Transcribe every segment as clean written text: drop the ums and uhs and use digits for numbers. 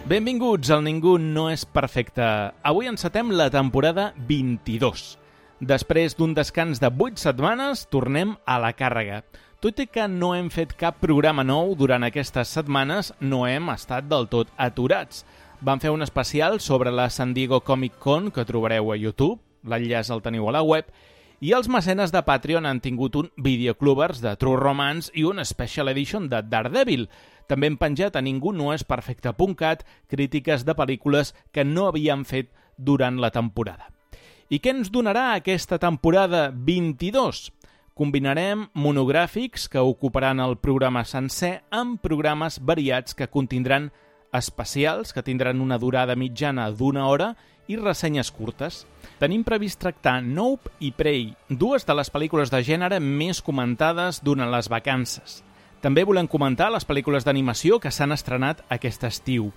Benvinguts al Ningú no és perfecte. Avui encetem la temporada 22. Després d'un descans de 8 setmanes, tornem a la càrrega. Tot i que no hem fet cap programa nou durant aquestes setmanes, no hem estat del tot aturats. Vam fer un especial sobre la San Diego Comic Con que trobareu a YouTube, l'enllaç el teniu a la web, i els mecenes de Patreon han tingut un Videoclubers de True Romance i un Special Edition de Daredevil. També hem penjat a ningunoesperfecte.cat crítiques de pel·lícules que no havíem fet durant la temporada. I què ens donarà aquesta temporada 22? Combinarem monogràfics que ocuparan el programa sencer amb programes variats que contindran especials, que tindran una durada mitjana d'1 hora, i ressenyes curtes. Tenim previst tractar Nope i Prey, dues de les pel·lícules de gènere més comentades durant les vacances. També volem comentar les pel·lícules d'animació que s'han estrenat aquest estiu.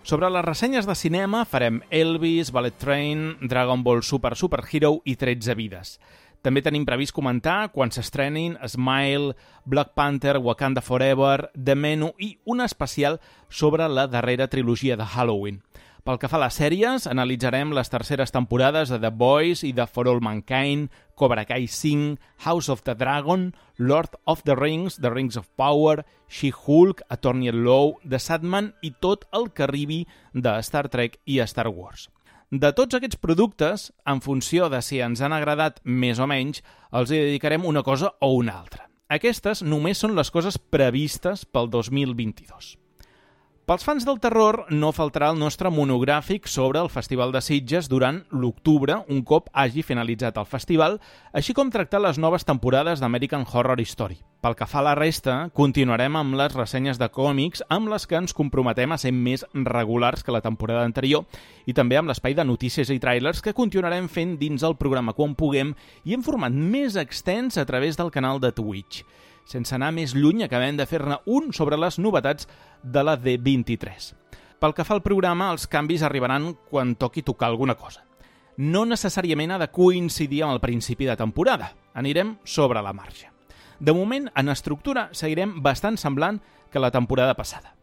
Sobre les ressenyes de cinema farem Elvis, Bullet Train, Dragon Ball Super Super Hero i 13 vides. També tenim previst comentar quan s'estrenin Smile, Black Panther, Wakanda Forever, The Menu i un especial sobre la darrera trilogia de Halloween. Pel que fa a les sèries, analitzarem les terceres temporades de The Boys i de For All Mankind, Cobra Kai 5, House of the Dragon, Lord of the Rings of Power, She-Hulk, Attorney at Law, The Sandman i tot el que arribi de Star Trek i Star Wars. De tots aquests productes, en funció de si ens han agradat més o menys, els hi dedicarem una cosa o una altra. Aquestes només són les coses previstes pel 2022. Pels fans del terror no faltarà el nostre monogràfic sobre el Festival de Sitges durant l'octubre, un cop hagi finalitzat el festival, així com tractar les noves temporades d'American Horror Story. Pel que fa a la resta, continuarem amb les ressenyes de còmics amb les que ens comprometem a ser més regulars que la temporada anterior i també amb l'espai de notícies i trailers que continuarem fent dins el programa quan puguem i en format més extens a través del canal de Twitch. Sense anar més lluny, acabem de fer-ne un sobre les novetats de la D23. Pel que fa al programa, els canvis arribaran quan toqui tocar alguna cosa. No necessàriament ha de coincidir amb el principi de temporada. Anirem sobre la marxa. De moment, en estructura, seguirem bastant semblant que la temporada passada.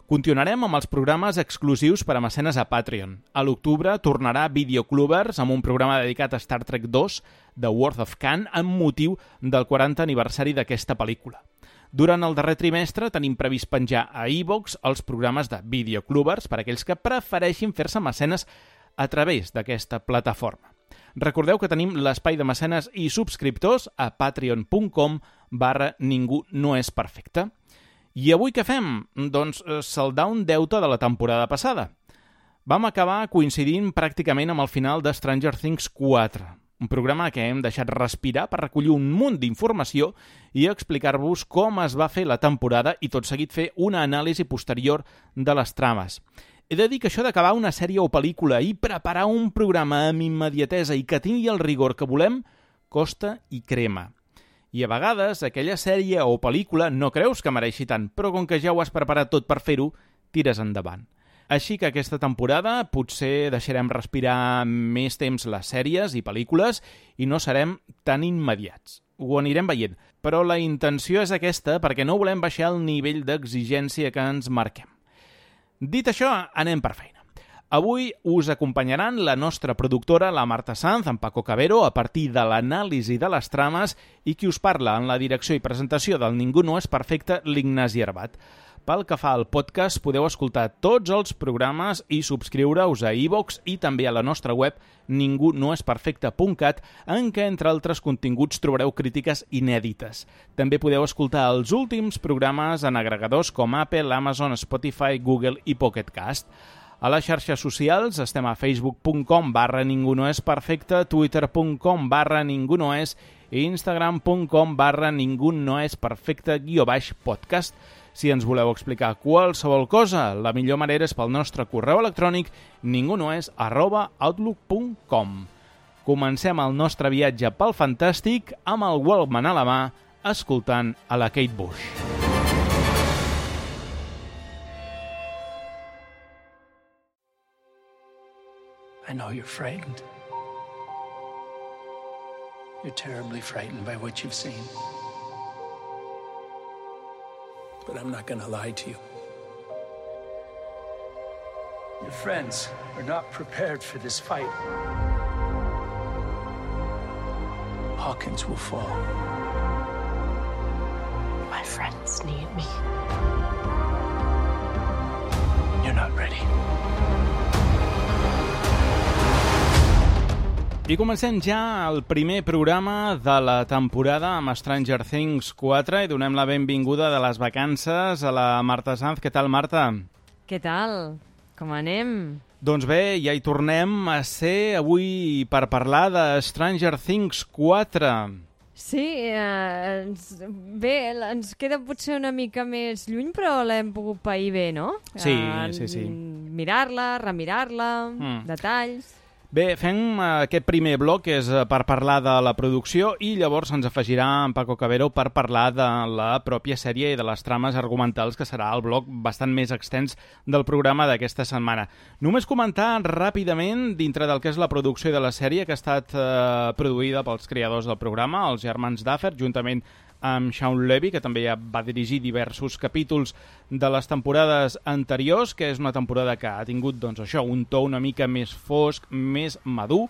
Continuarem amb els programes exclusius per a mecenes a Patreon. A l'octubre tornarà Videoclubers amb un programa dedicat a Star Trek 2, The World of Khan, amb motiu del 40 aniversari d'aquesta pel·lícula. Durant el darrer trimestre tenim previst penjar a iVoox els programes de Videoclubers per a aquells que prefereixin fer-se mecenes a través d'aquesta plataforma. Recordeu que tenim l'espai de mecenes i subscriptors a patreon.com/ningunoesperfecte. I avui què fem? Doncs saldar un deute de la temporada passada. Vam acabar coincidint pràcticament amb el final de Stranger Things 4, un programa que hem deixat respirar per recollir un munt d'informació i explicar-vos com es va fer la temporada i tot seguit fer una anàlisi posterior de les trames. He de dir que això d'acabar una sèrie o pel·lícula i preparar un programa amb immediatesa i que tingui el rigor que volem costa i crema. I a vegades aquella sèrie o pel·lícula no creus que mereixi tant, però com que ja ho has preparat tot per fer-ho, tires endavant. Així que aquesta temporada potser deixarem respirar més temps les sèries i pel·lícules i no serem tan immediats. Ho anirem veient, però la intenció és aquesta perquè no volem baixar el nivell d'exigència que ens marquem. Dit això, anem per feina. Avui us acompanyaran la nostra productora, la Marta Sanz, en Paco Cabero, a partir de l'anàlisi de les trames i qui us parla en la direcció i presentació del Ningú no és perfecte, l'Ignasi Herbat. Pel que fa al podcast, podeu escoltar tots els programes i subscriure-us a iVoox i també a la nostra web ningunoesperfecte.cat, en què, entre altres continguts, trobareu crítiques inèdites. També podeu escoltar els últims programes en agregadors com Apple, Amazon, Spotify, Google i Pocket Cast. A les xarxes socials estem a facebook.com/ningunoesperfecte, twitter.com/ningunoes i instagram.com/ningunoesperfecte_podcast. Si ens voleu explicar qualsevol cosa, la millor manera és pel nostre correu electrònic ningunoes@outlook.com. Comencem el nostre viatge pel fantàstic amb el Walkman a la mà, escoltant a la Kate Bush. I know you're frightened. You're terribly frightened by what you've seen. But I'm not going to lie to you. Your friends are not prepared for this fight. Hawkins will fall. My friends need me. You're not ready. I comencem ja el primer programa de la temporada amb Stranger Things 4 i donem la benvinguda de les vacances a la Marta Sanz. Què tal, Marta? Què tal? Com anem? Doncs bé, ja hi tornem a ser avui per parlar de Stranger Things 4. Sí, ens queda potser una mica més lluny, però l'hem pogut pair bé, no? Sí. Mirar-la, remirar-la, detalls... Bé, fem aquest primer bloc, que és per parlar de la producció, i llavors ens afegirà en Paco Cabero per parlar de la pròpia sèrie i de les trames argumentals, que serà el bloc bastant més extens del programa d'aquesta setmana. Només comentar ràpidament, dintre del que és la producció de la sèrie, que ha estat produïda pels creadors del programa, els germans Duffer, juntament amb Shawn Levy, que també ja va dirigir diversos capítols de les temporades anteriors, que és una temporada que ha tingut doncs, això, un to una mica més fosc, més madur,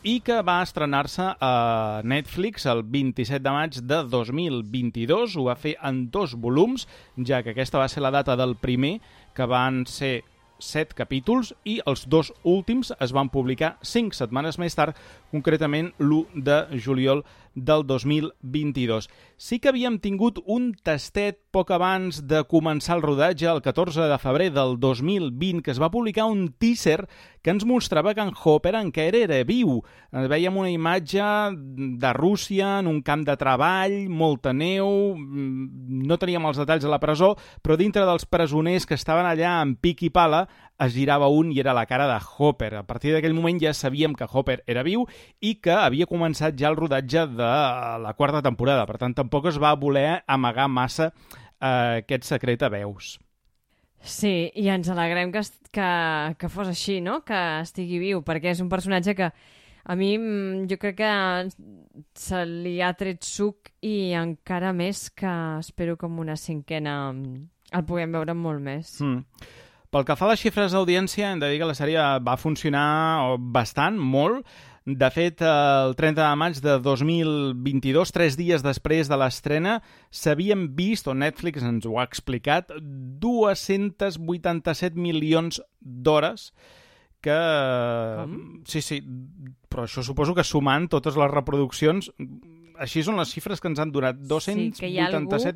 i que va estrenar-se a Netflix el 27 de maig de 2022. Ho va fer en 2 volums, ja que aquesta va ser la data del primer, que van ser 7 capítols, i els 2 últims es van publicar 5 setmanes més tard, concretament l'1 de juliol del 2022. Sí que havíem tingut un tastet poc abans de començar el rodatge, el 14 de febrer del 2020, que es va publicar un teaser que ens mostrava que en Hopper encara era viu. Veiem una imatge de Rússia en un camp de treball, molta neu, no teníem els detalls de la presó, però dintre dels presoners que estaven allà amb pic i pala es girava un i era la cara de Hopper. A partir d'aquell moment ja sabíem que Hopper era viu i que havia començat ja el rodatge de la 4ª temporada. Per tant, tampoc es va voler amagar massa aquest secret a veus. Sí, i ens alegrem que fos així, no? Que estigui viu, perquè és un personatge que a mi jo crec que se li ha tret suc i encara més que espero que amb una 5a el puguem veure molt més. Pel que fa a les xifres d'audiència, hem de dir que la sèrie va funcionar bastant, molt. De fet, el 30 de maig de 2022, 3 dies després de l'estrena, s'havien vist, o Netflix ens ho ha explicat, 287 milions d'hores que... Com? Sí, però això suposo que sumant totes les reproduccions... Així són les xifres que ens han donat, 287 milions d'hores. Sí, que hi ha algú que se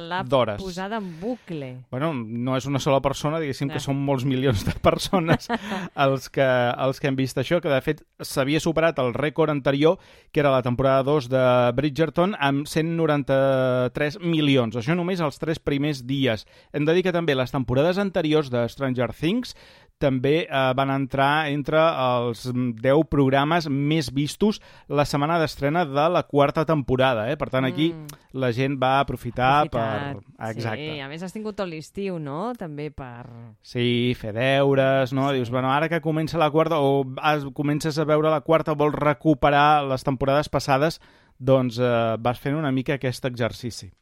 l'ha posada en bucle. Bueno, no és una sola persona, diguéssim que són molts milions de persones els que han vist això, que de fet s'havia superat el rècord anterior, que era la temporada 2 de Bridgerton, amb 193 milions. Això només els 3 primers dies. Hem de dir que també les temporades anteriors de Stranger Things també van entrar entre els 10 programes més vistos la setmana d'estrena de la 4ª temporada. Per tant, aquí la gent va aprofitar per... Exacte. Sí, a més has tingut tot l'estiu, no? També per... Sí, fer deures, no? Sí. Dius, bueno, ara que comença la 4ª o comences a veure la 4ª, vols recuperar les temporades passades, doncs vas fent una mica aquest exercici.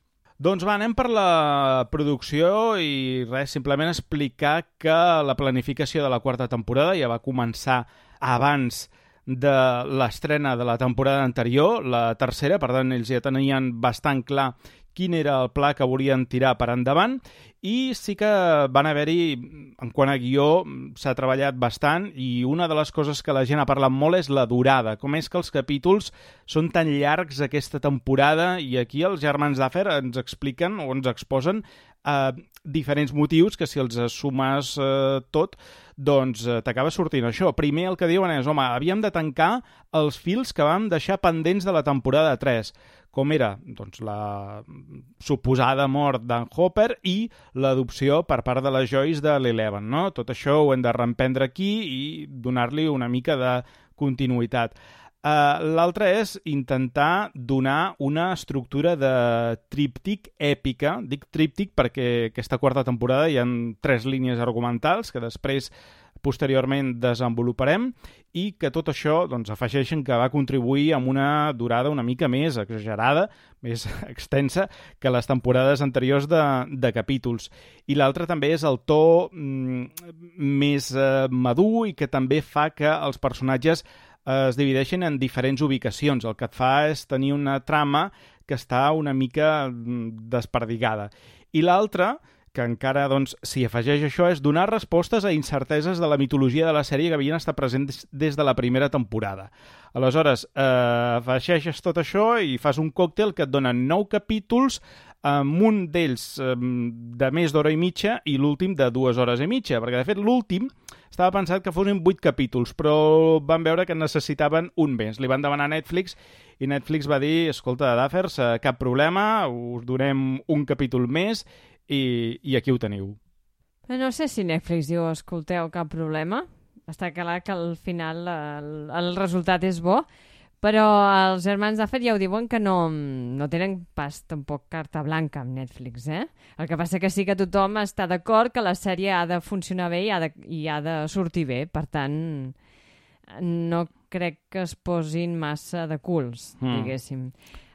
Doncs va, anem per la producció i res, simplement explicar que la planificació de la 4ª temporada ja va començar abans de l'estrena de la temporada anterior, la 3ª, per tant ells ja tenien bastant clar quin era el pla que volien tirar per endavant, i sí que van haver-hi, en quant a guió, s'ha treballat bastant, i una de les coses que la gent ha parlat molt és la durada, com és que els capítols són tan llargs aquesta temporada, i aquí els germans Duffer ens expliquen o ens exposen diferents motius que si els sumes tot, doncs t'acaba sortint això. Primer el que diuen és, home, havíem de tancar els fils que vam deixar pendents de la temporada 3, com era doncs, la suposada mort d'en Hopper i l'adopció per part de la Joyce de l'Eleven, no? Tot això ho hem de reemprendre aquí i donar-li una mica de continuïtat. L'altre és intentar donar una estructura de tríptic èpica. Dic tríptic perquè aquesta 4ª temporada hi ha 3 línies argumentals que després posteriorment desenvoluparem, i que tot això doncs, afegeixen que va contribuir amb una durada una mica més exagerada, més extensa que les temporades anteriors de capítols. I l'altre també és el to més madur i que també fa que els personatges es divideixen en diferents ubicacions. El que et fa és tenir una trama que està una mica desperdigada. I l'altre, que encara s'hi afegeix això, és donar respostes a incerteses de la mitologia de la sèrie que havien estat presents des de la primera temporada. Aleshores, afegeixes tot això i fas un còctel que et dona 9 capítols, amb un d'ells de més d'hora i mitja i l'últim de 2 hores i mitja, perquè de fet l'últim estava pensat que fossin 8 capítols, però van veure que necessitaven un més. Li van demanar a Netflix i Netflix va dir, escolta, Duffers, cap problema, us donem un capítol més i aquí ho teniu. No sé si Netflix diu, escolteu, cap problema. Està clar que al final el resultat és bo, però els germans Duffer ja ho diuen que no tenen pas tampoc carta blanca amb Netflix, eh? El que passa que sí que tothom està d'acord que la sèrie ha de funcionar bé i ha de sortir bé, per tant no crec que es posin massa de culs, diguéssim.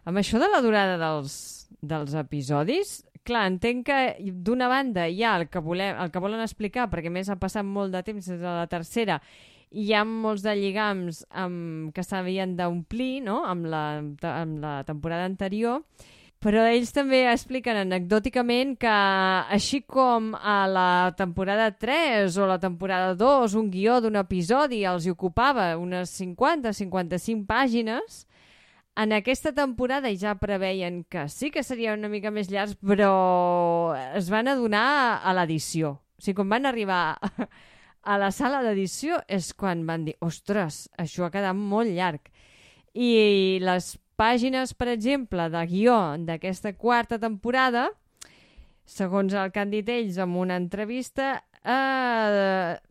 Amb això de la durada dels episodis, clar, entenc que d'una banda hi ha el que volen explicar, perquè més ha passat molt de temps des de la tercera, i hi ha molts de lligams que s'havien d'omplir, no?, amb la temporada anterior, però ells també expliquen anecdòticament que així com a la temporada 3 o la temporada 2 un guió d'un episodi els hi ocupava unes 50-55 pàgines, en aquesta temporada ja preveien que sí que seria una mica més llarg, però es van adonar a l'edició. O sigui, quan van arribar a la sala d'edició és quan van dir, ostres, això ha quedat molt llarg. I les pàgines, per exemple, de guió d'aquesta quarta temporada, segons el que han dit ells en una entrevista,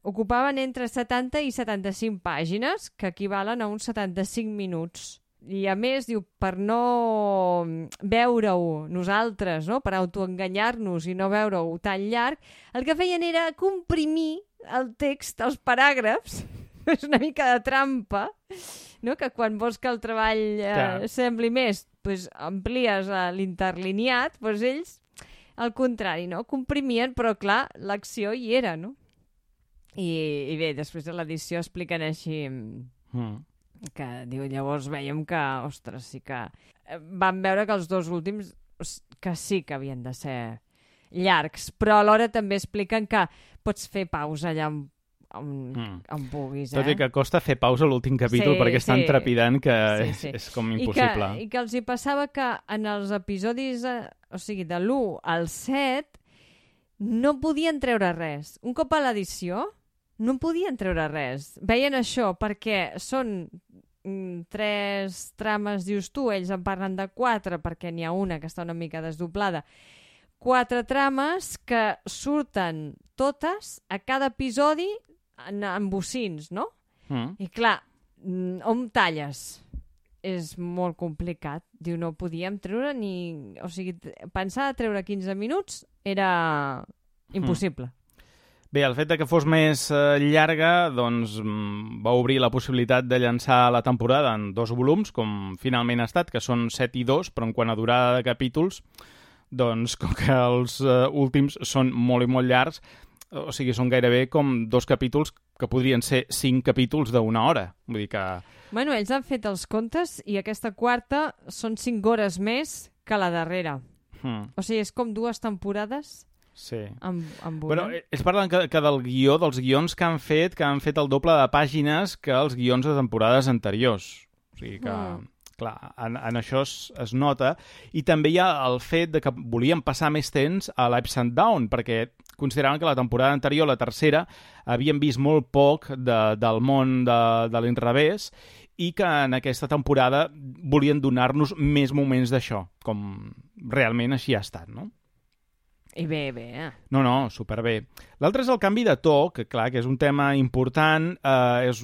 ocupaven entre 70 i 75 pàgines, que equivalen a uns 75 minuts. I a més, diu, per no veure-ho nosaltres, no?, per autoenganyar-nos i no veure-ho tan llarg, el que feien era comprimir el text, els paràgrafs, és una mica de trampa, no?, que quan vols que el treball sembli més, doncs amplies l'interlineat, doncs ells, al contrari, no?, comprimien, però clar, l'acció hi era, no? I bé, després de l'edició expliquen així... que diu, llavors veiem que, ostres, sí que van veure que els dos últims que sí que havien de ser llargs, però alhora també expliquen que pots fer pausa allà on puguis, Tot i que costa fer pausa a l'últim capítol perquè és tan trepidant que és com impossible. I que els hi passava que en els episodis, o sigui, de l'1 al 7 no podien treure res. Un cop a l'edició no podien treure res. Veien això perquè són 3 trames, dius tu, ells en parlen de 4 perquè n'hi ha una que està una mica desdoblada. 4 trames que surten totes a cada episodi en bocins, no? I clar, on talles? És molt complicat. Diu, no podíem treure ni... O sigui, pensar a treure 15 minuts era impossible. Bé, el fet de que fos més llarga doncs, va obrir la possibilitat de llançar la temporada en 2 volums, com finalment ha estat, que són 7 i 2, però en quant a durada de capítols, doncs com que els últims són molt i molt llargs, o sigui, són gairebé com 2 capítols que podrien ser 5 capítols d'1 hora. Vull dir que... Bueno, ells han fet els comptes i aquesta quarta són 5 hores més que la darrera. O sigui, és com 2 temporades... Sí. Amb una. Bueno, ells parlen que del guió, dels guions que han fet el doble de pàgines que els guions de temporades anteriors. O sigui que, clar, en això es nota. I també hi ha el fet de que volien passar més temps a l'Ups and Down, perquè consideraven que la temporada anterior, la tercera, havien vist molt poc del món de l'inrevés i que en aquesta temporada volien donar-nos més moments d'això, com realment així ha estat, no? I bé. No, superbé. L'altre és el canvi de to, que clar, que és un tema important, és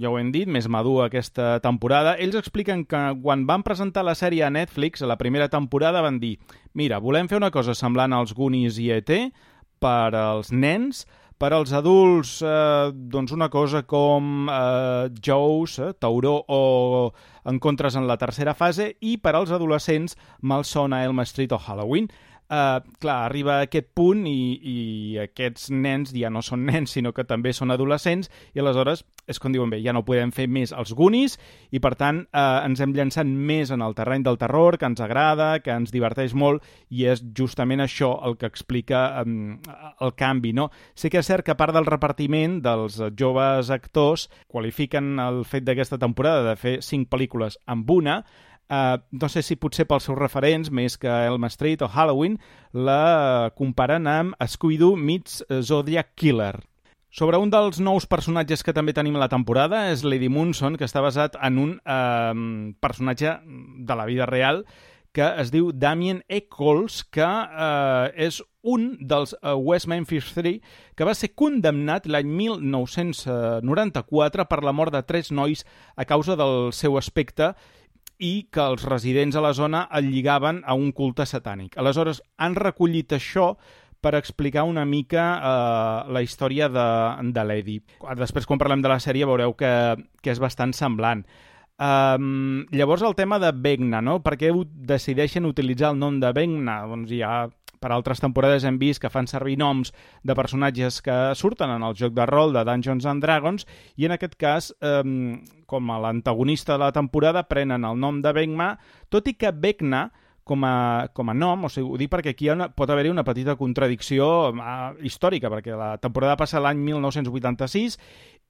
ja ho hem dit, més madur aquesta temporada. Ells expliquen que quan van presentar la sèrie a Netflix, a la primera temporada, van dir, mira, volem fer una cosa semblant als Goonies i E.T. per als nens, Per als adults, doncs una cosa com Jaws, Tauró o Encontres en la tercera fase, i per als adolescents, Malsona, Elm Street o Halloween. Clar, arriba a aquest punt i aquests nens ja no són nens, sinó que també són adolescents, i aleshores és com diuen bé, ja no podem fer més els Goonies, i per tant ens hem llançat més en el terreny del terror, que ens agrada, que ens diverteix molt, i és justament això el que explica el canvi, no? Sí que és cert que a part del repartiment dels joves actors qualifiquen el fet d'aquesta temporada de fer 5 pel·lícules amb una. No sé si potser pels seus referents, més que Elm Street o Halloween, la comparen amb Scooby-Doo meets Zodiac Killer. Sobre un dels nous personatges que també tenim a la temporada és Lady Munson, que està basat en un personatge de la vida real que es diu Damien Eccles, que és un dels West Memphis 3 que va ser condemnat l'any 1994 per la mort de 3 nois a causa del seu aspecte i que els residents a la zona el lligaven a un culte satànic. Aleshores, han recollit això per explicar una mica la història de l'Eddie. Després, quan parlem de la sèrie, veureu que és bastant semblant. Llavors, el tema de Vecna, no? Per què decideixen utilitzar el nom de Vecna? Doncs ja per altres temporades hem vist que fan servir noms de personatges que surten en el joc de rol de Dungeons and Dragons, i en aquest cas, com a l'antagonista de la temporada, prenen el nom de Vecna, tot i que Vecna, com a nom, o sigui, ho dic perquè aquí pot haver-hi una petita contradicció històrica, perquè la temporada passa l'any 1986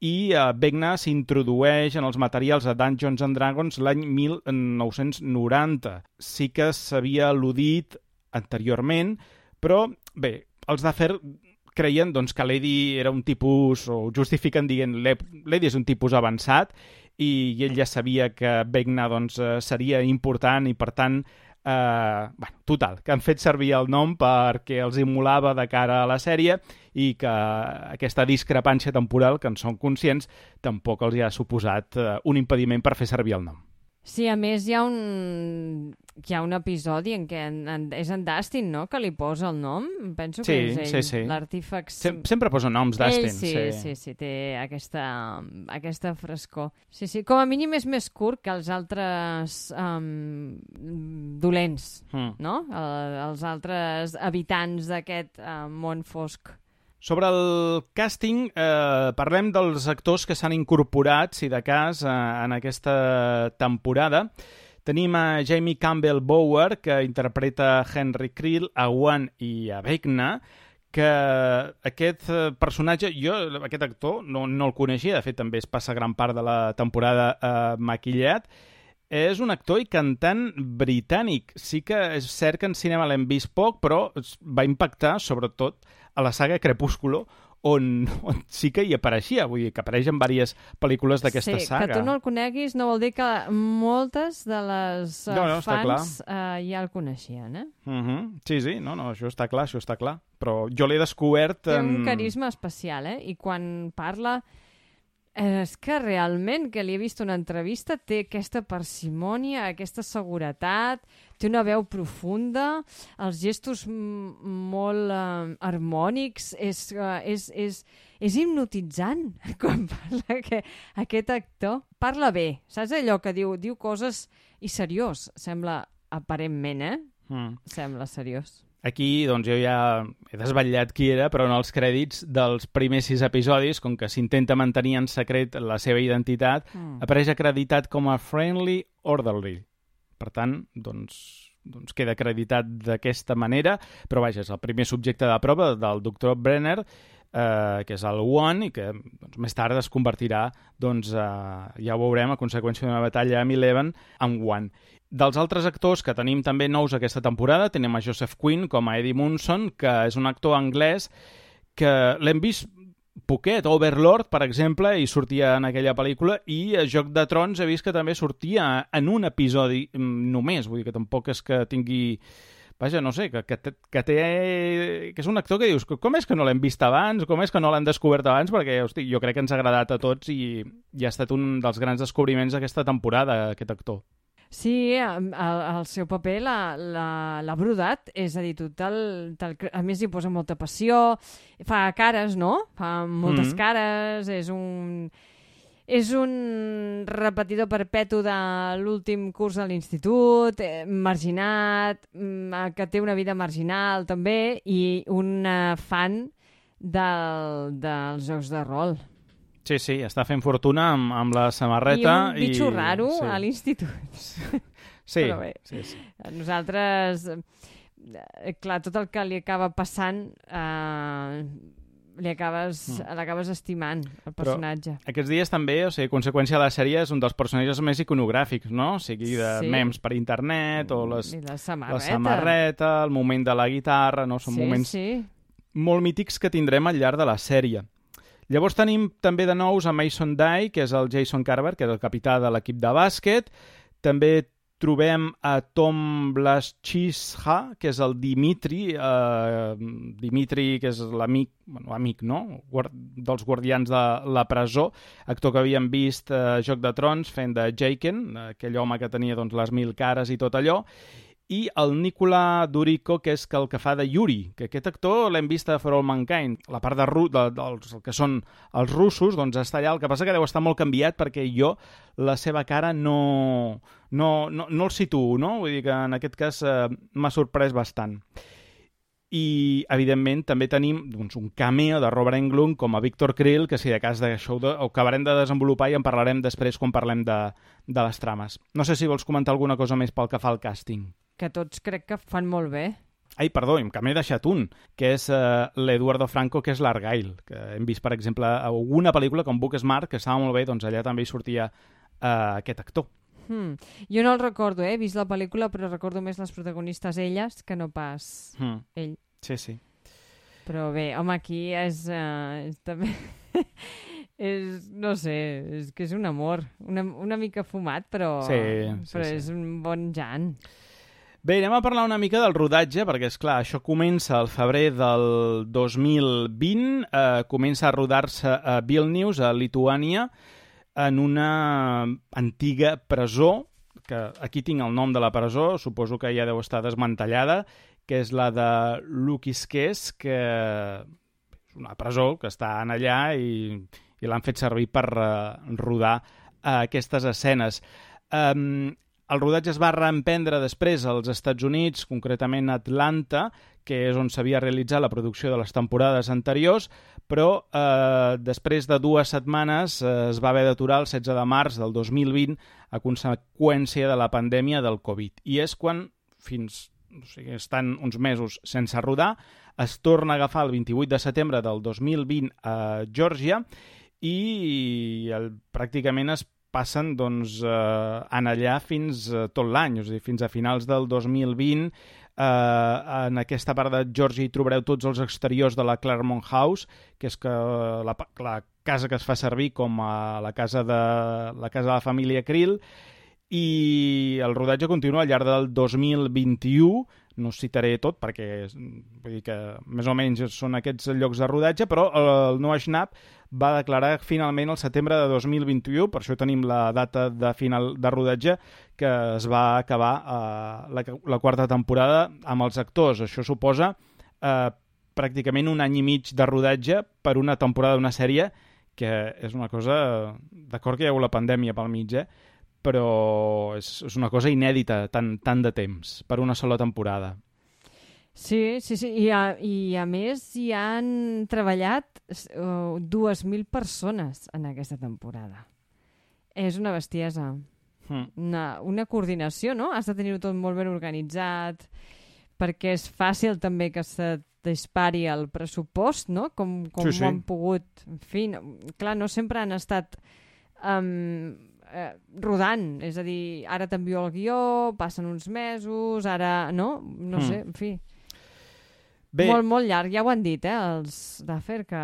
i Vecna s'introdueix en els materials de Dungeons and Dragons l'any 1990. Sí que s'havia al·ludit anteriorment, però bé, els d'Afer creien doncs, que l'Eddie era un tipus, o justifiquen dient l'Eddie és un tipus avançat, i ell ja sabia que Vecna doncs, seria important, i per tant total, que han fet servir el nom perquè els immolava de cara a la sèrie, i que aquesta discrepància temporal, que en són conscients, tampoc els hi ha suposat un impediment per fer servir el nom. Sí, a més hi ha un episodi en què és en Dustin, no?, que li posa el nom. Penso que és ell, sí. l'artífex. Sempre posa noms, Dustin. Sí, té aquesta frescor. Sí, com a mínim és més curt que els altres dolents, no? Els altres habitants d'aquest món fosc. Sobre el càsting, parlem dels actors que s'han incorporat, si de cas, en aquesta temporada. Tenim a Jamie Campbell Bower, que interpreta Henry Creel, a Wan i a Vecna, que aquest personatge, jo aquest actor no el coneixia, de fet també es passa gran part de la temporada maquillat. És un actor i cantant britànic. Sí que és cert que en cinema l'hem vist poc, però va impactar sobretot a la saga Crepúsculo, on sí que hi apareixia, vull dir que apareix en diverses pel·lícules d'aquesta saga. Sí, que tu no el coneguis no vol dir que moltes de les fans ja el coneixien, eh? Sí, no, això està clar, però jo l'he descobert... Té un carisma especial, eh? I quan parla... És que realment, que li he vist una entrevista, té aquesta parsimònia, aquesta seguretat, té una veu profunda, els gestos molt harmònics, és hipnotitzant quan parla aquest actor. Parla bé, saps allò que diu coses i seriós, sembla aparentment, Sembla seriós. Aquí, doncs, jo ja he desvetllat qui era, però en els crèdits dels primers 6 episodis, com que s'intenta mantenir en secret la seva identitat, apareix acreditat com a Friendly Orderly. Per tant, doncs queda acreditat d'aquesta manera, però vaja, és el primer subjecte de prova del Dr. Brenner, que és el One, i que més tard es convertirà, ja ho veurem, a conseqüència d'una batalla amb Eleven, en One. Dels altres actors que tenim també nous aquesta temporada, tenim a Joseph Quinn com a Eddie Munson, que és un actor anglès que l'hem vist poquet. Overlord, per exemple, i sortia en aquella pel·lícula, i a Joc de Trons he vist que també sortia en un episodi només, vull dir que tampoc és que tingui... Vaja, no sé, que és un actor que dius, com és que no l'hem vist abans, com és que no l'hem descobert abans, perquè hosti, jo crec que ens ha agradat a tots i ha estat un dels grans descobriments d'aquesta temporada, aquest actor. Sí, el seu paper l'ha brodat, és a dir, a més hi posa molta passió, fa cares, no? Fa moltes cares, és un repetidor perpetu de l'últim curs de l'institut, marginat, que té una vida marginal també, i un fan dels jocs de rol. Sí, està fent fortuna amb la samarreta. I un bitxo raro a l'institut. Sí. Però bé, nosaltres, clar, tot el que li acaba passant l'acabes estimant, el personatge. Però aquests dies també, o sigui, conseqüència de la sèrie, és un dels personatges més iconogràfics, no? O sigui, de memes per internet, o la samarreta, el moment de la guitarra, no? Són moments molt mítics que tindrem al llarg de la sèrie. Llavors tenim també de nous a Mason Dye, que és el Jason Carver, que és el capità de l'equip de bàsquet. També trobem a Tom Blaschisha, que és el Dimitri, que és l'amic, no? Dels guardians de la presó, actor que havíem vist a Joc de Trons fent de Jaqen, aquell home que tenia les 1000 cares i tot allò, i el Nikola Durico, que és el que fa de Yuri, que aquest actor l'hem vist a For All Mankind. La part dels que són els russos, doncs està allà. El que passa que deu estar molt canviat perquè jo la seva cara no el situo, no? Vull dir que en aquest cas m'ha sorprès bastant. I, evidentment, també tenim un cameo de Robert Englund com a Victor Krill, que si de cas d'això ho acabarem de desenvolupar i en parlarem després quan parlem de les trames. No sé si vols comentar alguna cosa més pel que fa al càsting. Que tots crec que fan molt bé. Ai, perdó, que m'he deixat un, que és l'Eduardo Franco, que és l'Argyle, que hem vist, per exemple, a alguna pel·lícula com Booksmart, que estava molt bé, doncs allà també hi sortia aquest actor. Jo no el recordo, he vist la pel·lícula, però recordo més les protagonistes elles que no pas ell. Sí. Però bé, home, aquí és també... no sé, és que és un amor, una mica fumat, però és un bon Jan. Bé, anem a parlar una mica del rodatge, perquè, és clar, això comença al febrer del 2020, comença a rodar-se a Vilnius, a Lituània, en una antiga presó, que aquí tinc el nom de la presó, suposo que ja deu estar desmantellada, que és la de Lukiškės, que és una presó que està allà i l'han fet servir per rodar aquestes escenes. El rodatge es va reemprendre després als Estats Units, concretament a Atlanta, que és on s'havia realitzat la producció de les temporades anteriors, però després de 2 setmanes es va haver d'aturar el 16 de març del 2020 a conseqüència de la pandèmia del Covid. I és quan, estan uns mesos sense rodar, es torna a agafar el 28 de setembre del 2020 a Geòrgia i pràcticament es passen en allà fins tot l'any, és a dir, fins a finals del 2020. En aquesta part de Geòrgia hi trobareu tots els exteriors de la Claremont House, que és la casa que es fa servir com a la casa de la família Krill, i el rodatge continua al llarg del 2021. No us citaré tot perquè vull dir que més o menys són aquests llocs de rodatge, però el Noah Schnapp va declarar finalment el setembre de 2021, per això tenim la data de final de rodatge, que es va acabar la 4ª temporada amb els actors. Això suposa pràcticament 1 any i mig de rodatge per una temporada d'una sèrie, que és una cosa... D'acord que hi ha hagut la pandèmia pel mig, però és una cosa inèdita, tant de temps, per una sola temporada. Sí, i a més hi han treballat 2.000 persones en aquesta temporada. És una bestiesa. Una coordinació, no? Has de tenir-ho tot molt ben organitzat, perquè és fàcil també que se dispari el pressupost, no? Com ho han pogut... En fi, clar, no sempre han estat... rodant, és a dir, ara t'envio el guió, passen uns mesos, ara, no? No sé, en fi. Bé. Molt llarg, ja ho han dit, els d'Afer, que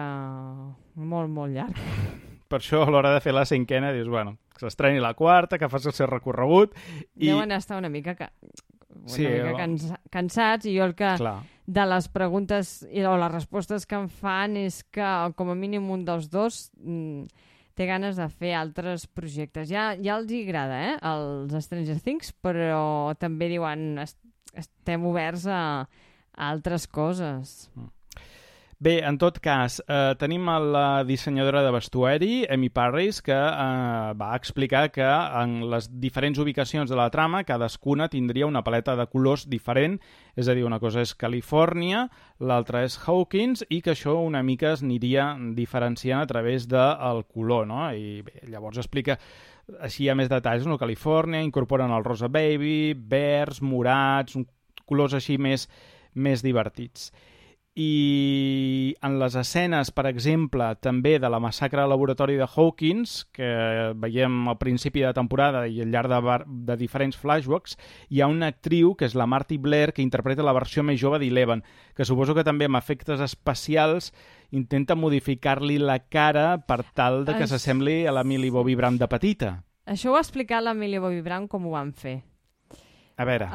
molt llarg. Per això, a l'hora de fer la 5ª, dius, bueno, que s'estreni la 4ª, que faci el seu recorregut... Deuen estar una mica cansats, i jo el que... Clar. De les preguntes o les respostes que em fan és que, com a mínim, un dels dos... té ganes de fer altres projectes. Ja els hi agrada, els Stranger Things, però també diuen estem oberts a altres coses. Bé, en tot cas, tenim la dissenyadora de vestuari, Amy Parris, que va explicar que en les diferents ubicacions de la trama cadascuna tindria una paleta de colors diferent, és a dir, una cosa és Califòrnia, l'altra és Hawkins, i que això una mica es aniria diferenciant a través del color, no? I bé, llavors explica així hi ha més detalls, no? Califòrnia, incorporen el rosa baby, verds, morats, colors així més divertits. I en les escenes, per exemple, també de la massacre al laboratori de Hawkins, que veiem al principi de temporada i al llarg de diferents flashbacks, hi ha una actriu, que és la Marty Blair, que interpreta la versió més jove d'Eleven, que suposo que també amb efectes especials intenta modificar-li la cara per tal de que s'assembli a la Millie Bobby Brown de petita. Això ho ha explicat la Millie Bobby Brown com ho van fer. A veure.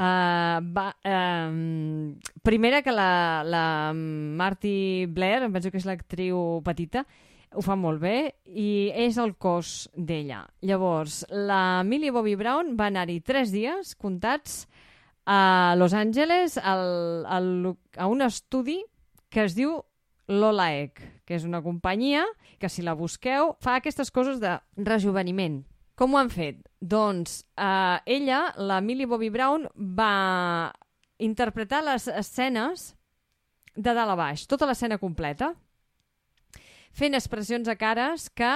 Primera que la Marty Blair, em penso que és l'actriu petita, ho fa molt bé i és el cos d'ella. Llavors, la Millie Bobby Brown va anar-hi 3 dies comptats a Los Angeles a un estudi que es diu Lola Egg, que és una companyia que, si la busqueu, fa aquestes coses de rejuveniment. Com ho han fet? Doncs ella, la Millie Bobby Brown, va interpretar les escenes de dalt a baix, tota l'escena completa, fent expressions a cares que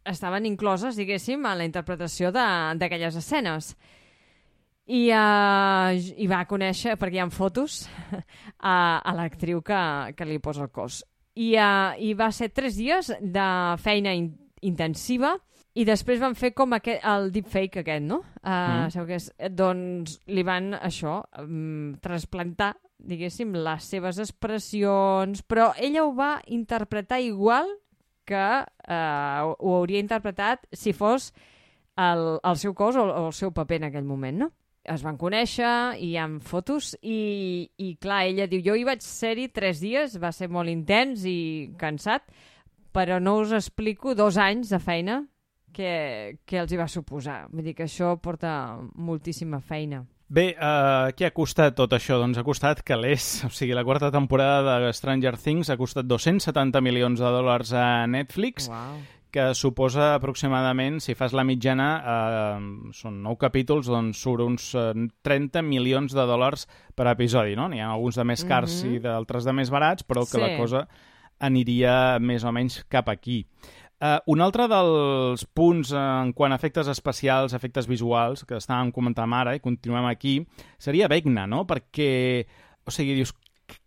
estaven incloses, diguéssim, a la interpretació d'aquelles escenes. I va conèixer, perquè hi ha fotos, a l'actriu que li posa el cos. I va ser 3 dies de feina intensiva. I després van fer com el deepfake aquest, no? Sabeu què és? Doncs li van, trasplantar, diguéssim, les seves expressions, però ella ho va interpretar igual que ho hauria interpretat si fos el seu cos o el seu paper en aquell moment, no? Es van conèixer i hi ha fotos i clar, ella diu, jo hi vaig ser-hi 3 dies, va ser molt intens i cansat, però no us explico 2 anys de feina que els hi va suposar. Vull dir que això porta moltíssima feina. Bé, què ha costat tot això? Doncs ha costat calés. O sigui, la 4ª temporada de Stranger Things ha costat $270 milions a Netflix, que suposa aproximadament, si fas la mitjana, són 9 capítols, doncs surt uns $30 milions per episodi, no? N'hi ha alguns de més cars i d'altres de més barats, però que la cosa aniria més o menys cap aquí. Un altre dels punts en quant a efectes especials, efectes visuals, que estàvem comentant ara i continuem aquí, seria Vecna, no? Perquè, o sigui, dius,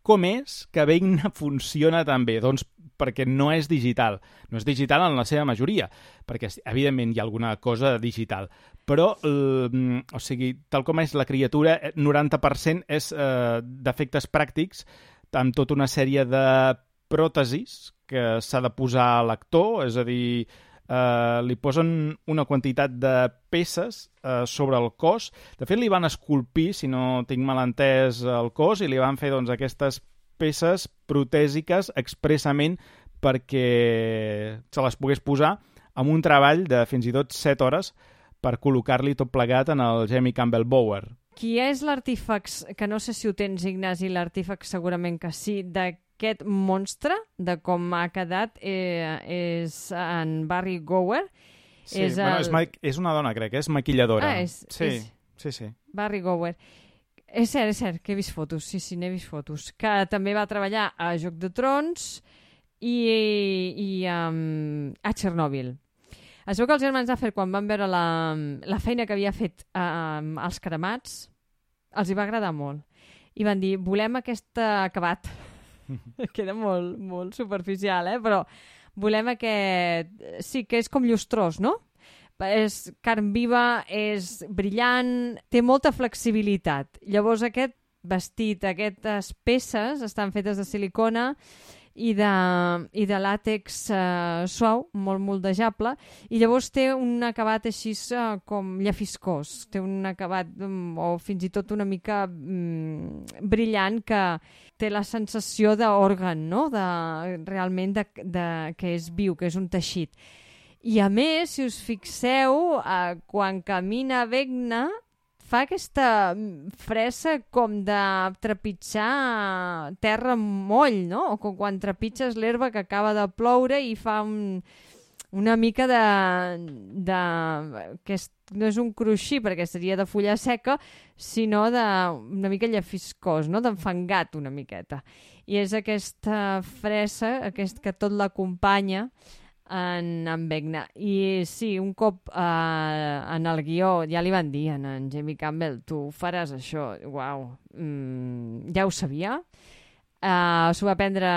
com és que Vecna funciona tan bé? Doncs perquè no és digital. No és digital en la seva majoria, perquè, evidentment, hi ha alguna cosa digital. Però, o sigui, tal com és la criatura, 90% és d'efectes pràctics, amb tota una sèrie de pròtesis que s'ha de posar a l'actor, és a dir, li posen una quantitat de peces sobre el cos. De fet, li van esculpir, si no tinc mal entès, el cos i li van fer doncs, aquestes peces protèsiques expressament perquè se les pogués posar amb un treball de fins i tot 7 hores per col·locar-li tot plegat en el Jamie Campbell Bower. Qui és l'artífex, que no sé si ho tens, Ignasi, l'artífex segurament que sí, d'aquest monstre, de com ha quedat, és en Barry Gower. Sí, és una dona, crec, és maquilladora. Sí. Barry Gower. És cert, que he vist fotos, sí, n'he vist fotos. Que també va treballar a Joc de Trons i a Chernobyl. Es veu que els germans Duffer, quan van veure la feina que havia fet als cremats, els hi va agradar molt. I van dir, volem aquest acabat. Queda molt, molt superficial, però volem aquest... Sí, que és com llustrós, no? És carn viva, és brillant, té molta flexibilitat. Llavors aquest vestit, aquestes peces estan fetes de silicona i de làtex suau, molt moldejable, i llavors té un acabat així com llefiscós, té un acabat o fins i tot una mica brillant, que té la sensació d'òrgan, no? Realment que és viu, que és un teixit. I a més, si us fixeu, quan camina Vecna, fa aquesta fressa com de trepitjar terra amb moll, no? O com quan trepitges l'herba que acaba de ploure i fa una mica no és un cruixir perquè seria de fulla seca, sinó una mica llefiscós, no? D'enfangat una miqueta. I és aquesta fressa que tot l'acompanya en Vecna. I sí, un cop en el guió ja li van dir en Jamie Campbell, tu faràs això, uau, ja ho sabia, s'ho va prendre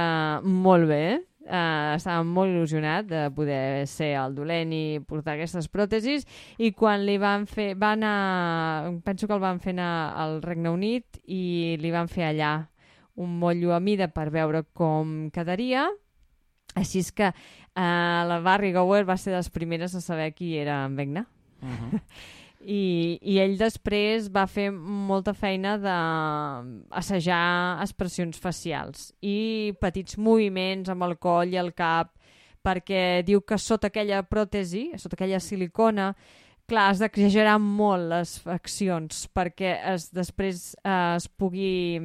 molt bé, estava molt il·lusionat de poder ser el dolent i portar aquestes pròtesis, i quan li van fer, penso que el van fer anar al Regne Unit i li van fer allà un motllo a mida per veure com quedaria. Així és que la Barry Gower va ser de les primeres a saber qui era en Vecna. I ell després va fer molta feina d'assajar expressions facials i petits moviments amb el coll i el cap, perquè diu que sota aquella pròtesi, sota aquella silicona, clar, has d'exagerar molt les accions perquè després es pugui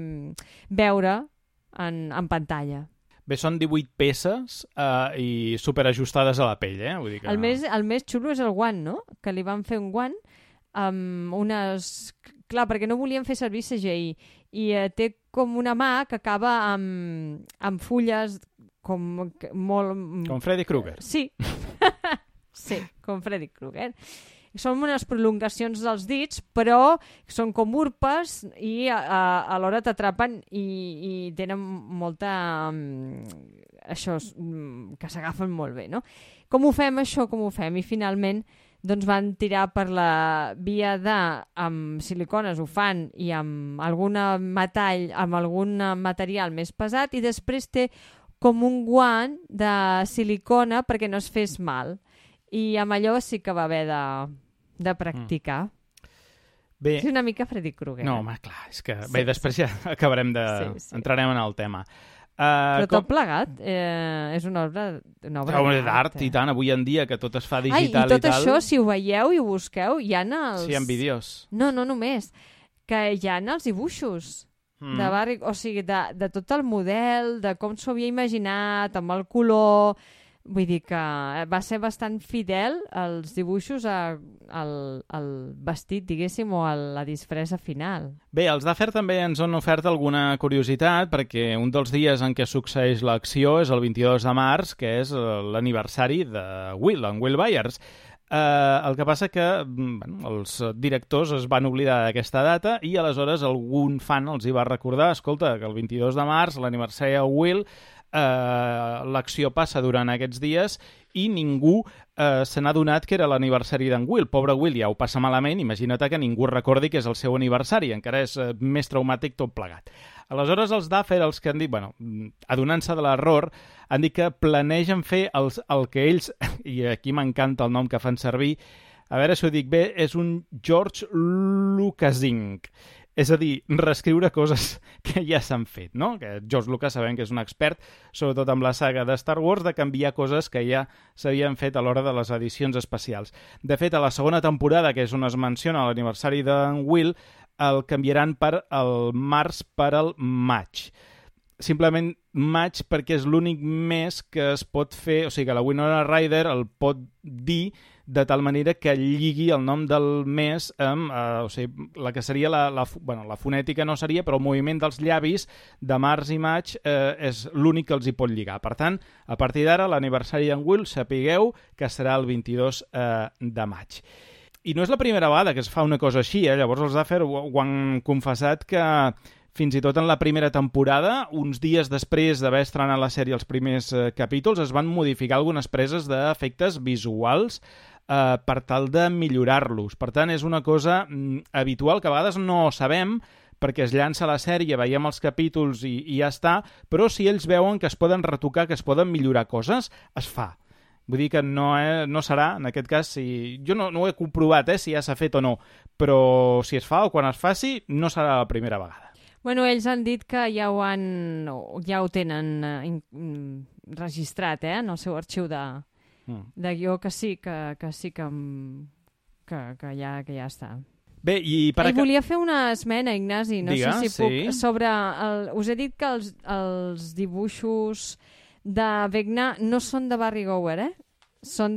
veure en pantalla. Bé, són 18 peces i superajustades a la pell, Vull dir que... El més xulo és el guant, no? Que li van fer un guant amb unes... Clar, perquè no volien fer servir CGI. I té com una mà que acaba amb fulles com molt... Com Freddy Krueger. Sí. Sí, com Freddy Krueger. Són unes prolongacions dels dits, però són com urpes i alhora t'atrapen i tenen molta... això, que s'agafen molt bé, no? Com ho fem, això? Com ho fem? I finalment doncs van tirar per la via amb silicones ho fan i amb algun metall, amb algun material més pesat, i després té com un guant de silicona perquè no es fes mal. I amb allò sí que va haver de practicar. Bé, és una mica Freddy Krueger. No, home, clar, és que... Bé, després ja acabarem entrarem en el tema. Però tot plegat és una obra d'art, i tant, avui en dia, que tot es fa digital i tal... I tot això, si ho veieu i ho busqueu, hi ha els... Sí, hi ha vídeos. No només, que hi ha els dibuixos de Barry, o sigui, de tot el model, de com s'ho havia imaginat, amb el color... Vull dir que va ser bastant fidel als dibuixos al vestit, diguéssim, o a la disfressa final. Bé, els Duffer també ens han ofert alguna curiositat, perquè un dels dies en què succeeix l'acció és el 22 de març, que és l'aniversari de Will, en Will Byers. El que passa que els directors es van oblidar d'aquesta data i aleshores algun fan els hi va recordar, escolta, que el 22 de març, l'aniversari de Will... l'acció passa durant aquests dies i ningú se n'ha adonat que era l'aniversari d'en Will. Pobre Will ja ho passa malament, imagina't que ningú recordi que és el seu aniversari, encara és més traumàtic tot plegat. Aleshores els Duffer, els que han dit, adonant-se de l'error, han dit que planegen fer el que ells, i aquí m'encanta el nom que fan servir, a veure si ho dic bé, és un George Lucasing. És a dir, reescriure coses que ja s'han fet, no? Que George Lucas sabem que és un expert, sobretot amb la saga de Star Wars, de canviar coses que ja s'havien fet a l'hora de les edicions especials. De fet, a la segona temporada, que és on es menciona l'aniversari d'en Will, el canviaran per el març per al maig. Simplement maig perquè és l'únic mes que es pot fer, o sigui que la Winona Ryder el pot dir de tal manera que lligui el nom del mes amb, o sigui, la que seria la fonètica no seria, però el moviment dels llavis de març i maig és l'únic que els hi pot lligar. Per tant, a partir d'ara, l'aniversari d'en Will, sapigueu que serà el 22 de maig. I no és la primera vegada que es fa una cosa així, llavors els Duffer ho han confessat que fins i tot en la primera temporada, uns dies després d'haver estrenat la sèrie els primers capítols, es van modificar algunes preses d'efectes visuals per tal de millorar-los. Per tant, és una cosa habitual que a vegades no sabem perquè es llança la sèrie, veiem els capítols i ja està, però si ells veuen que es poden retocar, que es poden millorar coses, es fa. Vull dir que no serà, en aquest cas, jo no ho he comprovat si ja s'ha fet o no, però si es fa o quan es faci, no serà la primera vegada. Bueno, ells han dit que ja ho tenen registrat en el seu arxiu de guió que sí, que sí que ja està. Bé, i volia fer una esmena, Ignasi, no Digues, sé si puc, sí. sobre... Us he dit que els dibuixos de Vecna no són de Barry Gower, són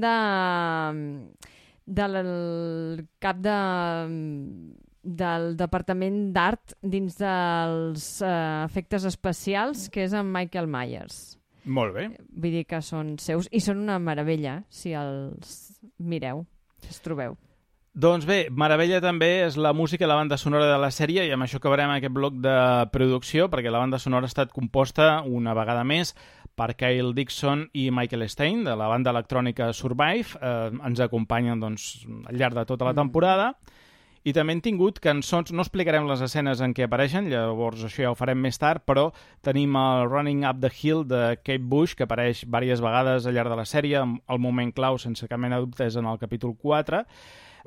del cap del Departament d'Art dins dels efectes especials, que és en Michael Myers. Molt bé. Vull dir que són seus, i són una meravella, si els mireu, si els trobeu. Doncs bé, meravella també és la música i la banda sonora de la sèrie, i amb això acabarem aquest bloc de producció, perquè la banda sonora ha estat composta una vegada més per Kyle Dixon i Michael Stein, de la banda electrònica Survive. Ens acompanyen doncs, al llarg de tota la temporada. I també hem tingut cançons, no explicarem les escenes en què apareixen, llavors això ja ho farem més tard, però tenim el Running Up the Hill de Kate Bush, que apareix diverses vegades al llarg de la sèrie, el moment clau, sense cap mena de dubtes, en el capítol 4.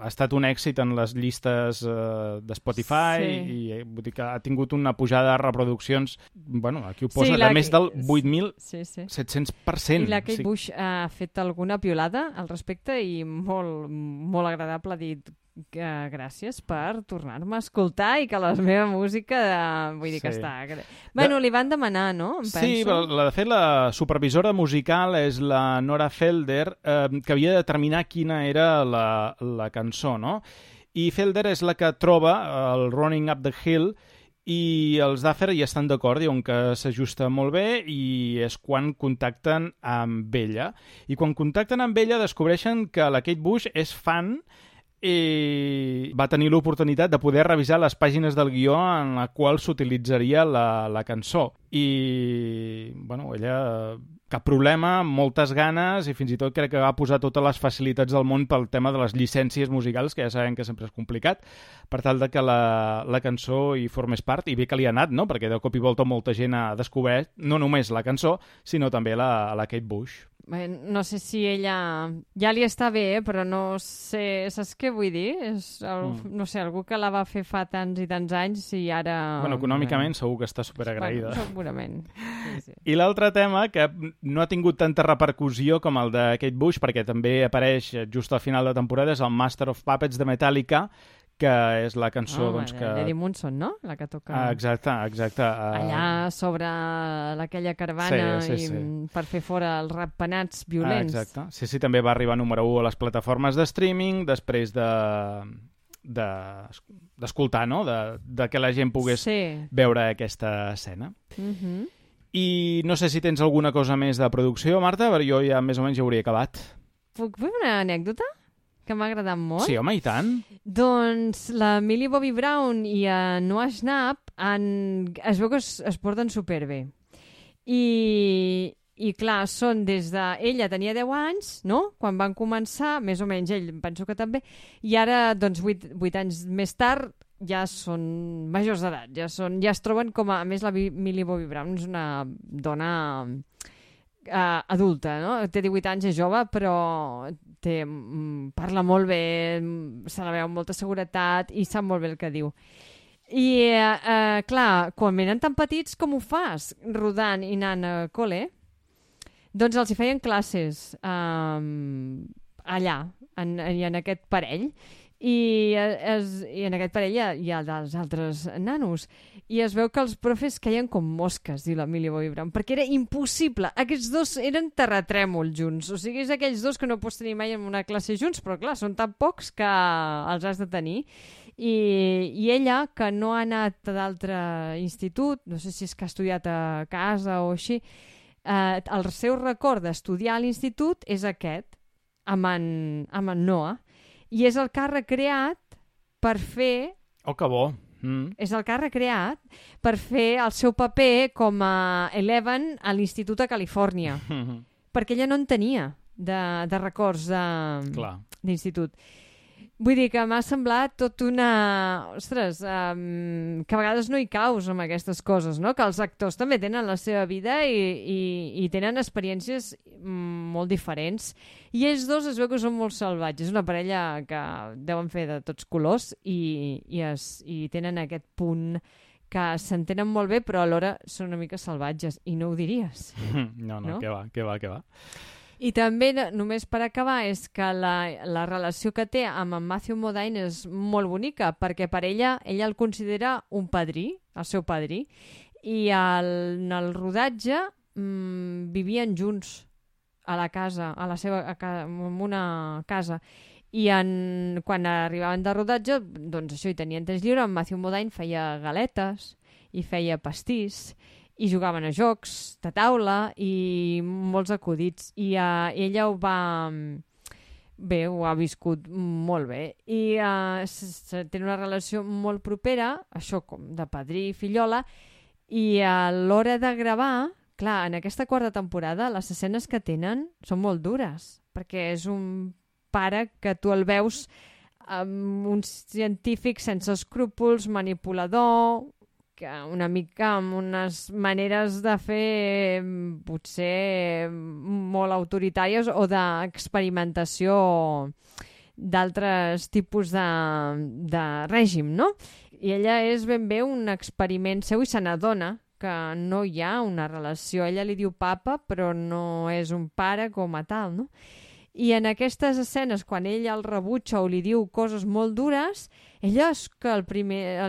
Ha estat un èxit en les llistes de Spotify i vull dir que ha tingut una pujada de reproduccions, bueno, aquí ho posa, de més del 8.700%. I la Kate Bush ha fet alguna piolada al respecte i molt, molt agradable, ha dit gràcies per tornar-me a escoltar i que la meva música vull dir que està... Bueno, li van demanar, no? Sí, de fet la supervisora musical és la Nora Felder, que havia de determinar quina era la cançó, no? I Felder és la que troba el Running Up the Hill i els Duffer hi estan d'acord, diuen que s'ajusta molt bé, i és quan contacten amb ella. I quan contacten amb ella descobreixen que la Kate Bush és fan i va tenir l'oportunitat de poder revisar les pàgines del guió en la qual s'utilitzaria la cançó. I, bueno, ella, cap problema, moltes ganes, i fins i tot crec que va posar totes les facilitats del món pel tema de les llicències musicals, que ja sabem que sempre és complicat, per tal de que la cançó hi formés part, i bé que li ha anat, no? Perquè de cop i volta molta gent ha descobert no només la cançó, sinó també la Kate Bush. No sé si ella ja li està bé, però no sé, saps què vull dir? No sé, algú que la va fer fa tants i tants anys i ara... Bueno, econòmicament segur que està superagraïda. Bueno, segurament. Sí. I l'altre tema, que no ha tingut tanta repercussió com el de Kate Bush, perquè també apareix just al final de temporada, és el Master of Puppets de Metallica, que és la cançó que... Eddie Munson, no? La que toca... Exacte. Allà sobre aquella caravana i per fer fora els ratpenats violents. Exacte. Sí, també va arribar número 1 a les plataformes de streaming després d'escoltar, no? De que la gent pogués veure aquesta escena. I no sé si tens alguna cosa més de producció, Marta, però jo ja més o menys ja hauria acabat. Puc fer una anècdota? Que m'ha agradat molt. Sí, home, i tant. Doncs la Millie Bobby Brown i Noah Schnapp es veu que es porten superbé. I clar, són des de... Ella tenia 10 anys, no?, quan van començar, més o menys ell, penso que també, i ara, doncs, 8 anys més tard, ja són majors d'edat, ja es troben com a més la Millie Bobby Brown és una dona adulta, no? Té 18 anys, és jove, però parla molt bé, se la veu amb molta seguretat i sap molt bé el que diu. I, clar, quan venen tan petits, com ho fas? Rodant i anant a col·le? Doncs els hi feien classes allà, en aquest parell. I en aquest parell hi ha dels altres nanos. I es veu que els profes caien com mosques, diu la Millie Bobby Brown, perquè era impossible. Aquests dos eren terratrèmols junts. O sigui, és aquells dos que no pots tenir mai en una classe junts, però clar, són tan pocs que els has de tenir. I ella, que no ha anat a d'altre institut, no sé si és que ha estudiat a casa o així, el seu record d'estudiar a l'institut és aquest, amb en Noah. I és el que ha recreat per fer... Oh, que bo! És el que ha recreat per fer el seu paper com a Eleven a l'Institut a Califòrnia. Perquè ella no en tenia de records d'institut. Vull dir que m'ha semblat tot una... Ostres, que a vegades no hi caus amb aquestes coses, no? Que els actors també tenen la seva vida i tenen experiències molt diferents. I ells dos es veu que són molt salvatges. És una parella que deuen fer de tots colors i tenen aquest punt que s'entenen molt bé, però alhora són una mica salvatges. I no ho diries. No, què va. I també, només per acabar, és que la relació que té amb en Matthew Modine és molt bonica, perquè per ella el considera un padrí, el seu padrí, i en el rodatge vivien junts a la casa, en una casa. I quan arribaven de rodatge, doncs això, hi tenien temps lliure, en Matthew Modine feia galetes i feia pastís, i jugaven a jocs de taula i molts acudits. I ella ho ha viscut molt bé. I tenen una relació molt propera, això com de padrí i fillola, i a l'hora de gravar, clar, en aquesta quarta temporada les escenes que tenen són molt dures, perquè és un pare que tu el veus amb un científic sense escrúpols, manipulador, que una mica amb unes maneres de fer potser molt autoritàries o d'experimentació d'altres tipus de règim, no? I ella és ben bé un experiment seu i se n'adona que no hi ha una relació. Ella li diu papa, però no és un pare com a tal, no? I en aquestes escenes, quan ell el rebutja o li diu coses molt dures, ella és que a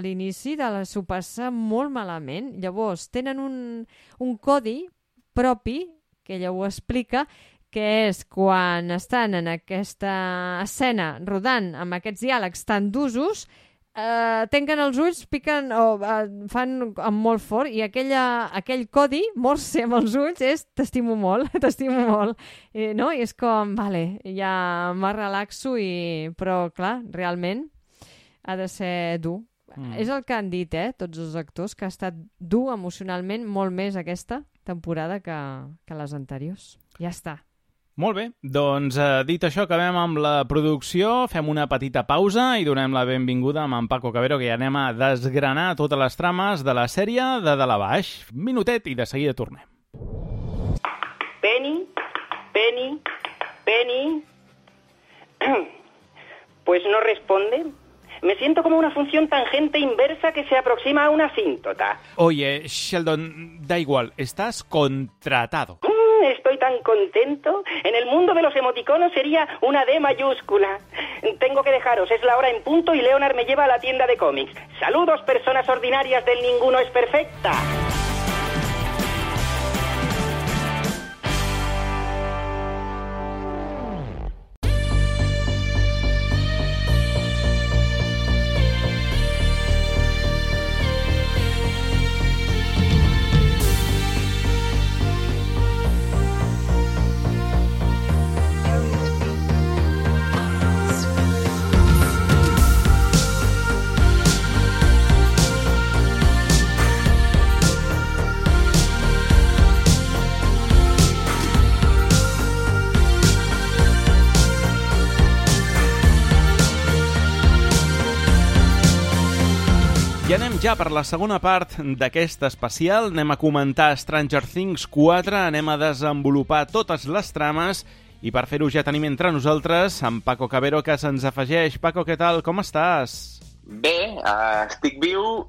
l'inici s'ho passa molt malament. Llavors, tenen un codi propi, que ella ho explica, que és quan estan en aquesta escena rodant amb aquests diàlegs tan d'usos, tanquen els ulls, piquen o fan amb molt fort, i aquell codi morse amb els ulls és t'estimo molt, no? I és com, vale, ja me relaxo, però clar, realment ha de ser dur. És el que han dit, tots els actors, que ha estat dur emocionalment molt més aquesta temporada que les anteriors. Ja està. Molt bé, doncs dit això, acabem amb la producció, fem una petita pausa i donem la benvinguda a en Paco Cabero, que ja anem a desgranar totes les trames de la sèrie de dalt a baix. Minutet i de seguida tornem. Penny. Pues no responde. Me siento como una función tangente inversa que se aproxima a una asíntota. Oye, Sheldon, da igual, estás contratado. Estoy tan contento. En el mundo de los emoticonos sería una D mayúscula. Tengo que dejaros, es la hora en punto y Leonard me lleva a la tienda de cómics. Saludos, personas ordinarias del Ninguno es Perfecta. I anem ja per la segona part d'aquest especial. Anem a comentar Stranger Things 4, anem a desenvolupar totes les trames i per fer-ho ja tenim entre nosaltres en Paco Cabero, que se'ns afegeix. Paco, què tal? Com estàs? Bé, estic viu,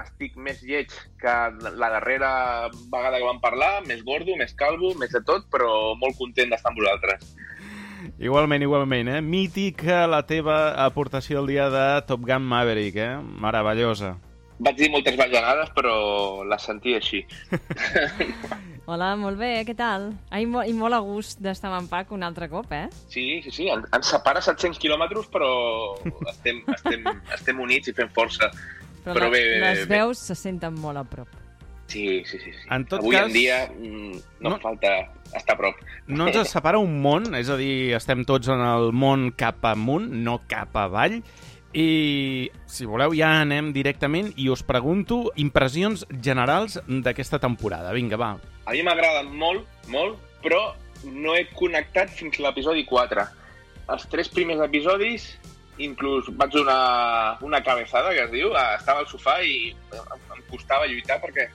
estic més lleig que la darrera vegada que vam parlar, més gordo, més calvo, més de tot, però molt content d'estar amb vosaltres. Igualment, Mític la teva aportació el dia de Top Gun Maverick, meravellosa. Vaig dir moltes bajanades, però les sentia així. Hola, molt bé, què tal? I molt a gust d'estar amb en Pac un altre cop, Sí, ens separa 700 quilòmetres, però estem units i fem força. Però les veus se senten molt a prop. Sí. En tot Avui cas, en dia no falta estar a prop. No ens separa un món, és a dir, estem tots en el món cap amunt, no cap avall. I, si voleu, ja anem directament i us pregunto impressions generals d'aquesta temporada. Vinga, va. A mi m'agrada molt, però no he connectat fins a l'episodi 4. Els 3 primers episodis, inclús vaig donar una cabeçada, que es diu, estava al sofà i em costava lluitar perquè,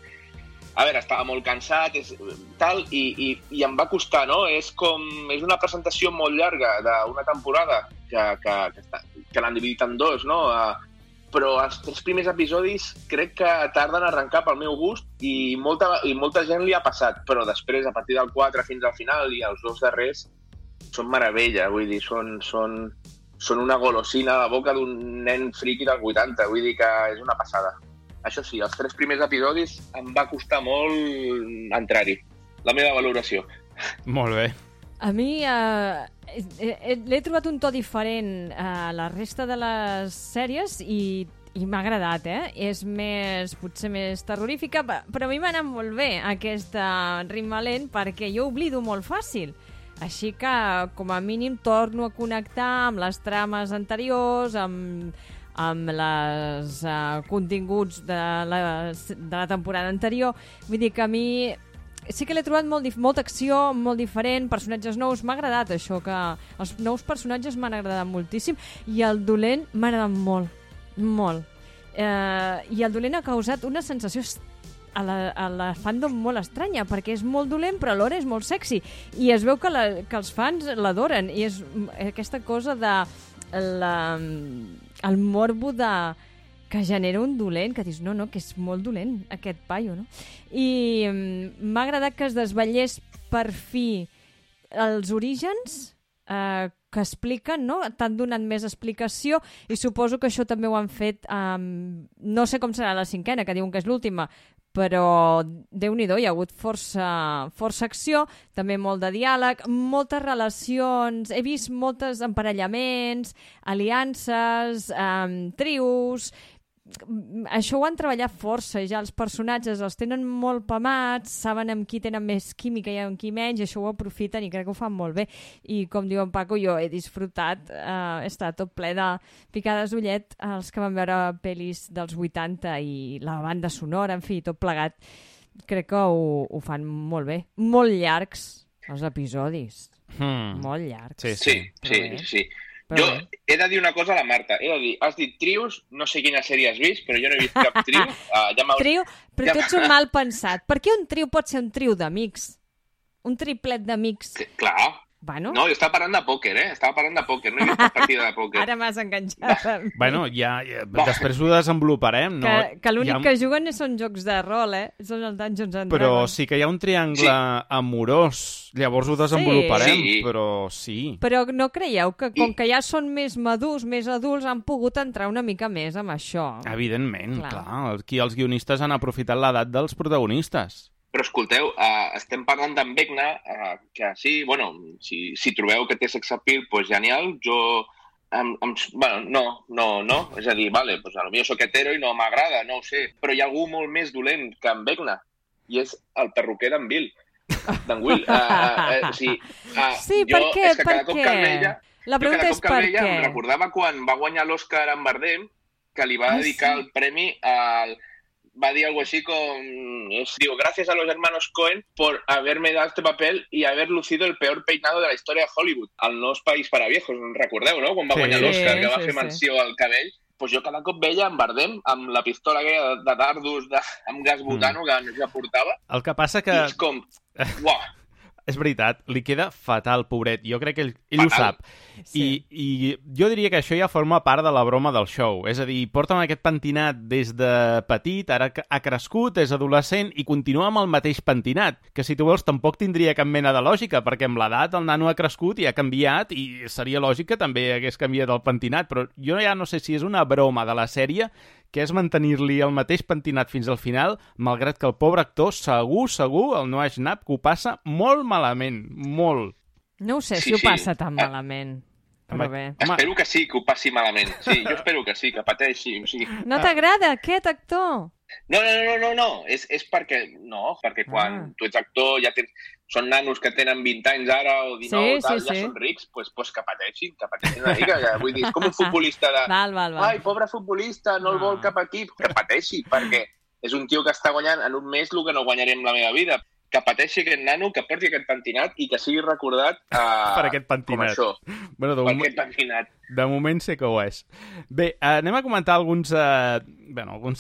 a veure, estava molt cansat i em va costar, no? És una presentació molt llarga d'una temporada que l'han dividit en dos, no? però els 3 primers episodis crec que tarden a arrencar pel meu gust i molta gent li ha passat, però després, a partir del 4 fins al final i els 2 darrers, són meravella, vull dir, són una golosina a la boca d'un nen friqui dels 80, vull dir que és una passada. Això sí, els 3 primers episodis em va costar molt entrar-hi. La meva valoració. Molt bé. A mi l'he trobat un to diferent a la resta de les sèries i m'ha agradat, És potser més terrorífica, però a mi m'ha anat molt bé aquest ritme lent perquè jo oblido molt fàcil. Així que, com a mínim, torno a connectar amb les trames anteriors, amb els continguts de la temporada anterior. Vull dir que a mi sí que l'he trobat molta acció, molt diferent, personatges nous. M'ha agradat això, que els nous personatges m'han agradat moltíssim i el dolent m'ha agradat molt. I el dolent ha causat una sensació a la fandom molt estranya, perquè és molt dolent però alhora és molt sexy i es veu que els fans l'adoren i és aquesta cosa de el morbo que genera un dolent, que dius, no, que és molt dolent aquest paio, no? I m'ha agradat que es desvetllés per fi els orígens que expliquen, no? T'han donat més explicació i suposo que això també ho han fet no sé com serà la 5ª, que diuen que és l'última, però Déu-n'hi-do, hi ha hagut força acció, també molt de diàleg, moltes relacions, he vist molts emparellaments, aliances, trios. Això ho han treballat força, ja els personatges els tenen molt pamats, saben amb qui tenen més química i amb qui menys, i això ho aprofiten i crec que ho fan molt bé. I com diu en Paco, jo he disfrutat, he estat tot ple de picades d'ullet els que van veure pel·lis dels 80 i la banda sonora, en fi, tot plegat. Crec que ho fan molt bé. Molt llargs els episodis. Molt llargs. Sí. Jo he de dir una cosa a la Marta. Has dit trios, no sé quina sèrie has vist, però jo no he vist cap trio. Trio? Però tu ets un mal pensat. Per què un trio pot ser un trio d'amics? Un triplet d'amics? Clar. Bueno. No, jo estava parlant de pòquer, Estava parlant de pòquer, no he vist cap partida de pòquer. Ara m'has enganxat. Bueno, ja després ho desenvoluparem, no? Que l'únic que juguen són jocs de rol, Són els Dungeons and Dragons. Però sí que hi ha un triangle amorós, llavors ho desenvoluparem, però sí. Però no creieu que com que ja són més madurs, més adults, han pogut entrar una mica més amb això? Evidentment, clar. Aquí els guionistes han aprofitat l'edat dels protagonistes. Però escolteu, estem parlant d'en Vecna, que sí, bueno, si trobeu que té sex appeal, doncs genial. Jo, bueno, no. És a dir, vale, doncs potser soc hetero i no m'agrada, no ho sé. Però hi ha algú molt més dolent que en Vecna, i és el perruquer d'en Will. D'en Will. Sí, per què? Per què? La pregunta és per què. Em recordava quan va guanyar l'Oscar en Bardem, que li va dedicar el premi al... Va dir algo así digo, gracias a los hermanos Coen por haberme dado este papel y haber lucido el peor peinado de la historia de Hollywood. El No és país per a viejos, recordeu, no? Quan va guanyar l'Oscar, que va fer menció al cabell. Pues jo cada cop veia en Bardem amb la pistola aquella de dardos amb gas butano que portava. El que passa que... I és com... Uah! És veritat, li queda fatal, pobret. Jo crec que ell ho sap. Sí. I jo diria que això ja forma part de la broma del show. És a dir, porta amb aquest pentinat des de petit, ara ha crescut, és adolescent i continua amb el mateix pentinat, que si tu vols tampoc tindria cap mena de lògica, perquè amb l'edat el nano ha crescut i ha canviat i seria lògic que també hagués canviat el pentinat, però jo ja no sé si és una broma de la sèrie que és mantenir-li el mateix pentinat fins al final, malgrat que el pobre actor segur, el Noah Schnapp, que ho passa molt malament, molt. No ho sé si ho passa tan malament, però bé. Espero que sí, que ho passi malament. Sí, jo espero que sí, que pateixi. O sigui... No t'agrada aquest actor? No. És perquè... No, perquè quan tu ets actor ja tens... Són nanos que tenen 20 anys ara o 19 ja són rics, doncs que pateixin una mica. Vull dir, és com un futbolista de... Val. Ai, pobre futbolista, no el vol cap equip. Que pateixi, perquè és un tio que està guanyant en un mes el que no guanyaré en la meva vida. Que pateixi aquest nano, que porti aquest pentinat i que sigui recordat per aquest pentinat. Com això. Bueno, aquest pentinat. De moment sé que ho és. Bé, anem a comentar alguns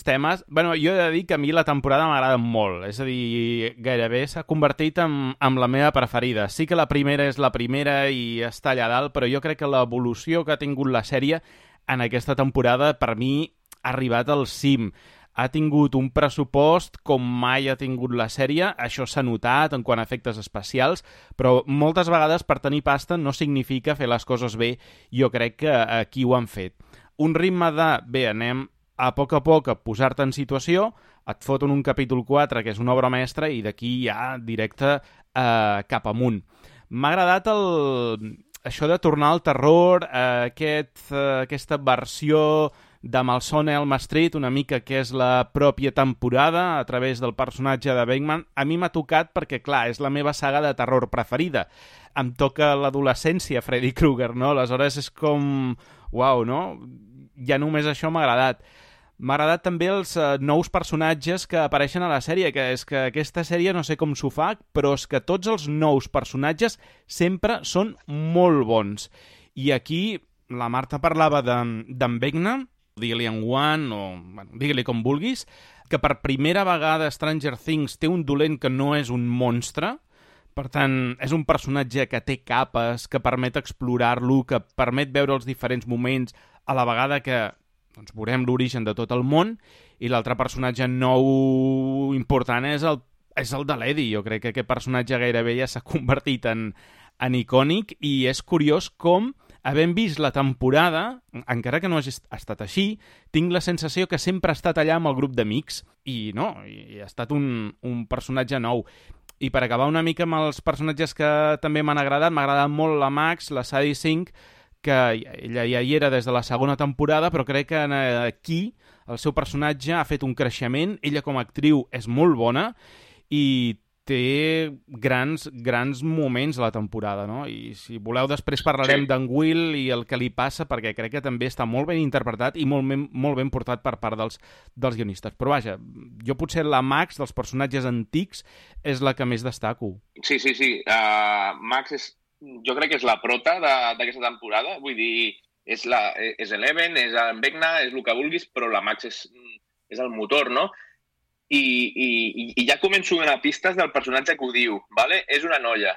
temes. Bueno, jo he de dir que a mi la temporada m'agrada molt. És a dir, gairebé s'ha convertit en la meva preferida. Sí que la primera és la primera i està allà dalt, però jo crec que l'evolució que ha tingut la sèrie en aquesta temporada, per mi, arribat al cim. Ha tingut un pressupost com mai ha tingut la sèrie, això s'ha notat en quant a efectes especials, però moltes vegades per tenir pasta no significa fer les coses bé. Jo crec que aquí ho han fet. Un ritme de, bé, anem a poc a posar-te en situació, et foten un capítol 4, que és una obra mestra, i d'aquí ja directe cap amunt. M'ha agradat això de tornar al terror, aquesta versió de Malsona Elm Street, una mica que és la pròpia temporada a través del personatge de Bateman. A mi m'ha tocat perquè, clar, és la meva saga de terror preferida. Em toca l'adolescència, Freddy Krueger, no? Aleshores és com... Uau, no? Ja només això m'ha agradat. M'ha agradat també els nous personatges que apareixen a la sèrie, que és que aquesta sèrie no sé com s'ho fa, però és que tots els nous personatges sempre són molt bons. I aquí la Marta parlava d'en Vecna, digue-li en One, o bueno, digue-li com vulguis, que per primera vegada Stranger Things té un dolent que no és un monstre. Per tant, és un personatge que té capes, que permet explorar-lo, que permet veure els diferents moments, a la vegada que doncs, veurem l'origen de tot el món, i l'altre personatge nou important és el de l'Eddie. Jo crec que aquest personatge gairebé ja s'ha convertit en icònic, i és curiós com, havent vist la temporada, encara que no hagi estat així, tinc la sensació que sempre ha estat allà amb el grup d'amics, i no, i ha estat un personatge nou. I per acabar una mica amb els personatges que també m'han agradat, m'ha agradat molt la Max, la Sadie Sink, que ella ja hi era des de la segona temporada, però crec que aquí el seu personatge ha fet un creixement, ella com a actriu és molt bona i té grans moments a la temporada, no? I si voleu després parlarem d'en Will i el que li passa, perquè crec que també està molt ben interpretat i molt ben portat per part dels guionistes. Però vaja, jo potser la Max dels personatges antics és la que més destaco. Sí. Max jo crec que és la prota d'aquesta temporada. Vull dir, és Eleven, és en Vecna, és el que vulguis, però la Max és el motor, no? I ja començo a donar pistes del personatge que ho diu, ¿vale? És una noia.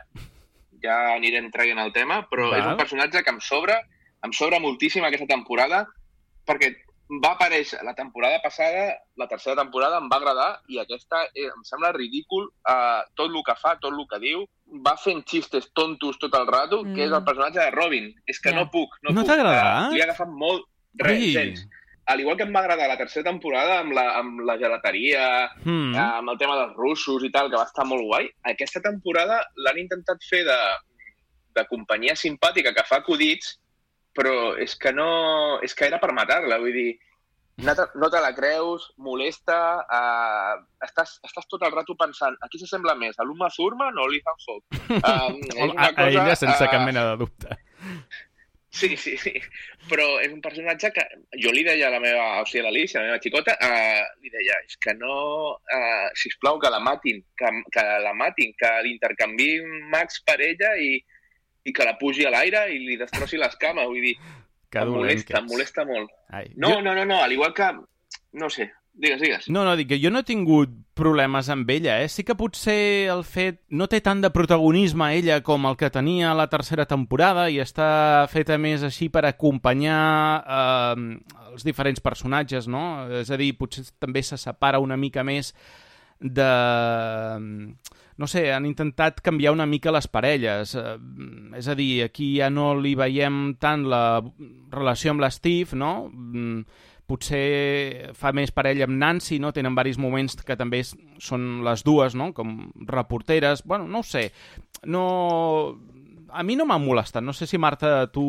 Ja anirem traient el tema, però és un personatge que em sobra moltíssim aquesta temporada, perquè va aparèixer la temporada passada, la tercera temporada em va agradar, i aquesta em sembla ridícul tot el que fa, tot el que diu. Va fent xistes tontos tot el rato, que és el personatge de Robin. És que no puc. No t'ha agradat? Li ha agafat molt gens. Al igual que em va agradar la tercera temporada amb la gelateria, amb el tema dels russos i tal, que va estar molt guai, aquesta temporada l'han intentat fer de companyia simpàtica que fa acudits, però és que era per matar-la, vull dir, no te la creus, molesta, estàs tot el rato pensant a qui s'assembla més, a l'Uma Thurman o a l'Ethan Hawke? A ella sense cap mena de dubte. Sí, però és un personatge que jo li deia a l'Alicia, la meva xicota, li deia, és que no, sisplau, que la matin, que l'intercanviïn Max per ella i que la pugi a l'aire i li destrossi les cames, vull dir, em molesta molt. No, al igual que, no sé, digues. No, dic que jo no he tingut problemes amb ella, Sí que potser el fet no té tant de protagonisme ella com el que tenia la tercera temporada i està feta més així per acompanyar els diferents personatges, no? És a dir, potser també se separa una mica més de... No sé, han intentat canviar una mica les parelles. És a dir, aquí ja no li veiem tant la relació amb l'Steve, no? Potser fa més parella amb Nancy, no? Tenen diversos moments que també són les dues, no? Com reporteres. Bueno, no ho sé. A mi no m'ha molestat. No sé si, Marta, tu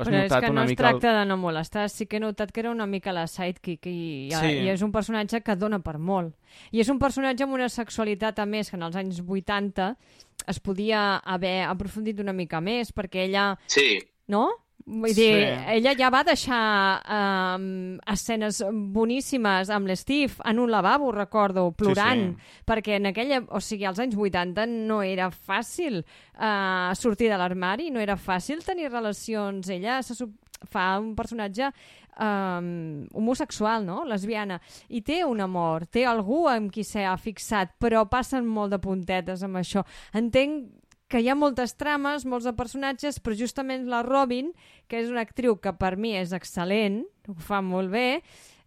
has notat una mica... Però és que no es tracta de no molestar. Sí que he notat que era una mica la sidekick i és un personatge que dona per molt. I és un personatge amb una sexualitat, a més, que en els anys 80 es podia haver aprofundit una mica més, perquè ella... Sí. No? Vull dir, ella ja va deixar escenes boníssimes amb l'Steve en un lavabo, recordo, plorant, perquè en aquella, o sigui, als anys 80 no era fàcil sortir de l'armari, no era fàcil tenir relacions. Ella fa un personatge homosexual, no? Lesbiana, i té un amor, té algú amb qui s'ha fixat, però passen molt de puntetes amb això. Entenc que hi ha moltes trames, molts de personatges, però justament la Robin, que és una actriu que per mi és excel·lent, ho fa molt bé,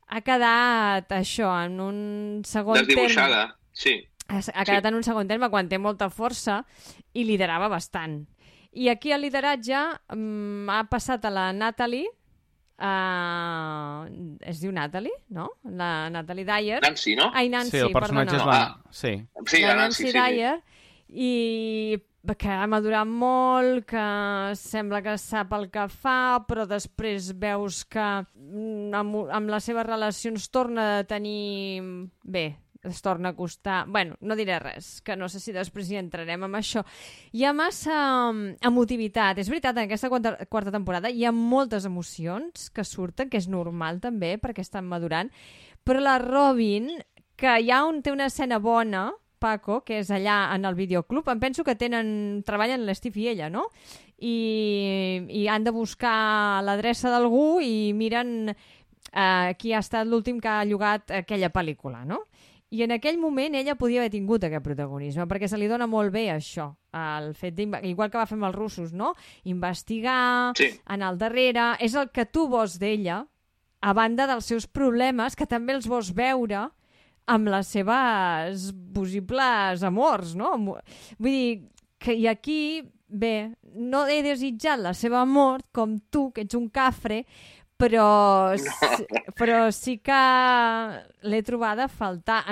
ha quedat això, en un segon terme. Desdibuixada, sí. Ha quedat en un segon terme quan té molta força i liderava bastant. I aquí el lideratge ha passat a la Natalie, es diu Natalie, no? La Natalie Dyer. Nancy, no? Ai, Nancy, Sí, el personatge és la... Sí. Sí, la Nancy, Nancy Dyer, i que ha madurat molt, que sembla que sap el que fa, però després veus que amb les seves relacions torna a tenir... Bé, es torna a costar... Bueno, no diré res, que no sé si després hi entrarem amb això. Hi ha massa emotivitat. És veritat, en aquesta quarta temporada hi ha moltes emocions que surten, que és normal també, perquè estan madurant, però la Robin, que té una escena bona, Paco, que és allà en el videoclub, em penso que treballen l'Steve i ella, no? I han de buscar l'adreça d'algú i miren qui ha estat l'últim que ha llogat aquella pel·lícula, no? I en aquell moment ella podia haver tingut aquest protagonisme, perquè se li dona molt bé això, el fet igual que va fer amb els russos, no? Investigar, anar al darrere... És el que tu vols d'ella, a banda dels seus problemes, que també els vols veure amb les seves possibles amors, no? Vull dir, que i aquí, bé, no he desitjat la seva mort, com tu, que ets un cafre, però sí que l'he trobada a faltar.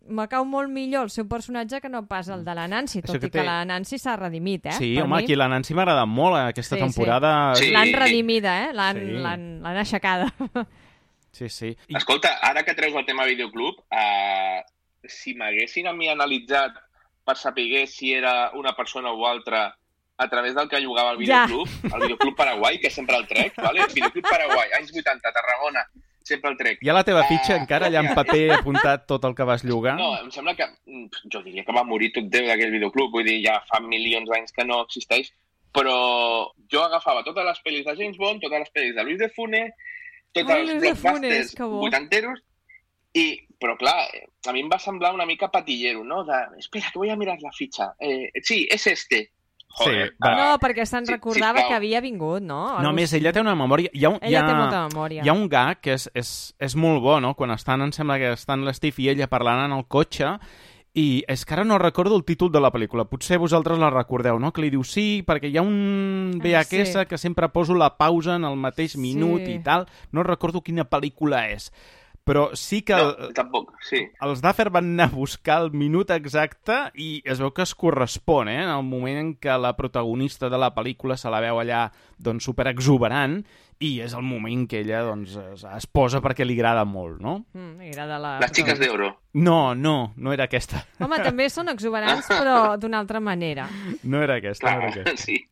Me cau molt millor el seu personatge que no pas el de la Nancy, tot i que la Nancy s'ha redimit, Sí, home, aquí la Nancy m'ha agradat molt aquesta temporada. Sí. L'han redimida, l'han aixecada. Sí. Escolta, ara que treus el tema videoclub, si m'haguessin a mi analitzat per saber si era una persona o altra a través del que jugava al videoclub, el videoclub Paraguai, que sempre el trec, ¿vale? El videoclub Paraguai, anys 80, Tarragona, sempre el trec. Hi ha la teva fitxa encara allà en paper apuntat tot el que vas llogar? No, em sembla que... Jo diria que va morir tot Déu d'aquell videoclub, vull dir, ja fa milions d'anys que no existeix, però jo agafava totes les pel·lis de James Bond, totes les pel·lis de Luis de Funès, tots els blockbusters vuitanteros, però clar, a mi em va semblar una mica patillero, no? Espera, que voy a mirar la fitxa. Sí, és este. Joder, no, perquè se'n recordava que havia vingut, no? No, més, ella té una memòria... Ella té molta memòria. Hi ha un gag que és molt bo, no? Quan em sembla que estan l'Steve i ella parlant en el cotxe, i és que ara no recordo el títol de la pel·lícula. Potser vosaltres la recordeu, no? Que li diu sí, perquè hi ha un VHS que sempre poso la pausa en el mateix minut i tal. No recordo quina pel·lícula és. Però sí que... No, tampoc, sí. Els Duffer van anar a buscar el minut exacte i es veu que es correspon, en el moment en què la protagonista de la pel·lícula se la veu allà doncs, superexuberant i és el moment que ella doncs, es posa perquè li agrada molt, no? Li agrada Les xiques d'oro. No era aquesta. Home, també són exuberants, però d'una altra manera. No era aquesta, no era aquesta. Sí.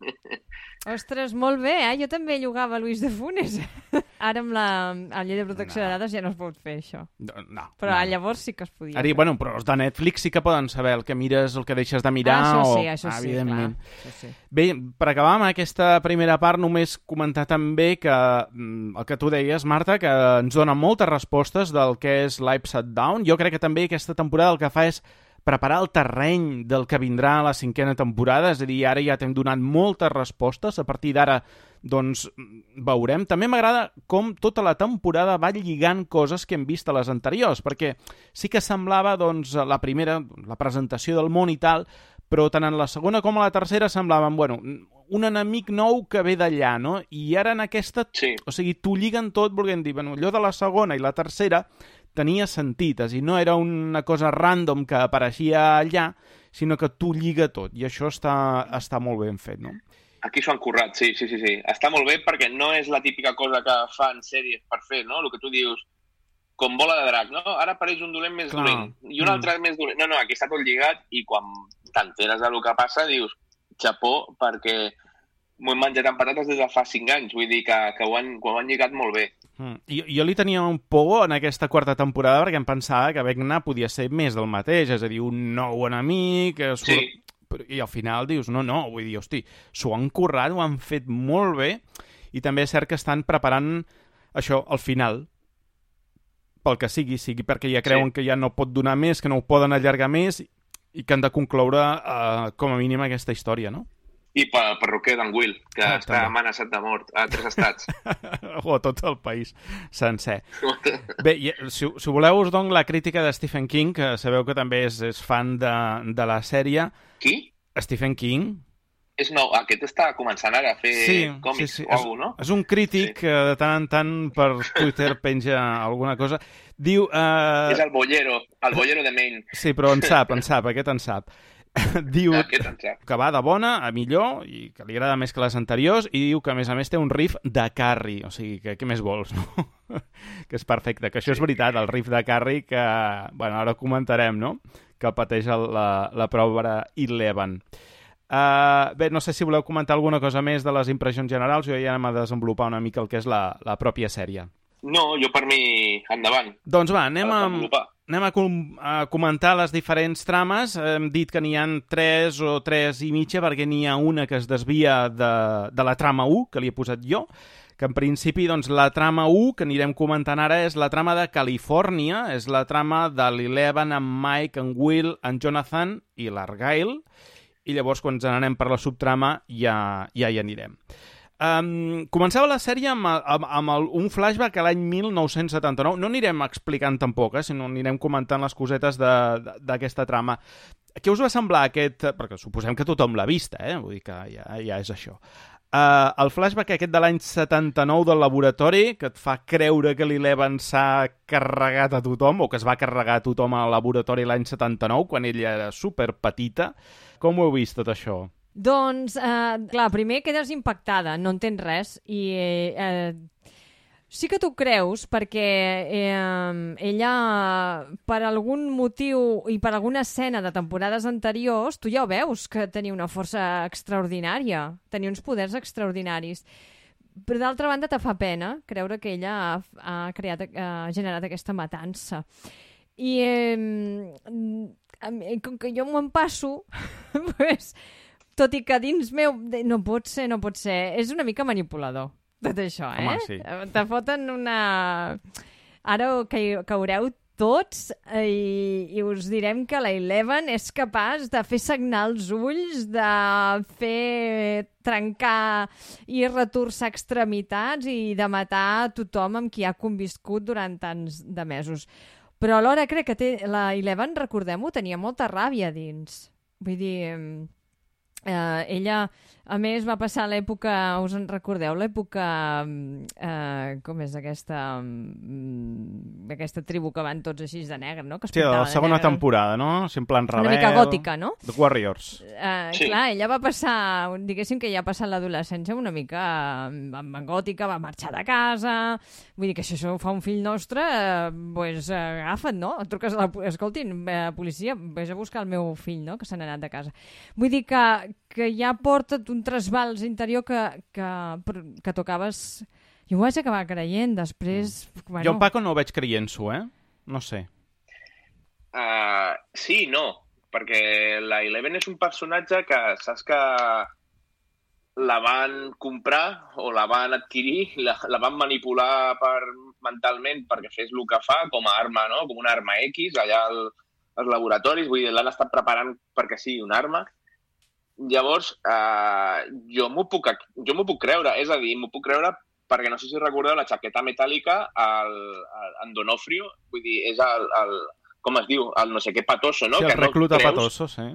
Ostres, molt bé, Jo també llogava Luis de Funès. Ara amb la llei de protecció de dades ja no es pot fer això. No. Però llavors sí que es podia. Ara, bueno, però els de Netflix sí que poden saber el que mires, el que deixes de mirar. Això sí, evidentment. Clar. Això sí. Bé, per acabar amb aquesta primera part, només comentar també que el que tu deies, Marta, que ens dona moltes respostes del que és l'Upside Down. Jo crec que també aquesta temporada el que fa és preparar el terreny del que vindrà a la 5a temporada, és a dir, ara ja t'hem donat moltes respostes, a partir d'ara doncs veurem. També m'agrada com tota la temporada va lligant coses que hem vist a les anteriors, perquè sí que semblava doncs la primera, la presentació del món i tal, però tant en la segona com a la tercera semblaven, bueno, un enemic nou que ve d'allà, no? I ara en aquesta, o sigui, t'ho lliguen tot volent dir, bueno, allò de la segona i la tercera tenia sentit, és a dir, no era una cosa random que apareixia allà, sinó que t'ho lliga tot, i això està molt ben fet, no? Aquí s'ho han currat, sí. Està molt bé perquè no és la típica cosa que fan sèries per fer, no? El que tu dius, com bola de drac, no? Ara apareix un dolent més dolent i un altre més dolent. No, aquí està tot lligat i quan t'enteres del que passa dius, xapó, perquè m'ho he menjat amb patates des de fa 5 anys. Vull dir que ho han lligat molt bé. Jo li tenia un por en aquesta quarta temporada perquè em pensava que Vecna podia ser més del mateix, és a dir, un nou enemic... Sí. I al final dius, no, vull dir, hosti, s'ho han currat, ho han fet molt bé, i també és cert que estan preparant això, al final, pel que sigui perquè ja creuen que ja no pot donar més, que no ho poden allargar més, i que han de concloure com a mínim aquesta història, no? I pel perruquer d'en Will, que està també. amenaçat de mort a 3 estats. O a tot el país sencer. Bé, si voleu us dono la crítica de Stephen King, que sabeu que també és fan de la sèrie. Qui? Stephen King. És nou, aquest està començant ara a fer còmics o alguna cosa, no? És un crític que de tant en tant per Twitter penja alguna cosa. Diu... És el bollero de Maine. Sí, però en sap, aquest en sap. Diu que va de bona a millor i que li agrada més que les anteriors i diu que a més té un riff de Carrie, o sigui, que què més vols, no? Que és perfecte, que això és veritat, el riff de Carrie que, bueno, ara comentarem, no? Que pateix la prova Eleven. Bé, no sé si voleu comentar alguna cosa més de les impressions generals, jo ja anem a desenvolupar una mica el que és la pròpia sèrie. No, jo per mi, endavant. Doncs va, anem a comentar les diferents trames. Hem dit que n'hi ha 3 o 3 i mitja, perquè n'hi ha una que es desvia de la trama 1, que li he posat jo, que en principi doncs, la trama 1, que anirem comentant ara, és la trama de Califòrnia, és la trama de l'Eleven, en Mike, en Will, en Jonathan i l'Argyle, i llavors quan ens n'anem per la subtrama ja hi anirem. Començava la sèrie amb un flashback a l'any 1979. No anirem explicant tampoc, sinó anirem comentant les cosetes d'aquesta trama. Què us va semblar aquest... Perquè suposem que tothom l'ha vista, vull dir que ja és això. El flashback aquest de l'any 79 del laboratori, que et fa creure que l'Eleven s'ha carregat a tothom, o que es va carregar a tothom al laboratori l'any 79, quan ella era superpetita. Com ho heu vist, tot això? Doncs, clar, primer quedes impactada, no entens res, i sí que t'ho creus, perquè ella, per algun motiu i per alguna escena de temporades anteriors, tu ja ho veus, que tenia una força extraordinària, tenia uns poders extraordinaris. Però d'altra banda te fa pena creure que ella ha generat aquesta matança. I com que jo m'ho empasso, pues, tot i que dins meu no pot ser, és una mica manipulador tot això, Home, sí. Te foten una... Ara caureu tots i us direm que la Eleven és capaç de fer sagnar els ulls, de fer trencar i retorçar extremitats i de matar tothom amb qui ha conviscut durant tants de mesos. Però alhora crec que la Eleven, recordem-ho, tenia molta ràbia dins. Vull dir, ella, a més, va passar l'època, us en recordeu, l'època, com és aquesta tribu que van tots així de negre, no? Que es sí, la segona temporada, no? En plan rebel. Una mica gòtica, no? The Warriors. Sí. Clar, ella va passar, diguéssim que ja ha passat l'adolescència una mica gòtica, va marxar de casa, vull dir que si això ho fa un fill nostre, pues agafa't, no? Et truques a escoltin, policia, vés a buscar el meu fill, no? Que se n'ha anat de casa. Vull dir que ja porta un trasbals interior que tocaves... Jo ho vaig acabar creient, després... Bueno... Jo en Paco no ho veig creient-s'ho, No sé. Sí, no, perquè la Eleven és un personatge que saps que la van comprar o la van adquirir, la van manipular mentalment perquè fes el que fa com a arma, no? Com una arma X allà als laboratoris, vull dir, l'han estat preparant perquè sigui una arma. Llavors, jo m'ho puc creure, és a dir, m'ho puc creure perquè no sé si recordeu la jaqueta metàl·lica en Donofrio, vull dir, és com es diu, el no sé què Patoso, no? Sí, el recluta Patoso, sí.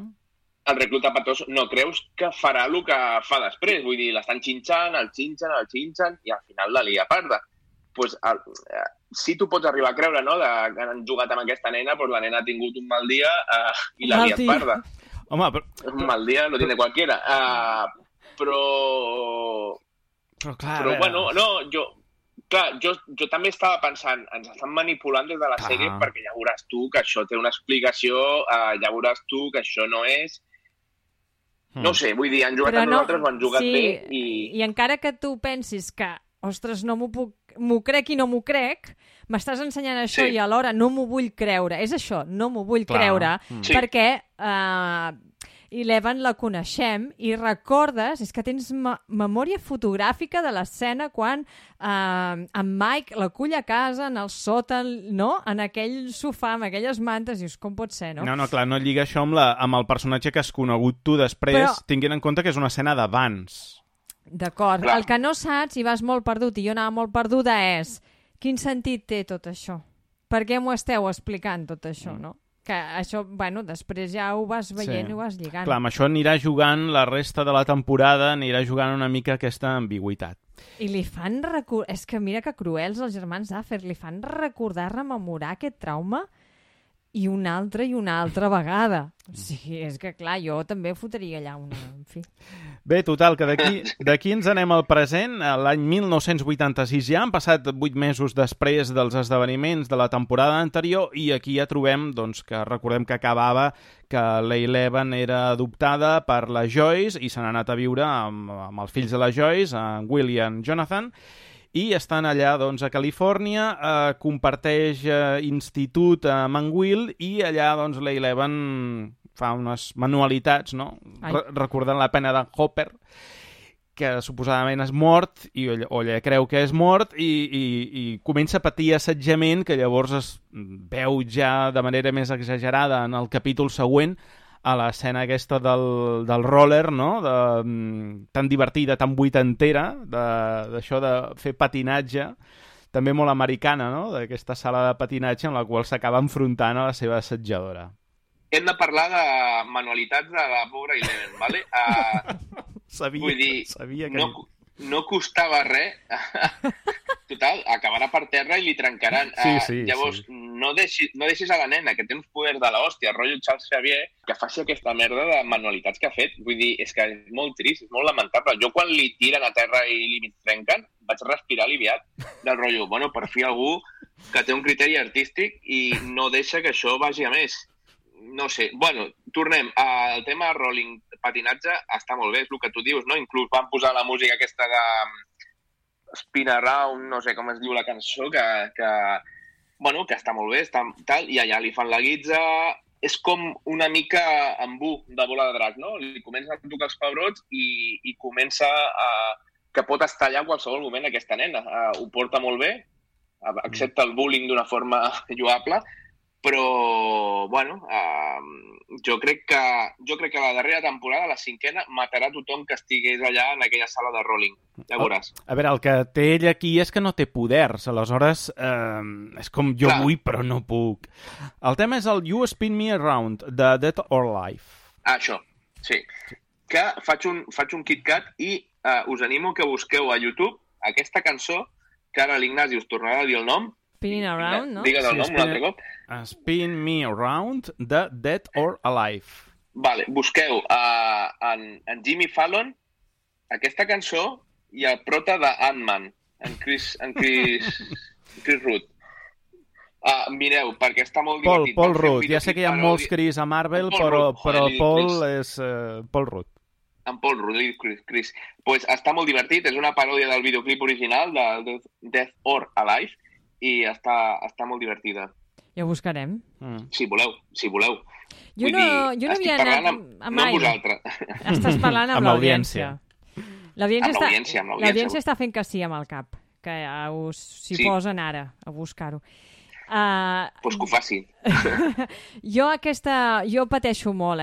El recluta Patoso, no creus que farà el que fa després, vull dir, l'estan xinxant, el xinxen, i al final la lia parda. Pues, si tu pots arribar a creure, no?, que han jugat amb aquesta nena, pues la nena ha tingut un mal dia i la liat parda. Home, un mal dia lo tiene cualquiera. Però clar, bueno, no, jo també estava pensant, ens estan manipulant des de la sèrie perquè ja veuràs tu que això té una explicació, ja veuràs tu que això no és... No sé, vull dir, han jugat amb nosaltres, ho han jugat bé i... I encara que tu pensis que, ostres, m'ho crec i no m'ho crec, m'estàs ensenyant això i alhora no m'ho vull creure. És això, no m'ho vull creure, perquè i l'Evan la coneixem i recordes, és que tens memòria fotogràfica de l'escena quan en Mike l'acull a casa en el sòtan, no? En aquell sofà, amb aquelles mantes, dius, com pot ser, no? No, clar, no lliga això amb el personatge que has conegut tu després, tinguent en compte que és una escena d'abans. D'acord. El que no saps, i vas molt perdut, i jo anava molt perduda, és quin sentit té tot això? Per què m'ho esteu explicant, tot això, no? Que això, bueno, després ja ho vas veient i ho vas lligant. Clar, amb això anirà jugant la resta de la temporada, anirà jugant una mica aquesta ambigüitat. I li fan recordar... És que mira que cruels els germans Duffer, li fan recordar, rememorar aquest trauma i una altra vegada. O sigui, és que clar, jo també fotria allà una... En fi. Bé, total, que d'aquí ens anem al present. L'any 1986 ja han passat 8 mesos després dels esdeveniments de la temporada anterior i aquí ja trobem, doncs, que recordem que acabava que l'Eleven era adoptada per la Joyce i se n'ha anat a viure amb els fills de la Joyce, en Will i en Jonathan, i estan allà, doncs, a Califòrnia, comparteix institut amb en Will i allà, doncs, l'Eleven fa unes manualitats, no? Recordant la pena d'en Hopper, que suposadament és mort, o ella creu que és mort, i comença a patir assetjament, que llavors es veu ja de manera més exagerada en el capítol següent, a l'escena aquesta del roller, no? Tan divertida, tan vuitantera, d'això de fer patinatge, també molt americana, no? D'aquesta sala de patinatge en la qual s'acaba enfrontant a la seva assetjadora. Hem de parlar de manualitats de la pobra Eleven, ¿vale? Sabia que... No costava res. Total, acabarà per terra i li trencaran. Llavors, sí. No deixis a la nena, que té uns poders de l'hòstia, rotllo Charles Xavier, que faci aquesta merda de manualitats que ha fet. Vull dir, és que és molt trist, és molt lamentable. Jo quan li tiren a terra i li trenquen, vaig respirar aliviat del rotllo. Bueno, per fi algú que té un criteri artístic i no deixa que això vagi a més. No sé. Bueno, tornem. El tema rolling, patinatge, està molt bé, és el que tu dius, no? Inclús van posar la música aquesta de Spin Around, no sé com es diu la cançó, que està molt bé, està tal, i allà li fan la guitza. És com una mica embú de Bola de Drac, no? Li comença a tocar els pebrots i comença que pot estar allà en qualsevol moment aquesta nena. Ho porta molt bé, accepta el bullying d'una forma lloable, però, bueno, jo crec que la darrera temporada, la cinquena, matarà tothom que estigués allà en aquella sala de rolling. Ja veuràs. A veure, el que té ell aquí és que no té poders, aleshores és com jo vull però no puc. El tema és el You Spin Me Around, de Dead or Alive. Això, sí. Que faig un KitKat i us animo que busqueu a YouTube aquesta cançó, que ara l'Ignasi us tornarà a dir el nom. Spin Around, no? Digues el nom un altre cop. Spin Me Around, de Dead or Alive. Vale, busqueu en Jimmy Fallon aquesta cançó i el prota de Ant-Man, en Chris Root. Mireu, perquè està molt divertit. Paul Rudd, ja sé que hi ha molts Chris a Marvel, però Paul és Paul Rudd. En Paul Rudd, Chris. Pues està molt divertit, és una paròdia del videoclip original de Death or Alive i està molt divertida. Ja ho buscarem. Si voleu. Jo no havia anat amb no amb vosaltres. Estàs parlant amb l'audiència. L'audiència L'audiència està fent que sí amb el cap, que s'hi posen ara a buscar-ho. Pues que ho facin. Jo pateixo molt,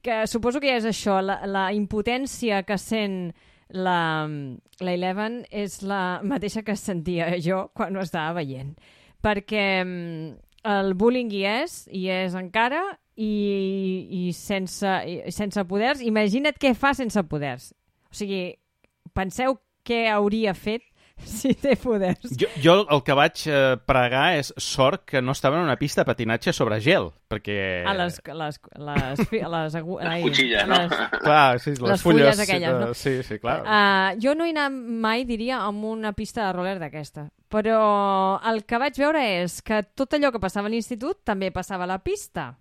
que suposo que ja és això, la impotència que sent la Eleven és la mateixa que sentia jo quan ho estava veient. Perquè el bullying hi és encara, i sense poders. Imagina't què fa sense poders. O sigui, penseu què hauria fet si té poders. Jo el que vaig pregar és sort que no estava en una pista de patinatge sobre gel, perquè... les cuchilles, no? Clar, sí, les fulles aquelles, no? Sí, clar. Jo no he anat mai, diria, amb una pista de roller d'aquesta. Però el que vaig veure és que tot allò que passava a l'institut també passava a la pista.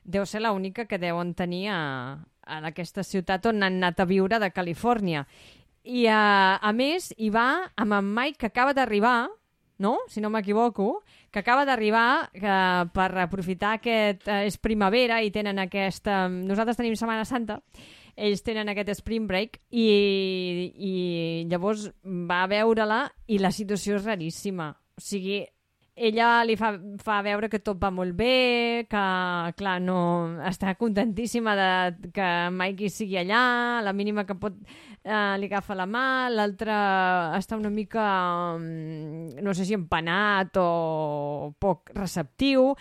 Deu ser l'única que deuen tenir en aquesta ciutat on han anat a viure de Califòrnia. I, a més, hi va amb en Mike, que acaba d'arribar, no? Si no m'equivoco, que acaba d'arribar per aprofitar és primavera i tenen aquesta... Nosaltres tenim Setmana Santa, ells tenen aquest spring break i llavors va a veure-la i la situació és raríssima. O sigui, ella li fa veure que tot va molt bé, que, clar, no està contentíssima de que Mikey sigui allà, la mínima que pot li agafa la mà, l'altre està una mica, no sé si empanat o poc receptiu,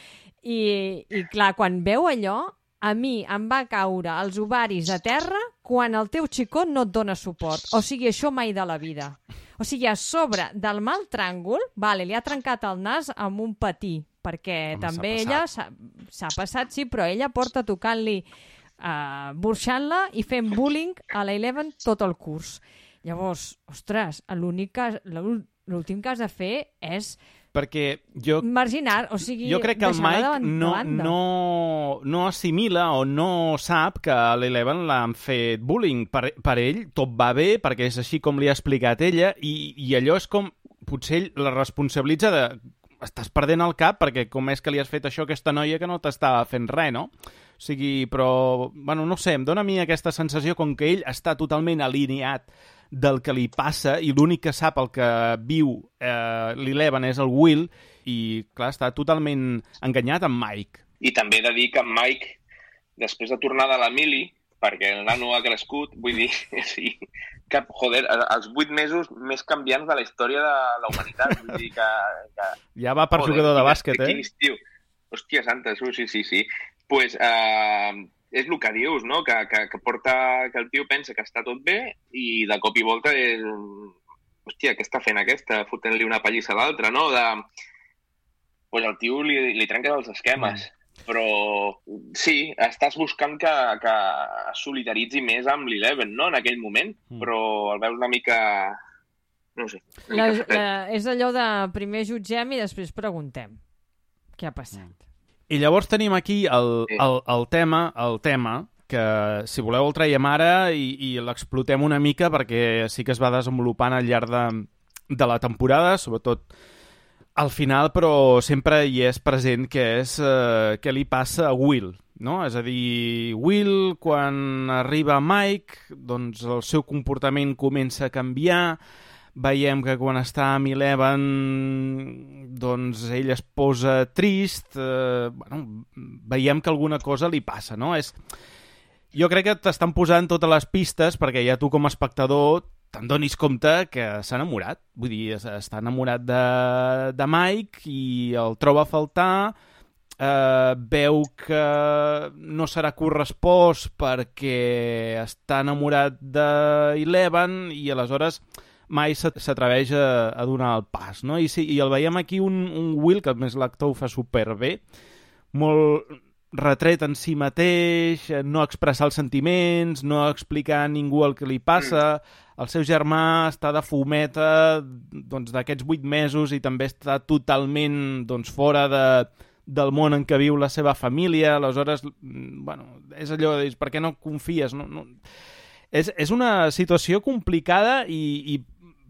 i clar, quan veu allò, a mi em va caure els ovaris a terra quan el teu xicot no et dona suport. O sigui, això mai de la vida. O sigui, a sobre del mal tràngol, vale, li ha trencat el nas amb un patí, perquè també ella s'ha passat, sí, però ella porta tocant-li, burxant-la i fent bullying a la Eleven tot el curs. Llavors, ostres, l'últim que has de fer és perquè marginar, o sigui, jo crec que el Mike no assimila o no sap que a l'Eleven l'han fet bullying. Per ell tot va bé, perquè és així com li ha explicat ella, i allò és com, potser ell la responsabilitza de estàs perdent el cap perquè com és que li has fet això a aquesta noia que no t'estava fent res, no? O sigui, però, bueno, no sé, em dóna a mi aquesta sensació com que ell està totalment alineat del que li passa i l'únic que sap el que viu l'Eleven és el Will i, clar, està totalment enganyat amb Mike. I també he de dir que en Mike, després de tornar de la mili, perquè el nano ha crescut, vull dir, sí, que, joder, els 8 mesos més canviants de la història de la humanitat. Vull dir que ja va per jugador de bàsquet, Quin estiu. Hòstia santa, sí. Pues, és el que dius, no? Que el tio pensa que està tot bé i de cop i volta és... Hòstia, què està fent aquesta? Fotent-li una pallissa a l'altra, no? Pues el tio li trenca els esquemes. Però sí, estàs buscant que es solidaritzi més amb l'Eleven, no? En aquell moment, però el veus una mica... No sé. És allò de primer jutgem i després preguntem què ha passat. I llavors tenim aquí el tema, que si voleu el traiem ara i l'explotem una mica perquè sí que es va desenvolupant al llarg de la temporada, sobretot al final, però sempre hi és present que és què li passa a Will, no? És a dir, Will, quan arriba Mike, doncs el seu comportament comença a canviar. Veiem que quan està amb Eleven doncs ell es posa trist, veiem que alguna cosa li passa, no? Jo crec que t'estan posant totes les pistes perquè ja tu com a espectador te'n donis compte que s'ha enamorat. Vull dir, està enamorat de Mike i el troba a faltar, veu que no serà correspost perquè està enamorat d'Eleven i aleshores mai s'atreveix a donar el pas, no? I el veiem aquí un Will, que a més l'actor ho fa superbé, molt retret en si mateix, no expressar els sentiments, no explicar a ningú el que li passa. El seu germà està de fumeta d'aquests 8 mesos i també està totalment fora del món en què viu la seva família. Aleshores, és allò de dir, per què no confies? No. És una situació complicada i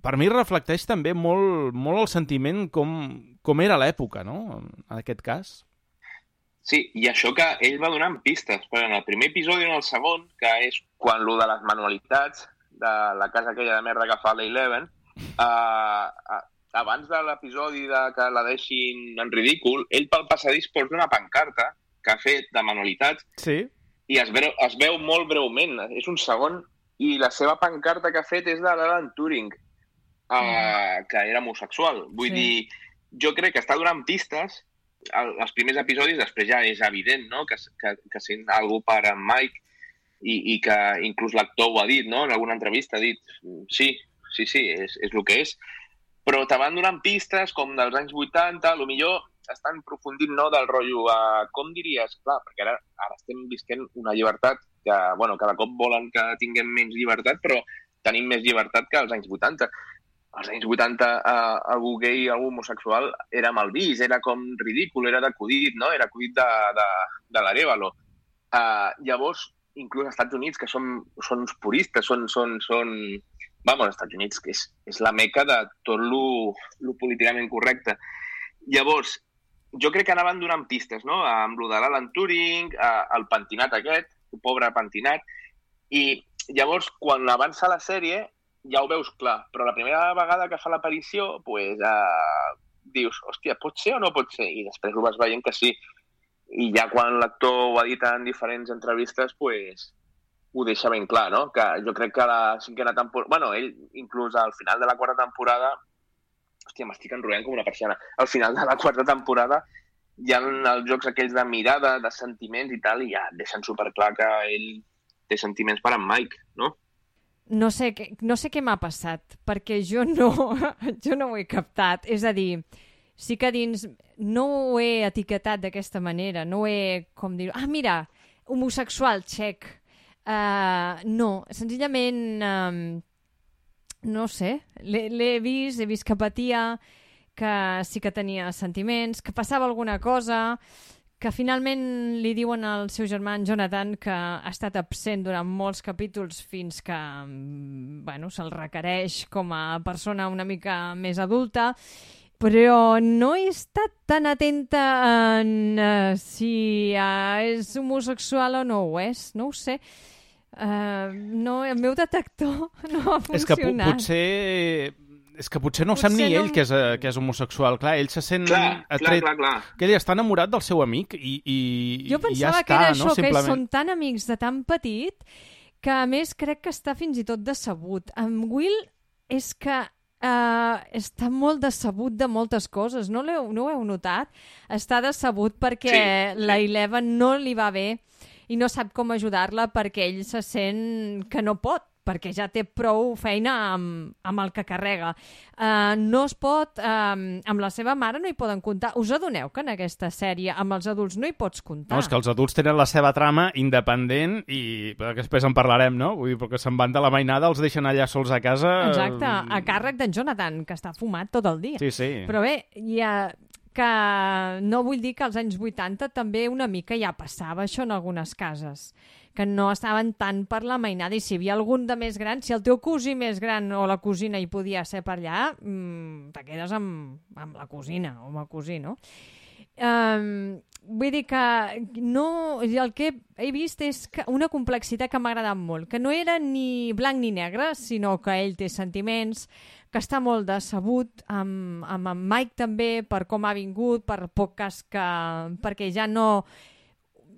per mi reflecteix també molt el sentiment com era l'època, no? En aquest cas. Sí, i això que ell va donant pistes, però en el primer episodi i en el segon, que és quan lo de les manualitats de la casa aquella de merda que fa l'Eleven, abans de l'episodi que la deixin en ridícul, ell pel passadís porta una pancarta que ha fet de manualitats, sí, i es veu molt breument, és un segon, i la seva pancarta que ha fet és de l'Alan Turing, que era homosexual. Vull dir, jo crec que està donant pistes als primers episodis, després ja és evident, no? que sent algú per en Mike i que inclús l'actor ho ha dit, no? En alguna entrevista ha dit sí, és el que és. Però te van donant pistes com dels anys 80, potser estan aprofundint, no, del rotllo, com diries? Clar, perquè ara estem visquent una llibertat que, cada cop volen que tinguem menys llibertat, però tenim més llibertat que als anys 80. Als anys 80 algú gay, algú homosexual era mal vist, era com ridícul, era d'acudit, no? Era acudit de l'Arevalo. Llavors, inclús als Estats Units, que són uns puristes, són vamos, als Estats Units, que és la meca de tot lo políticament correcte. Llavors, jo crec que anaven donant pistes, no? Amb lo de l'Alan Turing, el pentinat aquest, el pobre pentinat, i llavors, quan avança la sèrie, ja ho veus clar, però la primera vegada que fa l'aparició, pues, dius, hòstia, pot ser o no pot ser? I després ho vas veient que sí. I ja quan l'actor ho ha dit en diferents entrevistes, pues, ho deixa ben clar, no? Que jo crec que la cinquena temporada... Bueno, ell, inclús al final de la quarta temporada... Hòstia, m'estic enrotllant com una persiana. Al final de la quarta temporada hi ha els jocs aquells de mirada, de sentiments i tal, i ja deixen superclar que ell té sentiments per en Mike, no? No sé què m'ha passat, perquè jo no ho he captat. És a dir, sí que dins no ho he etiquetat d'aquesta manera, no ho he, com dir, mira, homosexual, check. No, senzillament, no sé, l'he vist que patia, que sí que tenia sentiments, que passava alguna cosa, que finalment li diuen al seu germà Jonathan que ha estat absent durant molts capítols fins que se'l requereix com a persona una mica més adulta, però no he estat tan atenta en si és homosexual o no ho és, no ho sé. No, el meu detector no ha funcionat. És que potser no sap ni ell que és homosexual. Clar, ell se sent atret... Clar. Que ell està enamorat del seu amic i jo pensava que era això, que ells són tan amics de tan petit que, a més, crec que està fins i tot decebut. En Will és que està molt decebut de moltes coses. No ho heu notat? Està decebut perquè la Eleven no li va bé i no sap com ajudar-la perquè ell se sent que no pot, perquè ja té prou feina amb el que carrega. No es pot... amb la seva mare no hi poden comptar. Us adoneu que en aquesta sèrie amb els adults no hi pots comptar? No, és que els adults tenen la seva trama independent i després en parlarem, no? Vull dir, perquè se'n van de la mainada, els deixen allà sols a casa... Exacte, a càrrec d'en Jonathan, que està fumat tot el dia. Sí. Però bé, que no vull dir que als anys 80 també una mica ja passava això en algunes cases, que no estaven tant per la mainada, i si hi havia algun de més gran, si el teu cosí més gran o la cosina hi podia ser per allà, te quedes amb la cosina o amb el cosí, no? Vull dir que no, el que he vist és una complexitat que m'ha agradat molt, que no era ni blanc ni negre, sinó que ell té sentiments, que està molt decebut amb en Mike també, per com ha vingut, per poc cas perquè ja no...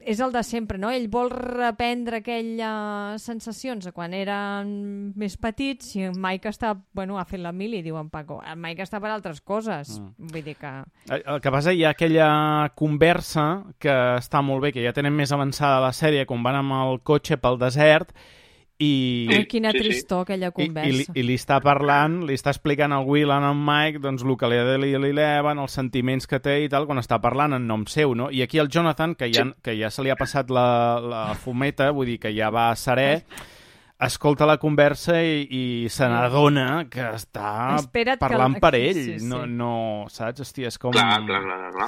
És el de sempre, no? Ell vol reprendre aquelles sensacions de quan eren més petits i en Mike està... ha fet la mili, diu en Paco. En Mike està per altres coses. Vull dir que... El que passa, hi ha aquella conversa que està molt bé, que ja tenen més avançada la sèrie, quan van amb el cotxe pel desert i... quina tristor, aquella conversa. I li està parlant, li està explicant al Will a en Mike doncs, el que li ha de l'Eleven, els sentiments que té i tal, quan està parlant en nom seu, no? I aquí el Jonathan, que ja se li ha passat la fumeta, vull dir que ja va a serè, escolta la conversa i se n'adona que està parlant per ell. Sí. No, saps? Hòstia, és com... Clar.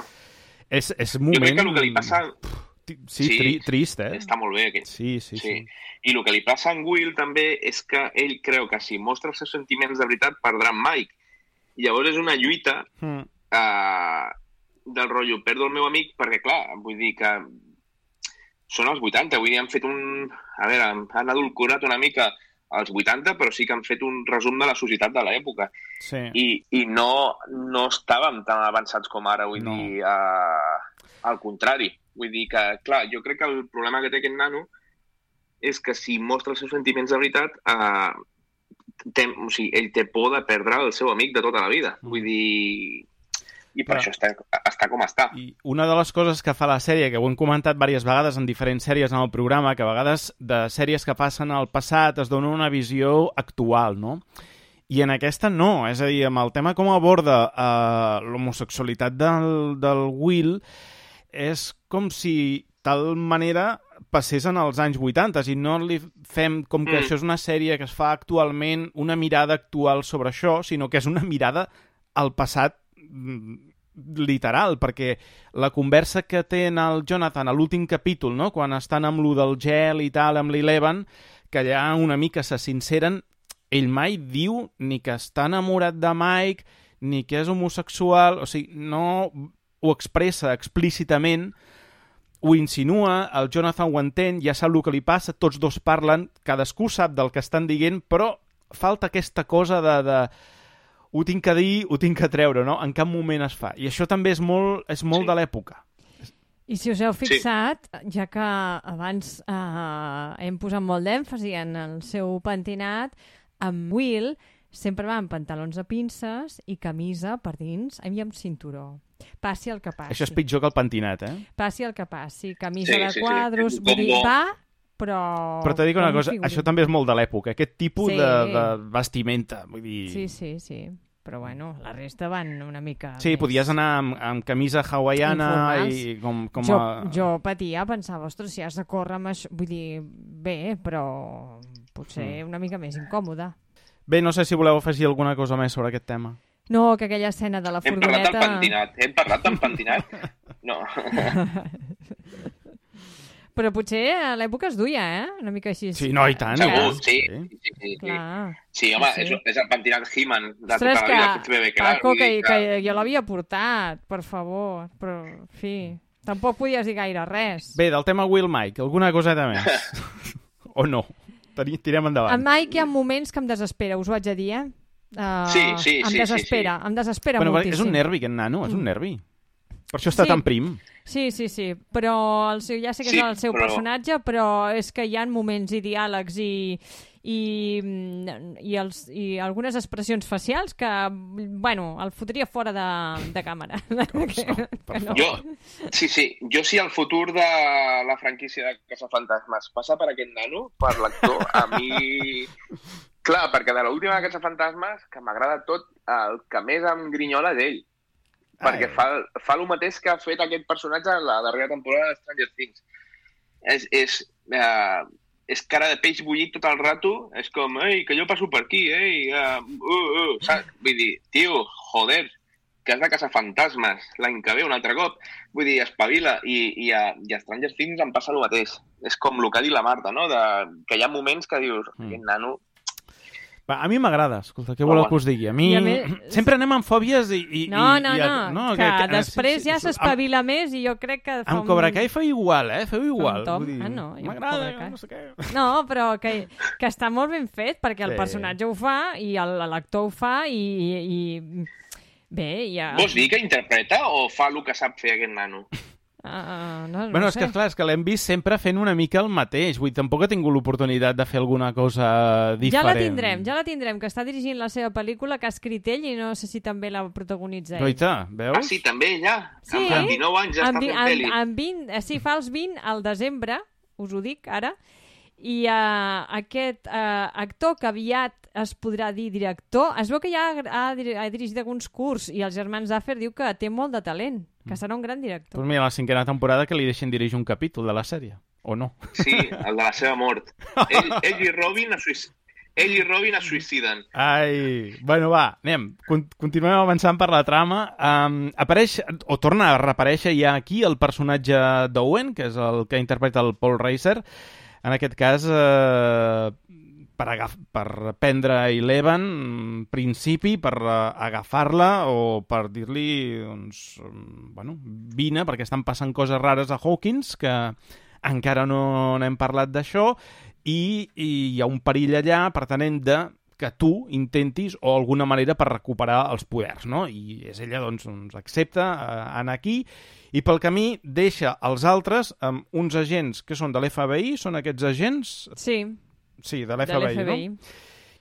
És un moment... Jo crec que el que li passa... trist, eh? Està molt bé. Sí. I el que li passa a en Will també és que ell creu que si mostra els seus sentiments de veritat perdrà en Mike. I llavors és una lluita del rotllo, perdo el meu amic, perquè clar, vull dir que són els 80, vull dir, han fet han adulcorat una mica als 80, però sí que han fet un resum de la societat de l'època. Sí. I no estàvem tan avançats com ara, vull dir, al contrari. Vull dir que, clar, jo crec que el problema que té aquest nano és que si mostra els seus sentiments de veritat, ell té por de perdre el seu amic de tota la vida. Vull dir... I per això està com està. I una de les coses que fa la sèrie, que ho hem comentat diverses vegades en diferents sèries en el programa, que a vegades de sèries que passen al passat es dona una visió actual, no? I en aquesta no, és a dir, amb el tema com aborda l'homosexualitat del Will, és com si tal manera passés en els anys 80 i no li fem com que això és una sèrie que es fa actualment, una mirada actual sobre això, sinó que és una mirada al passat literal, perquè la conversa que té el Jonathan a l'últim capítol, no? Quan estan amb lo del gel i tal, amb l'Eleven, que allà una mica se sinceren, ell mai diu ni que està enamorat de Mike, ni que és homosexual, o sigui, no ho expressa explícitament, ho insinua, el Jonathan ho entén, ja sap el que li passa, tots dos parlen, cadascú sap del que estan dient, però falta aquesta cosa de ho tinc que dir, ho tinc que treure, no? En cap moment es fa. I això també és molt de l'època. I si us heu fixat, ja que abans hem posat molt d'èmfasi en el seu pentinat, amb Will sempre va amb pantalons de pinces i camisa per dins i amb cinturó. Passi el que passi. Això és pitjor que el pentinat, eh? Passi el que passi. Camisa de quadros, vull dir, va, però... Però t'he dit una cosa, això també és molt de l'època, aquest tipus de vestimenta, vull dir... Sí. Però bueno, la resta van una mica... Sí, més... podies anar amb camisa hawaiana i com Jo patia, pensava, ostres, si has de córrer amb això... Vull dir, bé, però potser una mica més incòmode. Bé, no sé si voleu afegir alguna cosa més sobre aquest tema. No, que aquella escena de la furgoneta... Hem parlat del pentinat? No. Però potser a l'època es duia, Una mica així. Sí, no, i tant. Segur, sí. Clar. Sí, home, és el pentinat He-Man de tota la vida que ets bebè, clar. Paco, que jo l'havia portat, per favor. Però, en fi, tampoc podies dir gaire res. Bé, del tema Will Mike, alguna coseta més? O no? Tirem endavant. En Mike hi ha moments que em desespera, us ho haig de dir, Sí. Em desespera bueno, moltíssim. És un nervi, aquest nano, és un nervi. Per això està tan prim. Sí, però ja sé que és el seu personatge, però és que hi ha moments i diàlegs i algunes expressions facials que, bueno, el fotria fora de càmera. Jo sí, el futur de la franquícia de Caçafantasmes passa per aquest nano, per l'actor, a mi... Clar, perquè de l'última de Caçafantasmes, que m'agrada tot, el que més em grinyola és ell. Perquè fa el mateix que ha fet aquest personatge en la darrera temporada de Stranger Things. És cara de peix bullit tot el rato, és com, ei, que jo passo per aquí, saps? Vull dir, tio, joder, que has de caçar fantasmes l'any que ve un altre cop. Vull dir, espavila. I a Stranger Things em passa el mateix. És com el que ha dit la Marta, no? Que hi ha moments que dius, aquest nano... A mi m'agrada, escolta, què voleu que us digui? A mi sempre anem amb fòbies i... No, que després ja s'espavila més i jo crec que... Amb Cobra Kai feu igual, feu igual. M'agrada, no sé què. No, però que està molt ben fet perquè el personatge ho fa i l'actor ho fa i... Bé, ja... Vols dir que interpreta o fa el que sap fer aquest nano? Bueno, és que clar, és que l'hem vist sempre fent una mica el mateix. Vull dir, tampoc ha tingut l'oportunitat de fer alguna cosa diferent. Ja la tindrem, que està dirigint la seva pel·lícula, que ha escrit ell i no sé si també la protagonitza ell. Goita, veus? Sí, també ella. Sí, amb 19 anys ja està fent pel·li. Sí, fa els 20 al desembre, us ho dic ara, i aquest actor que aviat es podrà dir director, es veu que ja ha dirigit alguns cursos i els germans Duffer diu que té molt de talent, que serà un gran director. Doncs mira, la 5a temporada que li deixen dirigir un capítol de la sèrie, o no? Sí, el de la seva mort. Ell i Robin es suïciden. Ai, bueno, va, anem. Continuem avançant per la trama. Apareix, o torna a reaparèixer ja aquí el personatge d'Owen, que és el que interpreta el Paul Reiser. En aquest cas, per prendre Eleven, principi, per agafar-la o per dir-li, doncs, bueno, vine, perquè estan passant coses rares a Hawkins, que encara no n'hem parlat d'això, i hi ha un perill allà, per tant, hem de que tu intentis, o alguna manera, per recuperar els poders, no? I és ella, doncs accepta anar aquí, i pel camí deixa els altres amb uns agents que són de l'FBI, són aquests agents? Sí, de l'FBI, no?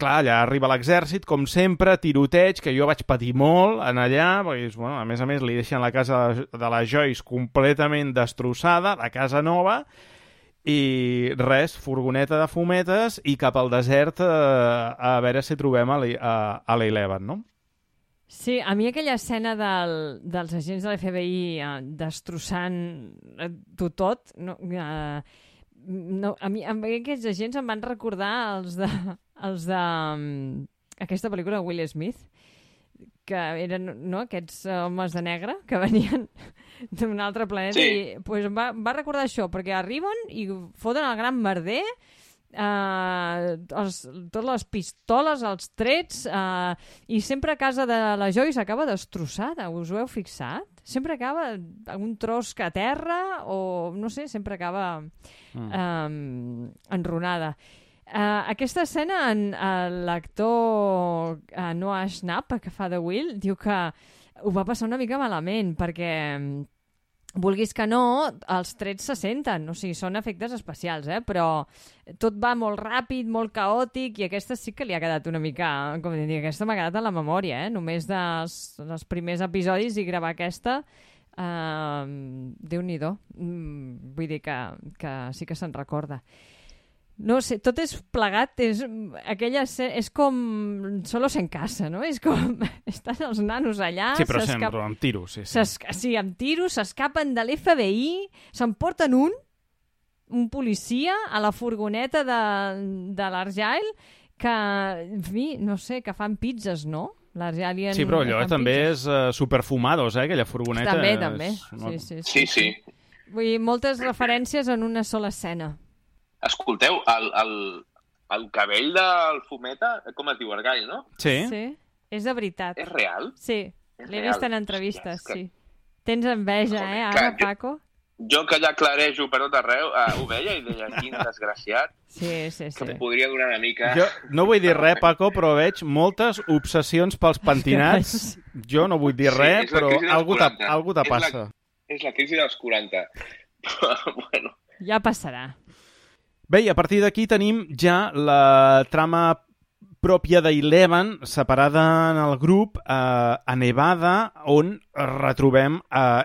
Clar, allà arriba l'exèrcit, com sempre, tiroteig, que jo vaig patir molt en allà, perquè, bueno, a més, li deixen la casa de la Joyce completament destrossada, la casa nova, i res, furgoneta de fumetes i cap al desert a veure si trobem a l'Eleven, no? Sí, a mi aquella escena dels agents de l'FBI destrossant-ho tot, a mi aquests agents em van recordar els de aquesta pel·lícula de Will Smith, que eren aquests homes de negre que venien d'un altre planeta, i pues, em va recordar això, perquè arriben i foten el gran merder totes les pistoles, els trets, i sempre a casa de la Joyce acaba destrossada, us ho heu fixat? Sempre acaba un tros que a terra o, no sé, sempre acaba enronada. Aquesta escena, l'actor Noah Schnapp, que fa de Will, diu que ho va passar una mica malament, perquè vulguis que no, els trets se senten, o sigui, són efectes especials, però tot va molt ràpid, molt caòtic, i aquesta sí que li ha quedat una mica, com dir, aquesta m'ha quedat a la memòria, només dels primers episodis i gravar aquesta, Déu-n'hi-do. Vull dir que sí que se'n recorda. No sé, tot és plegat, és com Solos en casa, no? És com estan els nanos allà... Sí, però sempre amb tiros, sí. Sí, amb tiros, s'escapen de l'FBI, s'emporten un policia a la furgoneta de l'Argyle, que, en fi, no sé, que fan pizzas, no? Sí, però allò també és superfumados, aquella furgoneta. També. Sí. Vull dir, moltes referències en una sola escena. Escolteu, el cabell del fumeta, com es diu, Argyle, no? Sí. És de veritat. És real? Sí, l'he vist en entrevistes, sí. Tens enveja, ara, Paco? Jo que ja clarejo per tot arreu, ho veia i deia, quin desgraciat, que em podria donar una mica... Jo no vull dir res, Paco, però veig moltes obsessions pels pentinats. Jo no vull dir res, però algú te passa. És la crisi dels 40. Bueno. Ja passarà. Bé, i a partir d'aquí tenim ja la trama pròpia d'Eleven, separada en el grup a Nevada, on retrobem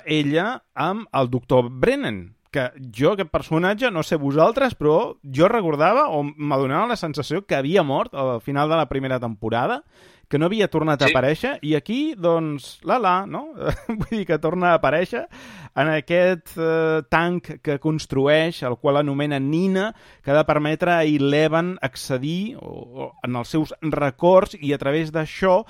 ella amb el doctor Brennan, que jo, aquest personatge, no sé vosaltres, però jo recordava o m'adonava la sensació que havia mort al final de la primera temporada, que no havia tornat a aparèixer, i aquí, doncs, no? Vull dir que torna a aparèixer en aquest tanc que construeix, el qual anomena Nina, que ha de permetre a Eleven accedir en els seus records i a través d'això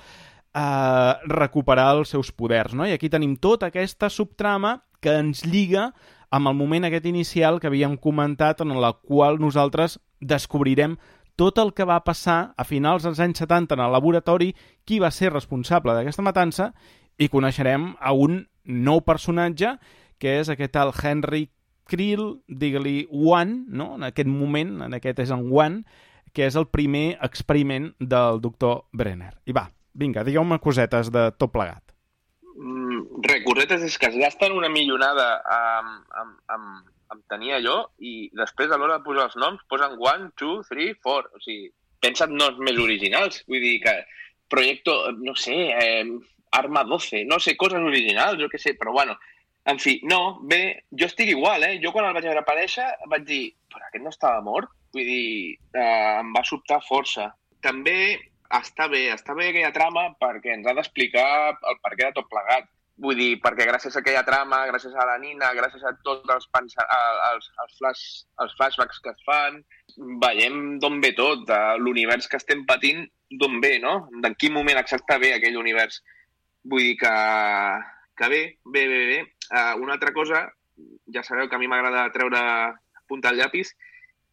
recuperar els seus poders, no? I aquí tenim tota aquesta subtrama que ens lliga amb el moment aquest inicial que havíem comentat, en el qual nosaltres descobrirem tot el que va passar a finals dels anys 70 en el laboratori, qui va ser responsable d'aquesta matança, i coneixerem a un nou personatge, que és aquest tal Henry Creel, digue-li One, no? En aquest moment, en aquest és en One, que és el primer experiment del doctor Brenner. I va, vinga, digueu-me cosetes de tot plegat. Cosetes és que es gasten una millonada amb tenir allò i després a l'hora de posar els noms posen 1, 2, 3, 4. O sigui, pensa't noms més originals. Vull dir que Proyecto, no sé, Arma 12, no sé, coses originals, jo què sé, però bueno, en fi, no, bé, jo estic igual, Jo quan el vaig veure aparèixer vaig dir, però aquest no estava mort? Vull dir, em va sobtar força. També està bé aquella trama perquè ens ha d'explicar el perquè de tot plegat. Vull dir, perquè gràcies a aquella trama, gràcies a la Nina, gràcies a tots els flashbacks que es fan, veiem d'on ve tot, l'univers que estem patint, d'on ve, no? En quin moment exacte ve aquell univers. Vull dir que bé. Una altra cosa, ja sabeu que a mi m'agrada treure punta al llapis,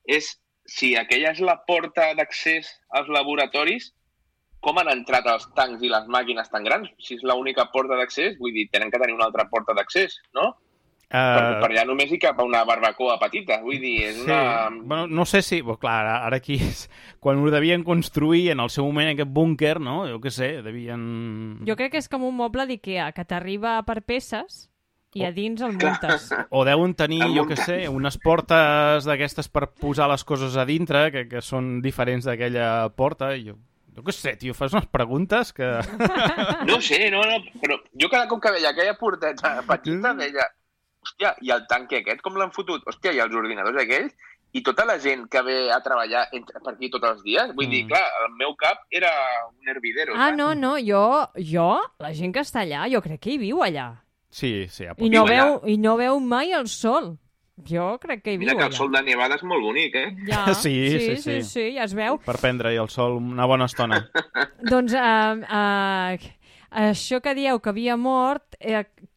és si aquella és la porta d'accés als laboratoris, com han entrat els tancs i les màquines tan grans? Si és l'única porta d'accés, vull dir, tenen que tenir una altra porta d'accés, no? Per allà només hi cap una barbacoa petita, vull dir, és una... Bueno, no sé si... Clar, ara aquí és... Quan ho devien construir en el seu moment aquest búnquer, no? Jo què sé, devien... Jo crec que és com un moble d'Ikea, que t'arriba per peces i a dins el muntes. O deuen tenir, jo què sé, unes portes d'aquestes per posar les coses a dintre, que són diferents d'aquella porta, i jo què sé, tio, fas unes preguntes que... No sé, però jo cada cop que veia aquella porteta petita deia, hòstia, i el tanque aquest com l'han fotut? Hòstia, i els ordinadors aquells? I tota la gent que ve a treballar per aquí tots els dies? Vull dir, clar, el meu cap era un hervidero. No, jo, la gent que està allà, jo crec que hi viu allà. Sí, I no veu mai el sol. Jo crec que hi viu allà. Mira que el sol de Nevada és molt bonic, Ja, sí, ja es veu. Per prendre-hi el sol una bona estona. Doncs això que dieu que havia mort,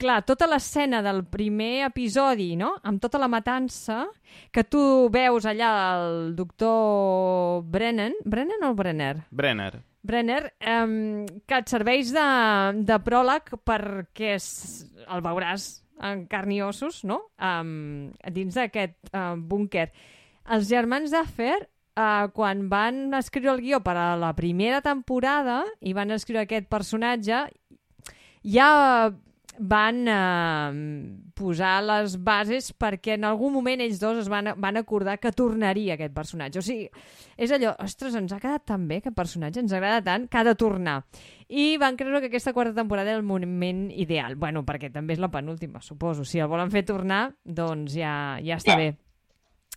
clar, tota l'escena del primer episodi, no?, amb tota la matança, que tu veus allà el doctor Brennan o Brenner? Brenner, que et serveix de pròleg perquè el veuràs en carn i ossos, no?, dins d'aquest búnquer. Els germans Duffer, quan van escriure el guió per a la primera temporada i van escriure aquest personatge, ja van posar les bases perquè en algun moment ells dos es van acordar que tornaria aquest personatge. O sigui, és allò, ostres, ens ha quedat tan bé aquest personatge, ens agrada tant que ha de tornar. I van creure que aquesta quarta temporada era el moment ideal. Bueno, perquè també és la penúltima, suposo. Si el volen fer tornar, doncs ja està bé.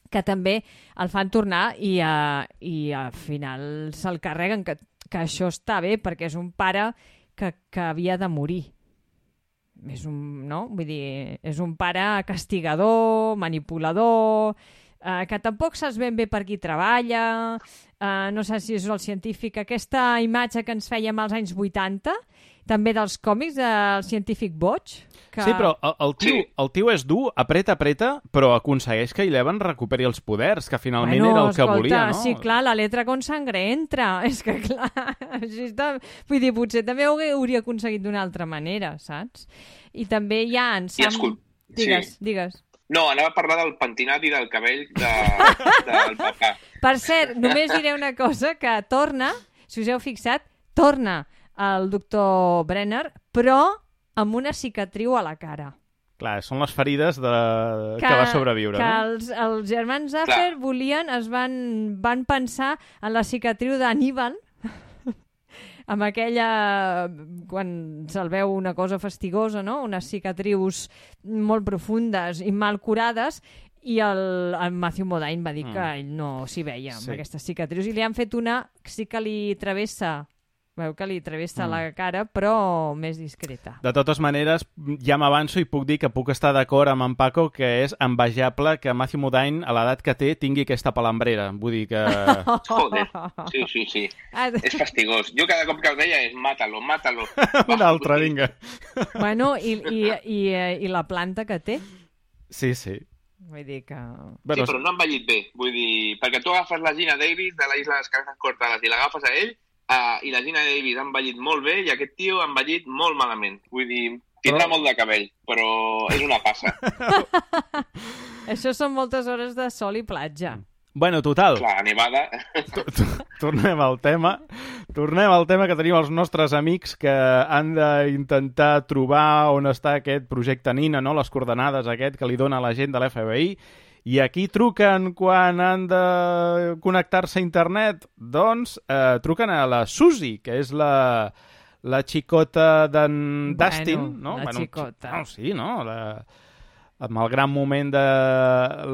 Que també el fan tornar i al final se'l carreguen, que això està bé perquè és un pare que havia de morir. És és un pare castigador, manipulador, que tampoc saps ben bé per qui treballa, no sé si és el científic, aquesta imatge que ens fèiem als anys 80, també dels còmics del científic boig. Que... Sí, però el tio és dur, apreta, però aconsegueix que Eleven recuperi els poders, que finalment era el que volia, no? Sí, clar, la letra con sangre entra. És que, clar, així està... Vull dir, potser també ho hauria aconseguit d'una altra manera, saps? I també hi ha en Sam... Digues. No, anava a parlar del pentinat i del cabell del papà. Per cert, només diré una cosa, que torna, si us heu fixat, torna el doctor Brenner, però amb una cicatriu a la cara. Clar, són les ferides que va sobreviure, que no? Els germans Duffer van pensar en la cicatriu d'Anníbal, amb aquella, quan se'l veu una cosa fastigosa, no? Unes cicatrius molt profundes i mal curades, i el Matthew Modine va dir que ell no s'hi veia amb aquestes cicatrius, i li han fet una, sí que li travessa... Veu que li travessa la cara, però més discreta. De totes maneres, ja m'avanço i puc dir que puc estar d'acord amb en Paco que és envejable que Matthew Modine, a l'edat que té, tingui aquesta palambrera. Vull dir que... Joder, sí. És fastigós. Jo cada cop que el veia és mátalo. Un altre, vinga. Bueno, i la planta que té? Sí. Vull dir que... Sí, però no ha envellit bé. Vull dir, perquè tu agafes la Gina Davis de la Isla de les Cabezas Cortadas i l'agafes a ell, i la Gina Davis ha envellit molt bé i aquest tio ha envellit molt malament. Vull dir, tindrà molt de cabell, però és una passa. Això són moltes hores de sol i platja. Bueno, total. Clar, nevada. Tornem al tema que tenim els nostres amics que han d'intentar trobar on està aquest projecte Nina, no? Les coordenades aquest que li dona la gent de l'FBI. I aquí truquen quan han de connectar-se a internet? Doncs truquen a la Suzy, que és la xicota d'en Dustin, no? La xicota. No, sí, no? Amb el gran moment de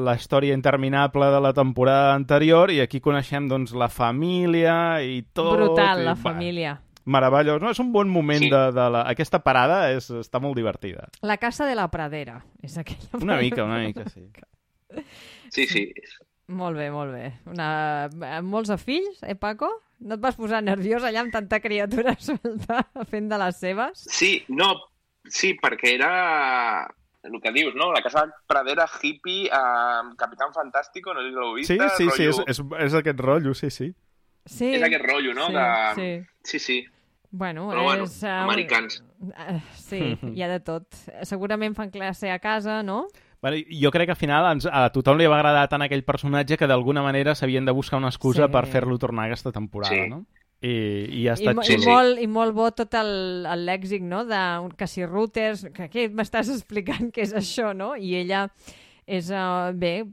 la història interminable de la temporada anterior, i aquí coneixem doncs la família i tot. Brutal, la família. Meravellós, no? És un bon moment aquesta parada, està molt divertida. La casa de la pradera, és aquella. Una mica, sí. Sí. Molt bé. Molts fills, Paco? No et vas posar nerviós allà amb tanta criatura suelta fent de les seves? Sí, perquè era el que dius, no? La casa pradera hippie amb Capitán Fantástico, no sé si l'heu vist. Sí, és aquest rotllo, sí. Sí. És aquest rotllo, no? Sí. Bueno, americans. Sí, hi ha de tot. Segurament fan classe a casa, no? Bueno, jo crec que al final a tothom li va agradar tant aquell personatge que d'alguna manera s'havien de buscar una excusa per fer-lo tornar aquesta temporada, no? I ha estat xulo. I molt bo tot el lèxic, no? Que si routers, que aquí m'estàs explicant què és això, no? I ella és,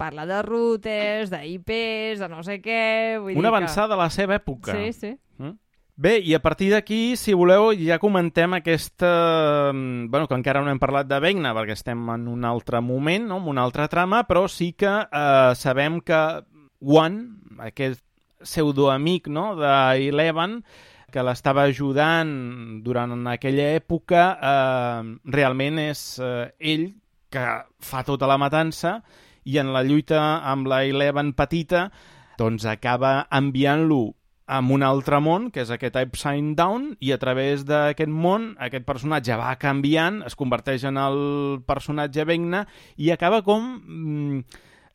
parla de routers, d'IPs, de no sé què... Una avançada a la seva època. Sí. Bé, i a partir d'aquí, si voleu, ja comentem aquesta... que encara no hem parlat de Vecna, perquè estem en un altre moment, no? En una altra trama, però sí que sabem que One, aquest pseudoamic, no? d'Eleven, que l'estava ajudant durant aquella època, realment és ell que fa tota la matança, i en la lluita amb la Eleven petita, doncs acaba enviant-lo amb un altre món, que és aquest Upside Down, i a través d'aquest món aquest personatge va canviant, es converteix en el personatge Vecna i acaba com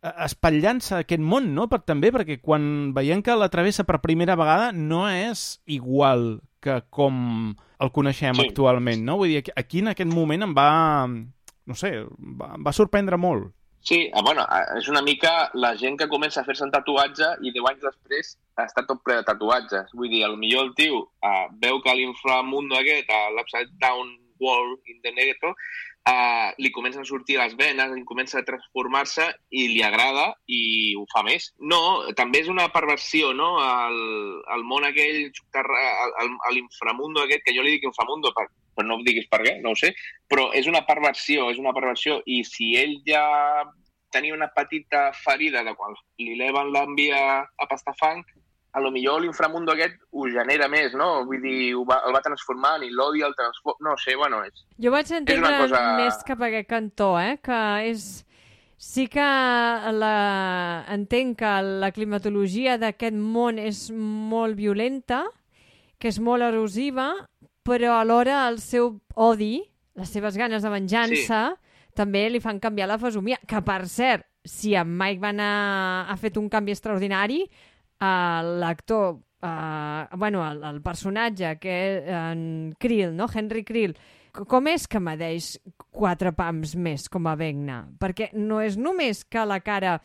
espatllant-se aquest món, no? Perquè quan veiem que la travessa per primera vegada no és igual que com el coneixem actualment, no? Vull dir, aquí en aquest moment em va, no sé, va sorprendre molt. Sí, bueno, és una mica la gent que comença a fer-se un tatuatge i 10 anys després està tot ple de tatuatges. Vull dir, potser el tio veu que l'inframundo aquest, l'Upside Down World in the Negro, li comencen a sortir les venes, li comença a transformar-se i li agrada i ho fa més. No, també és una perversió, no? El món aquell, l'inframundo aquest, que jo li dic inframundo, però no em diguis per què, no ho sé, però és una perversió, i si ell ja tenia una petita ferida de quan li eleven l'envia a pastar fang, a lo millor l'inframundo aquest ho genera més, no? Vull dir, el va transformant i l'odi el transforma... No sé, bueno, és... Jo vaig entendre més cap a aquest cantó, que és... Sí que entenc que la climatologia d'aquest món és molt violenta, que és molt erosiva, però alhora el seu odi, les seves ganes de venjança, també li fan canviar la fesomia. Que, per cert, si en Mike Van ha fet un canvi extraordinari, l'actor, el personatge, que és en Creel, no? Henry Creel, com és que medeix 4 pams més com a Vecna? Perquè no és només que la cara...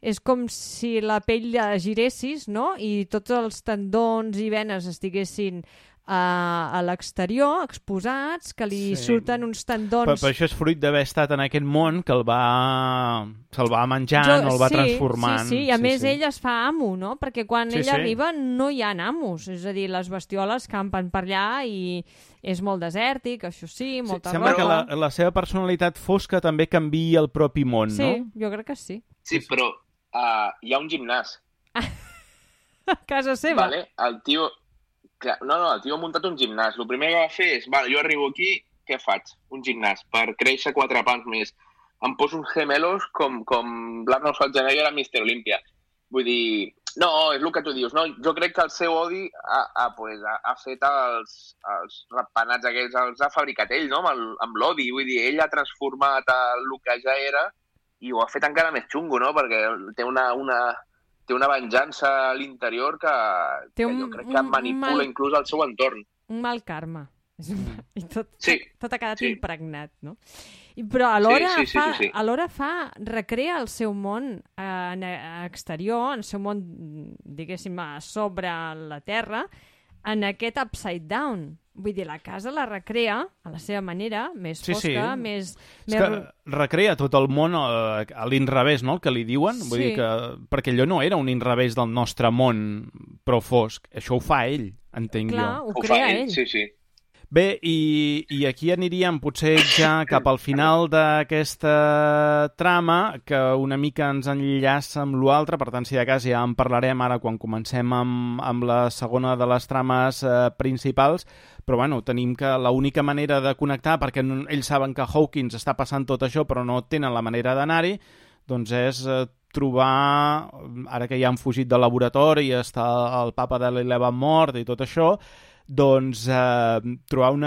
És com si la pell la giressis, no? I tots els tendons i venes estiguessin a l'exterior, exposats, que li surten uns tendons... Però això és fruit d'haver estat en aquest món que se'l va menjant o el va transformant. Sí, i a més ell es fa amo, no? Perquè quan ell arriba no hi ha amos, és a dir, les bestioles campen per allà i és molt desèrtic, això sí, molta roba... Sembla que la seva personalitat fosca també canvia el propi món, no? Sí, jo crec que sí. Sí, però hi ha un gimnàs. A casa seva? Vale, el tio ha muntat un gimnàs. El primer que va fer és, jo arribo aquí, què faig? Un gimnàs, per créixer 4 pams més. Em poso uns gemelos com l'Arnold Schwarzenegger a Mr. Olympia. Vull dir, no, és el que tu dius. No, jo crec que el seu odi ha fet els ratpenats aquells, els ha fabricat ell, no? Amb l'odi. Vull dir, ell ha transformat el que ja era i ho ha fet encara més xungo, no? Perquè té una venjança a l'interior que jo crec que manipula inclús el seu entorn. Un mal karma. I tot ha quedat impregnat, no? Però alhora recrea el seu món exterior, el seu món, diguéssim, sobre la Terra, en aquest upside down. Vull dir, la casa la recrea a la seva manera, més fosca, més... És que recrea tot el món a l'inrevés, no?, el que li diuen. Vull dir que... Perquè allò no era un inrevés del nostre món prou fosc. Això ho fa ell, entenc jo. Clar, ho crea ell. Sí. Bé, i aquí aniríem potser ja cap al final d'aquesta trama, que una mica ens enllaça amb l'altre, per tant, si de cas ja en parlarem ara quan comencem amb la segona de les trames principals, però bueno, tenim que l'única manera de connectar, perquè ells saben que Hawkins està passant tot això, però no tenen la manera d'anar-hi, doncs és trobar, ara que ja han fugit del laboratori, està el papa de l'Eleven mort i tot això, doncs trobar un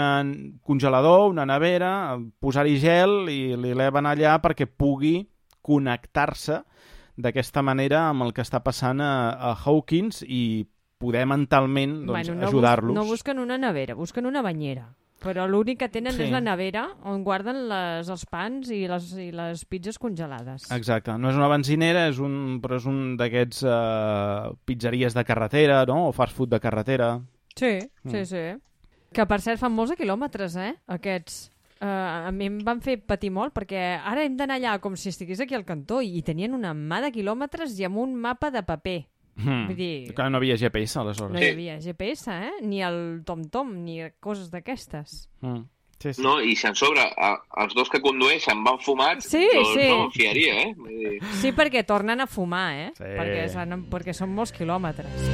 congelador, una nevera, posar-hi gel i l'Eleven allà perquè pugui connectar-se d'aquesta manera amb el que està passant a Hawkins i poder mentalment ajudar-los. No busquen una nevera, busquen una banyera. Però l'únic que tenen és la nevera on guarden els pans i les pizzas congelades. Exacte. No és una benzinera, però és un d'aquests pizzeries de carretera, no? O fast food de carretera. Sí. Que, per cert, fan molts quilòmetres, aquests. A mi em van fer patir molt, perquè ara hem d'anar allà com si estigués aquí al cantó i tenien una mà de quilòmetres i amb un mapa de paper. Vull dir... Que no havia GPS, aleshores. No hi havia GPS, ni el TomTom, ni coses d'aquestes. Sí. No, i si en sobre els dos que condueixen van fumats, doncs no fiaria, Sí, perquè tornen a fumar, Sí. Perquè són molts quilòmetres.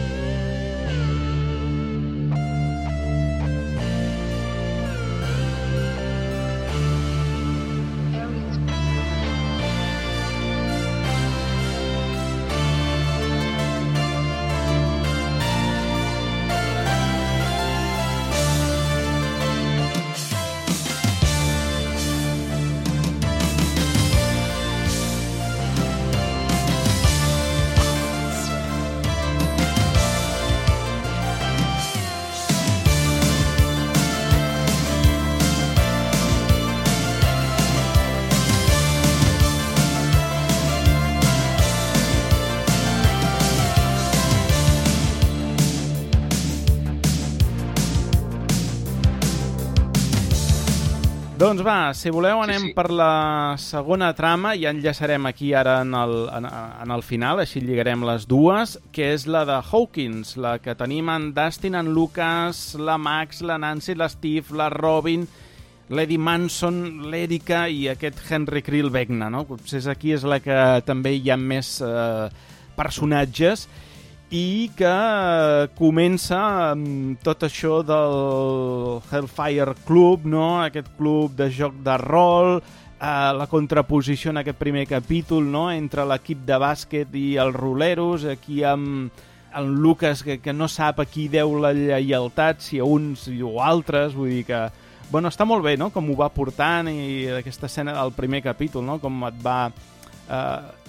Doncs va, si voleu anem per la segona trama, ja enllaçarem aquí ara en el final, així lligarem les dues, que és la de Hawkins, la que tenim en Dustin, en Lucas, la Max, la Nancy, l'Steve, la Robin, l'Eddie Manson, l'Erika i aquest Henry Krill Vecna, no? Potser aquí és la que també hi ha més personatges i que comença amb tot això del Hellfire Club, no? Aquest club de joc de rol, la contraposició en aquest primer capítol, no? Entre l'equip de bàsquet i els roleros, aquí amb el Lucas que no sap a qui deu la lleialtat, si a uns o altres, vull dir que bueno, està molt bé, no?, com ho va portant i aquesta escena del primer capítol, no?, com et va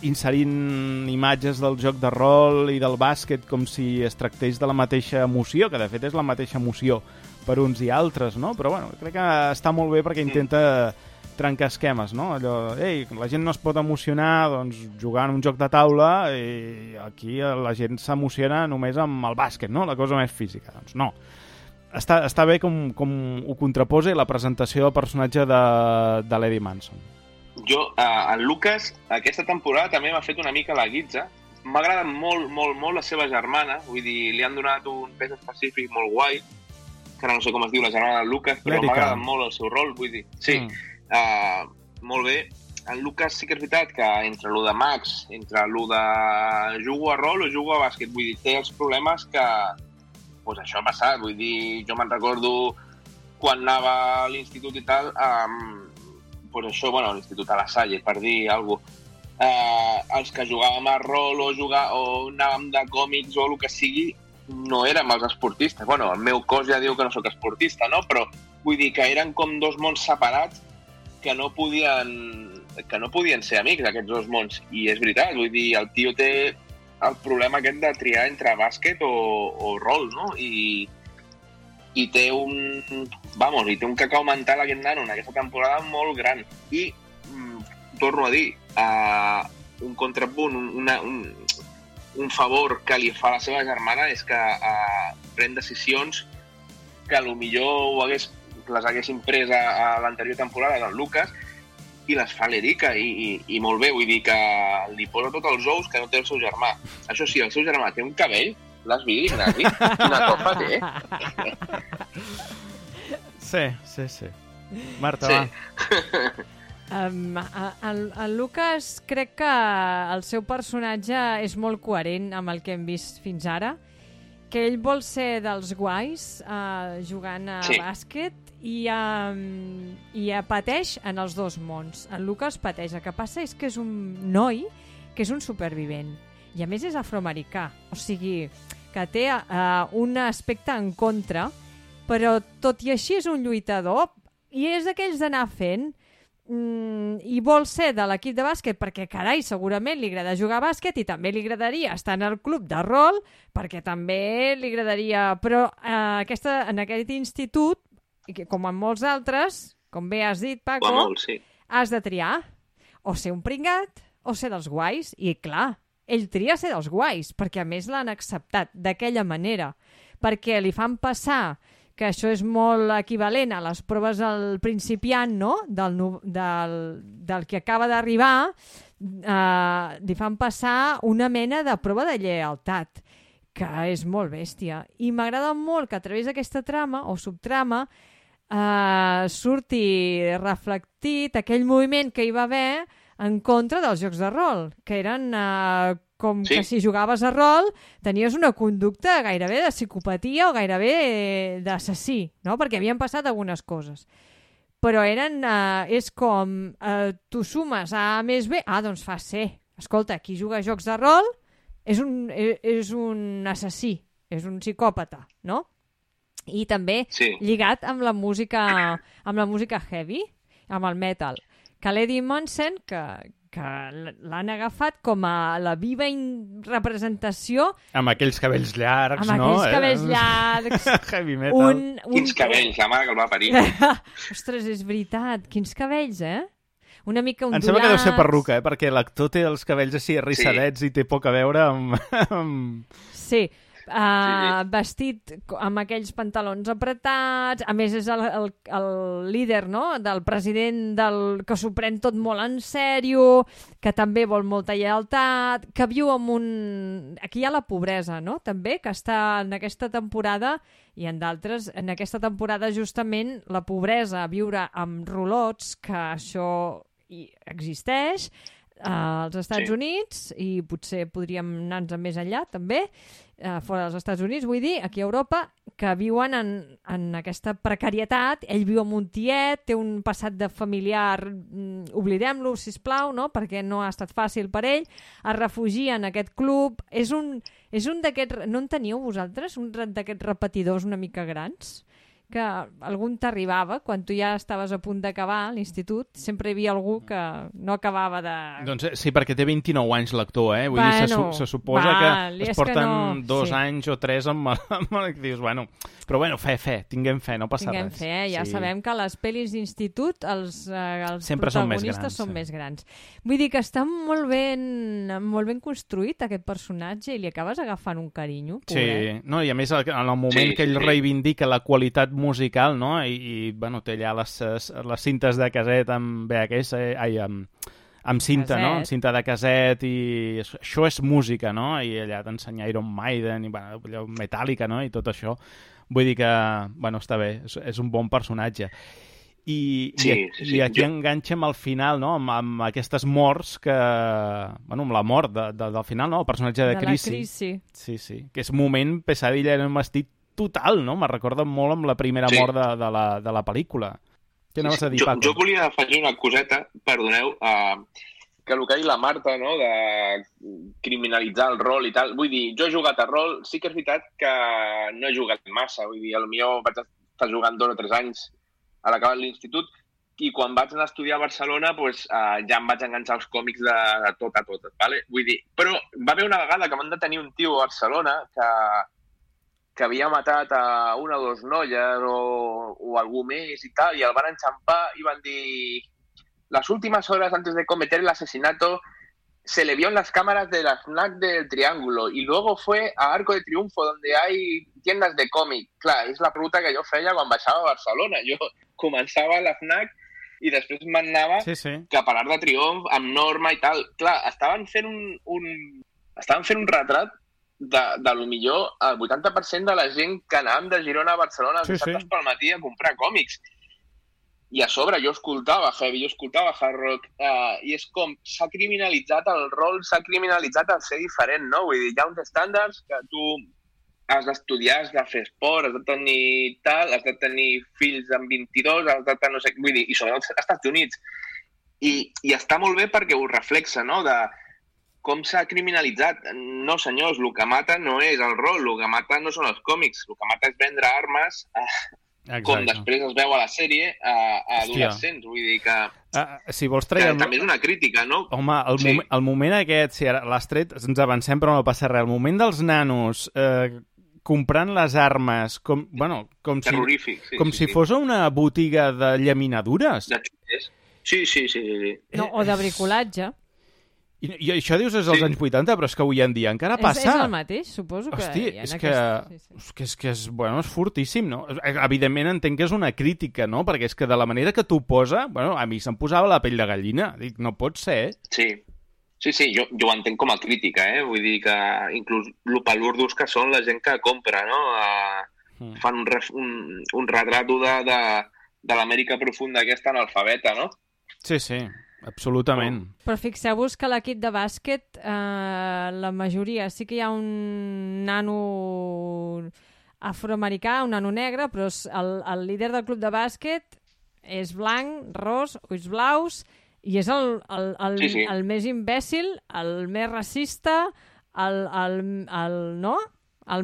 inserint imatges del joc de rol i del bàsquet com si es tractés de la mateixa emoció, que de fet és la mateixa emoció per uns i altres, no? Però bueno, crec que està molt bé perquè intenta trencar esquemes, no? Allò, ei, la gent no es pot emocionar doncs, jugant un joc de taula i aquí la gent s'emociona només amb el bàsquet, no? La cosa més física. Doncs no. Està bé com ho contraposa la presentació del personatge de l'Eddie Manson. Jo, en Lucas, aquesta temporada també m'ha fet una mica la guitza. M'agrada molt, molt, molt la seva germana. Vull dir, li han donat un pes específic molt guai, que ara no sé com es diu la germana de Lucas, però m'agrada molt el seu rol, vull dir. Sí, molt bé. En Lucas sí que és veritat que entre lo de Max, entre lo de jugo a rol o jugo a bàsquet, vull dir, té els problemes que pues això ha passat. Vull dir, jo me'n recordo quan anava a l'institut i tal, pues això, bueno, a l'institut a la Salle, per dir alguna cosa, els que jugàvem a rol o anàvem de còmics o el que sigui, no érem els esportistes. Bueno, el meu cos ja diu que no sóc esportista, no? Però vull dir que eren com dos mons separats que no podien ser amics, aquests dos mons. I és veritat, vull dir, el tio té el problema aquest de triar entre bàsquet o rol, no? I té un cacau mental aquest nano en aquesta temporada molt gran. I torno a dir, un contrapunt, un favor que li fa a la seva germana és que pren decisions que potser les haguessin pres a l'anterior temporada del Lucas i les fa l'Erika i molt bé, vull dir que li posa tots els ous que no té el seu germà. Això sí, el seu germà té un cabell. L'has vist, Ignasi? Quina copa té? Sí. Marta, va. El Lucas crec que el seu personatge és molt coherent amb el que hem vist fins ara, que ell vol ser dels guais jugant a bàsquet i pateix en els dos mons. El Lucas pateix. El que passa és que és un noi que és un supervivent. I a més és afroamericà, o sigui, que té un aspecte en contra, però tot i així és un lluitador i és d'aquells d'anar fent i vol ser de l'equip de bàsquet perquè, carai, segurament li agrada jugar a bàsquet i també li agradaria estar en el club de rol perquè també li agradaria... Però en aquest institut, com en molts altres, com bé has dit, Paco, has de triar o ser un pringat o ser dels guais. I clar, ell tria ser dels guais, perquè a més l'han acceptat d'aquella manera, perquè li fan passar, que això és molt equivalent a les proves al principiant, no?, del que acaba d'arribar, li fan passar una mena de prova de lleialtat, que és molt bèstia. I m'agrada molt que a través d'aquesta trama o subtrama surti reflectit aquell moviment que hi va haver en contra dels jocs de rol, que eren que si jugaves a rol tenies una conducta gairebé de psicopatia o gairebé d'assassí, no? Perquè havien passat algunes coses. Però és com tu sumes A més B, doncs fa C. Escolta, qui juga a jocs de rol és un assassí, és un psicòpata, no? I també lligat amb la música heavy, amb el metal. Que l'Eddie Manson, que l'han agafat com a la viva representació... Amb aquells cabells llargs, no? Amb aquells cabells llargs. Heavy metal. Quins cabells, la mare que el va parir. Ostres, és veritat. Quins cabells, Una mica ondulats. Em sembla que deu ser perruca, perquè l'actor té els cabells així arrissadets i té poc a veure amb... Sí, vestit amb aquells pantalons apretats, a més és el líder, no?, del president que s'ho pren tot molt en sèrio, que també vol molta lleialtat, que viu amb Aquí hi ha la pobresa, no?, també, que està en aquesta temporada i en d'altres, en aquesta temporada justament la pobresa, viure amb rolots, que això existeix als Estats Units, i potser podríem anar-nos més enllà també, fora dels Estats Units, vull dir, aquí a Europa, que viuen en aquesta precarietat. Ell viu amb un tiet, té un passat de familiar, oblidem-lo, sisplau, no?, perquè no ha estat fàcil per ell, es refugia en aquest club. És un d'aquests... No en teníeu vosaltres, un d'aquests repetidors una mica grans? Que algun t'arribava quan tu ja estaves a punt d'acabar l'institut, sempre hi havia algú que no acabava de... Doncs sí, perquè té 29 anys l'actor, eh? Vull dir, se suposa que es porten 2 anys o 3 amb el que dius, bueno... Però bueno, tinguem fe, no passa res. Tinguem fe, ja sabem que a les pel·lis d'institut els protagonistes són més grans. Vull dir que està molt ben construït aquest personatge i li acabes agafant un carinyo, pobret. Sí, no, i a més en el moment que ell reivindica la qualitat musical, no?, i bueno, té allà les cintes de caset amb VHS, amb cinta, no?, amb cinta de caset, i això és música, no?, i allà t'ensenya Iron Maiden i bueno, Metallica, no?, i tot això. Vull dir que, bueno, està bé, és un bon personatge. I aquí enganxem al final, no?, amb aquestes morts que... Bueno, amb la mort del final, no?, el personatge de Chrissy. Sí, que és un moment pesadilla en un vestit total, no? Me recorda molt amb la primera mort de la pel·lícula. Què anaves a dir, Paco? Jo volia afegir una coseta, perdoneu, que el que ha dit la Marta, no?, de criminalitzar el rol i tal. Vull dir, jo he jugat a rol, sí que és veritat que no he jugat massa, vull dir, potser vaig estar jugant 2 o 3 anys a l'acabar l'institut, i quan vaig anar a estudiar a Barcelona pues, ja em vaig enganxar els còmics de tot a tot, ¿vale? Vull dir, però va haver una vegada que van detenir un tio a Barcelona que havia matat a 1 o 2 noies o algú més i tal, i el van enxampar i van dir... Las últimas horas antes de cometer el asesinato se le vio en las cámaras de la FNAC del Triángulo y luego fue a Arco de Triunfo donde hay tiendas de còmic. Clar, és la pregunta que jo feia quan baixava a Barcelona. Jo començava a la FNAC i després m'anava cap a l'Arc de Triomf amb Norma i tal. Clar, estaven fent un retrat de lo millor el 80% de la gent que anàvem de Girona a Barcelona els dissabtes pel matí a comprar còmics. I a sobre jo escoltava heavy, jo escoltava hard rock, i és com s'ha criminalitzat el rol, s'ha criminalitzat el ser diferent, no? Vull dir, hi ha uns estàndards que tu has d'estudiar, has de fer esport, has de tenir tal, has de tenir fills amb 22, has de tenir no sé... Vull dir, i sobretot als Estats Units. I està molt bé perquè ho reflexa, no?, de com s'ha criminalitzat. No, senyors, el que mata no és el rol, el que mata no són els còmics, el que mata és vendre armes... com després es veu a la sèrie a adolescents, vull dir que... Si vols traiem... Que també és una crítica, no? Home, el moment aquest, si ara l'has tret, ens avancem però no passa res, el moment dels nanos comprant les armes, com si fos una botiga de llaminadures. Sí. No, o de bricolatge. I això dius és als anys 80, però és que avui en dia encara passa. És el mateix, suposo que... Hosti, és fortíssim, no? Evidentment entenc que és una crítica, no? Perquè és que de la manera que t'ho posa, bueno, a mi se'm posava la pell de gallina. Dic, no pot ser, Sí, jo ho entenc com a crítica, Vull dir que inclús el palurdos que són la gent que compra, no? Fan un retrato de l'Amèrica profunda aquesta analfabeta, no? Sí. Absolutament. Però fixeu-vos que a l'equip de bàsquet la majoria sí que hi ha un nano afroamericà, un nano negre, però el líder del club de bàsquet és blanc, ros, ulls blaus, i és el més imbècil, el més racista, el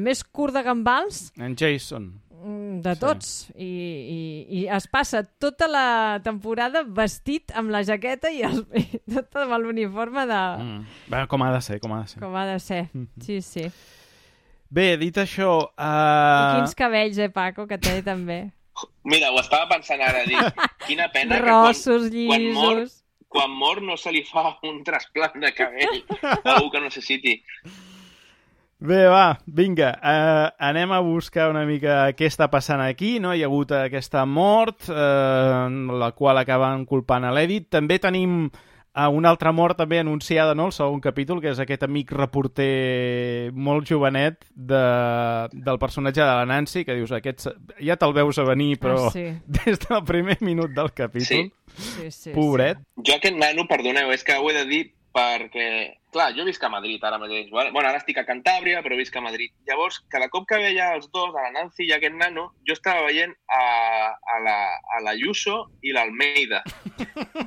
més curt de gambals. En Jason. De tots. I es passa tota la temporada vestit amb la jaqueta i tot amb l'uniforme de... Com ha de ser. Com ha de ser, sí. Bé, dit això... I quins cabells, Paco, que té també. Mira, ho estava pensant ara, dic, quina pena Rossos, llisos... Quan mor no se li fa un trasplant de cabell a algú que necessiti. Bé, va, vinga, anem a buscar una mica què està passant aquí, no? Hi ha hagut aquesta mort, la qual acaben culpant a l'Edith. També tenim una altra mort també anunciada, no?, el segon capítol, que és aquest amic reporter molt jovenet del personatge de la Nancy, que dius, aquest ja te'l veus a venir, però des del primer minut del capítol, pobret. Jo aquest nano, perdoneu, és que ho he de dir perquè, clar, jo visc a Madrid ara mateix. Bueno, ara estic a Cantàbria, però visc a Madrid. Llavors, cada cop que veia els dos, a la Nancy i a aquest nano, jo estava veient a la Ayuso i l'Almeida,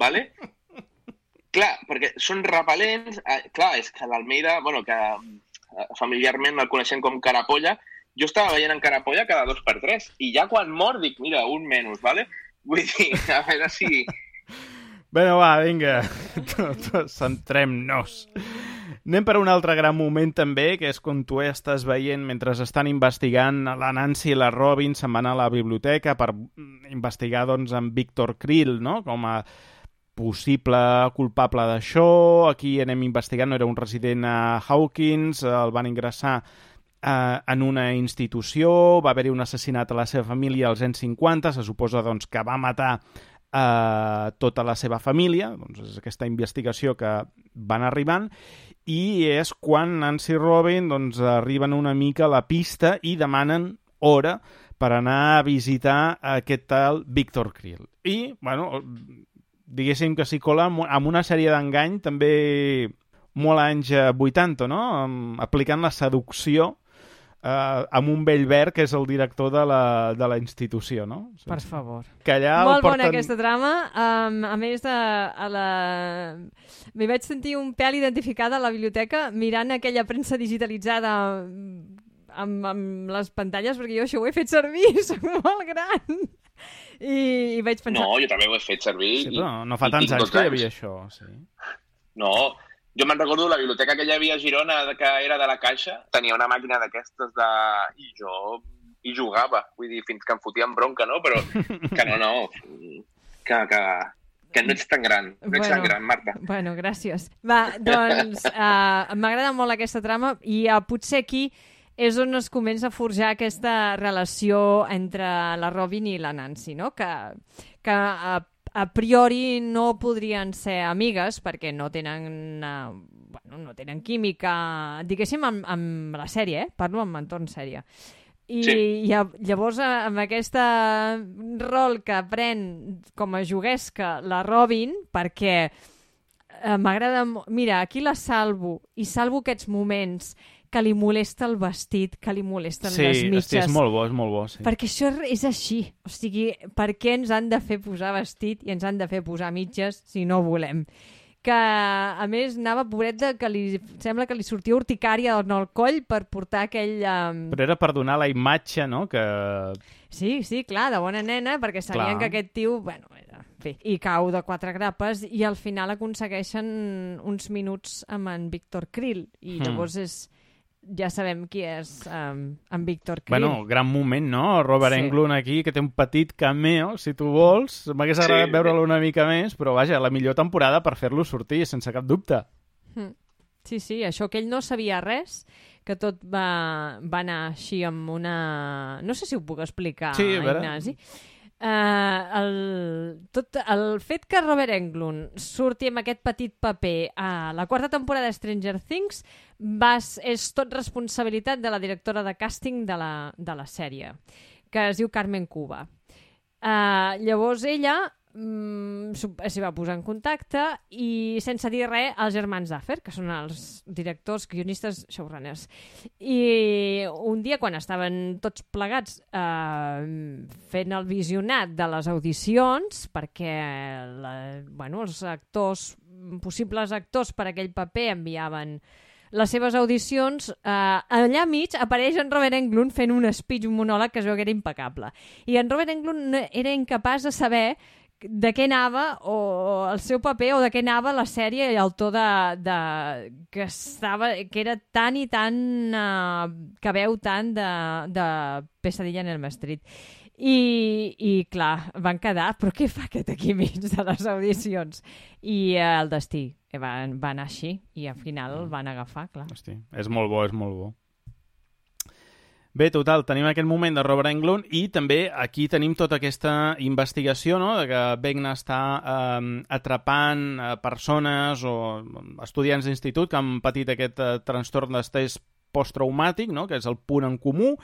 ¿vale? Clar, perquè són repel·lents. Clar, és que l'Almeida, bueno, que familiarment el coneixem com Carapolla, jo estava veient en Carapolla cada 2x3, i ja quan mor dic, mira, un menys, ¿vale? Vull dir, a veure si... Bueno, va, vinga, centrem-nos. Anem per un altre gran moment també, que és quan tu estàs veient, mentre estan investigant, la Nancy i la Robin se'n van a la biblioteca per investigar, doncs, en Victor Krill, no?, com a possible culpable d'això. Aquí anem investigant, no era un resident a Hawkins, el van ingressar en una institució, va haver-hi un assassinat a la seva família als anys 50, se suposa, doncs, que va matar tota la seva família. Doncs és aquesta investigació que van arribant, i és quan Nancy i Robin, doncs, arriben una mica a la pista i demanen hora per anar a visitar aquest tal Victor Krill. I, bueno, diguéssim que s'hi cola amb una sèrie d'engany també molt anys 80, no?, aplicant la seducció amb un vell verd que és el director de la institució, no? Per favor. Que allà molt bona aquesta trama. A més, m'hi vaig sentir un pèl identificada a la biblioteca mirant aquella premsa digitalitzada amb les pantalles, perquè jo això ho he fet servir, soc molt gran. I vaig pensar... No, jo també ho he fet servir. Sí, però no fa tants anys que hi havia això, sí. No, jo me'n recordo la biblioteca que hi havia a Girona, que era de la Caixa, tenia una màquina d'aquestes i jo hi jugava, vull dir, fins que em fotien bronca, no? Però que no, que no ets tan gran, tan gran, Marta. Bueno, gràcies. Va, doncs, m'agrada molt aquesta trama i potser aquí és on es comença a forjar aquesta relació entre la Robin i la Nancy, no? Que a priori no podrien ser amigues perquè no tenen, no tenen química, diguéssim, amb la sèrie, parlo amb entorn sèrie. I sí. Llavors, amb aquest rol que pren com a juguesca la Robin, perquè m'agrada... Mira, aquí la salvo, i salvo aquests moments que li molesta el vestit, que li molesten les mitges. Sí, és molt bo, sí. Perquè això és així. O sigui, per què ens han de fer posar vestit i ens han de fer posar mitges si no volem? Que, a més, anava pobret que sembla que li sortia urticària al coll per portar aquell... Però era per donar la imatge, no? Que... Sí, clar, de bona nena, perquè sabien que aquest tio... Bueno, i cau de 4 grapes i al final aconsegueixen uns minuts amb en Victor Krill. I llavors ja sabem qui és en Victor Krill. Bueno, gran moment, no? Robert Englund aquí, que té un petit cameo, si tu vols. M'hagués agradat veure-lo una mica més, però vaja, la millor temporada per fer-lo sortir, sense cap dubte. Sí, això que ell no sabia res, que tot va anar així amb una... No sé si ho puc explicar, Ignasi. El fet que Robert Englund surti amb aquest petit paper a la 4ª temporada de Stranger Things és tot responsabilitat de la directora de càsting de la sèrie, que es diu Carmen Cuba. Llavors ella s'hi va posar en contacte i, sense dir res, els germans Duffer, que són els directors, guionistes, showrunners. I un dia, quan estaven tots plegats fent el visionat de les audicions, perquè els actors, possibles actors per aquell paper enviaven les seves audicions, allà mig apareix en Robert Englund fent un speech, un monòleg que es veu que era impecable. I en Robert Englund era incapaç de saber de què anava el seu paper o de què anava la sèrie i el to que era tan i tan que veu tant de Pesadilla en Elm Street. I clar, van quedar, però què fa aquest aquí mig de les audicions? I el destí va anar així i al final el van agafar, clar. Hosti, és molt bo. Bé, total, tenim aquest moment de Robert Englund i també aquí tenim tota aquesta investigació, no?, de que Vecna està atrapant persones o estudiants d'institut que han patit aquest trastorn d'estrès posttraumàtic, no?, que és el punt en comú,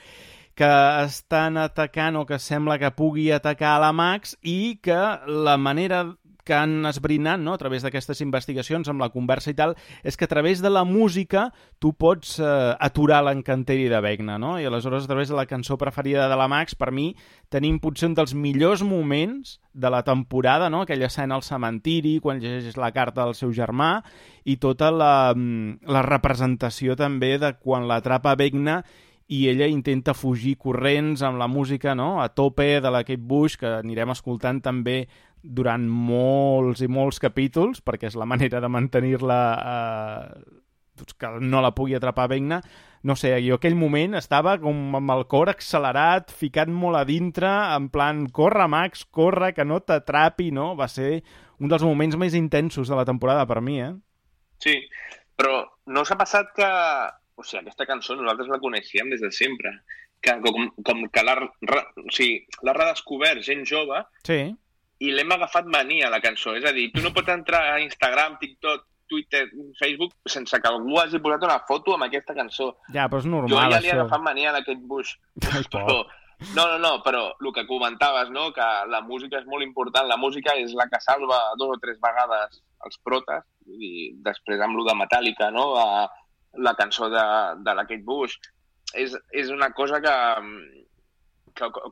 que estan atacant o que sembla que pugui atacar a la Max i que la manera que han esbrinat, no?, a través d'aquestes investigacions amb la conversa i tal, és que a través de la música tu pots aturar l'encanteri de Vecna, no? I aleshores a través de la cançó preferida de la Max, per mi tenim potser un dels millors moments de la temporada, no?, aquella escena al cementiri, quan llegeix la carta del seu germà, i tota la representació també de quan l'atrapa Vecna i ella intenta fugir corrents amb la música, no?, a tope de la Kate Bush, que anirem escoltant també durant molts i molts capítols, perquè és la manera de mantenir-la que no la pugui atrapar Vecna. No sé, jo aquell moment estava com amb el cor accelerat, ficat molt a dintre, en plan, corre Max, corre, que no t'atrapi, no? Va ser un dels moments més intensos de la temporada per mi, Sí, però no s'ha passat que... O sigui, aquesta cançó nosaltres la coneixíem des de sempre, que com que l'ha redescobert gent jove, sí, i l'hem agafat mania, la cançó. És a dir, tu no pots entrar a Instagram, TikTok, Twitter, Facebook, sense que algú hagi posat una foto amb aquesta cançó. Ja, però és normal, jo ja li he això. agafat mania a Kate Bush. Però, no, però el que comentaves, no?, que la música és molt important. La música és la que salva 2 o 3 vegades els protes, i després amb lo de Metallica, no?, la cançó de la Kate Bush. És una cosa que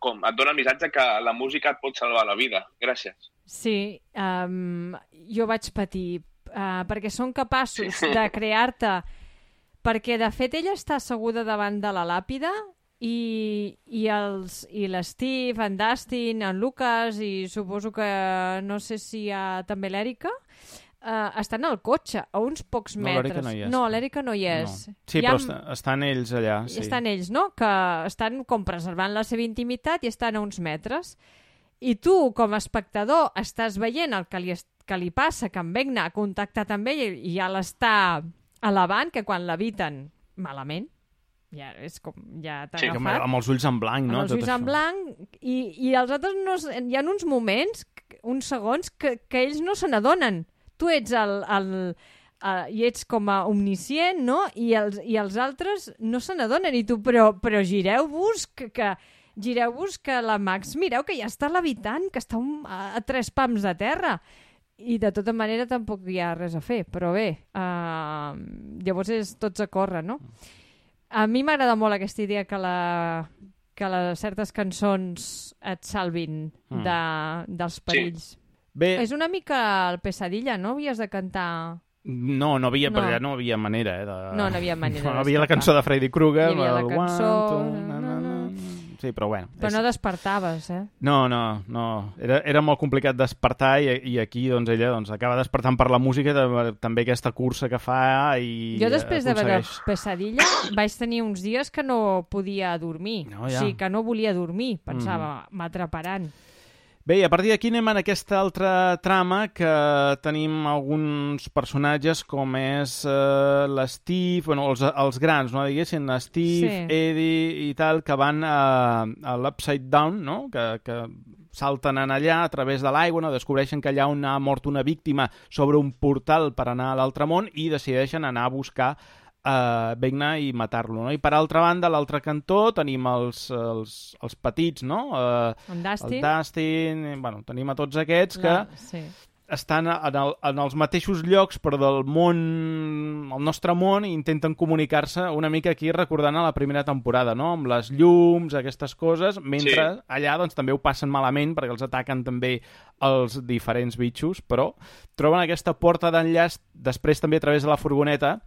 com et dona el missatge que la música et pot salvar la vida. Gràcies. Sí, jo vaig patir, perquè són capaços de crear-te... Perquè, de fet, ella està asseguda davant de la làpida i l'Steve, en Dustin, en Lucas i suposo que no sé si hi ha també l'Èrica, estan al cotxe, a uns pocs metres. No, l'Èrica no hi és. No. Sí, però estan ells allà. Sí. Estan ells, no? Que estan com preservant la seva intimitat i estan a uns metres. I tu, com a espectador, estàs veient el que li passa, que en Vecna ha contactat amb ell i ja l'està elevant, que quan l'eviten malament, ja és com, ja t'ha agafat. Amb els ulls en blanc, no? Amb els ulls en blanc, i els altres no, hi ha uns moments, uns segons, que ells no se n'adonen. Tu ets i ets com a omniscient, no? I els altres no se n'adonen. I tu, però gireu-vos, gireu-vos que la Max, mireu que ja està levitant, que està a 3 pams de terra. I de tota manera tampoc hi ha res a fer. Però bé, llavors és tots a córrer, no? A mi m'agrada molt aquesta idea que certes cançons et salvin dels perills. Sí. Bé. És una mica el Pesadilla, no? Havies de cantar... No havia, no. Perquè no havia manera, No havia manera. No havia la cançó de Freddy Krueger. Hi havia la cançó... Sí, però bueno. Però no despertaves, No. Era molt complicat despertar i aquí doncs, ella acaba despertant per la música, també aquesta cursa que fa i jo després de veure Pesadilla vaig tenir uns dies que no podia dormir. O sigui, que no volia dormir. Pensava, m'atraparan. Bé, i a partir d'aquí anem en aquesta altra trama que tenim alguns personatges com és l'Steve, bueno, els grans, no, diguéssim, Steve, sí. Eddie i tal, que van a l'Upside Down, no? Que salten en allà a través de l'aigua, no? Descobreixen que allà on ha mort una víctima sobre un portal per anar a l'altre món i decideixen anar a buscar Vecna i matar-lo, no? I per altra banda, a l'altre cantó tenim els petits, no? En Dustin. El Dustin, bueno, tenim a tots aquests que estan en els mateixos llocs però del món, el nostre món, i intenten comunicar-se una mica aquí recordant a la primera temporada, no? Amb les llums, aquestes coses, mentre allà doncs també ho passen malament perquè els ataquen també els diferents bitxos, però troben aquesta porta d'enllaç després també a través de la furgoneta,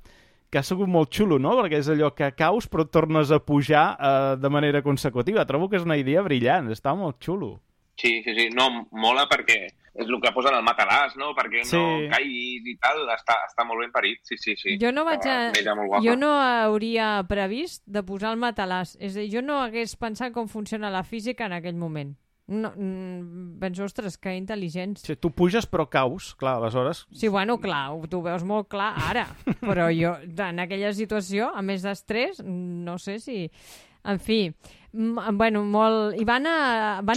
que ha sigut molt xulo, no? Perquè és allò que caus però tornes a pujar de manera consecutiva. Trobo que és una idea brillant, està molt xulo. Sí. No, mola perquè és el que posen al matalàs, no? Perquè no caiguis i tal, està molt ben parit, sí. Jo no hauria previst de posar el matalàs. És a dir, jo no hagués pensat com funciona la física en aquell moment. No, penso, ostres, que intel·ligents. Sí, tu puges però caus, clar, aleshores... Sí, bueno, clar, tu veus molt clar ara, però jo, en aquella situació, a més d'estrès, no sé si... En fi, bueno, molt... I van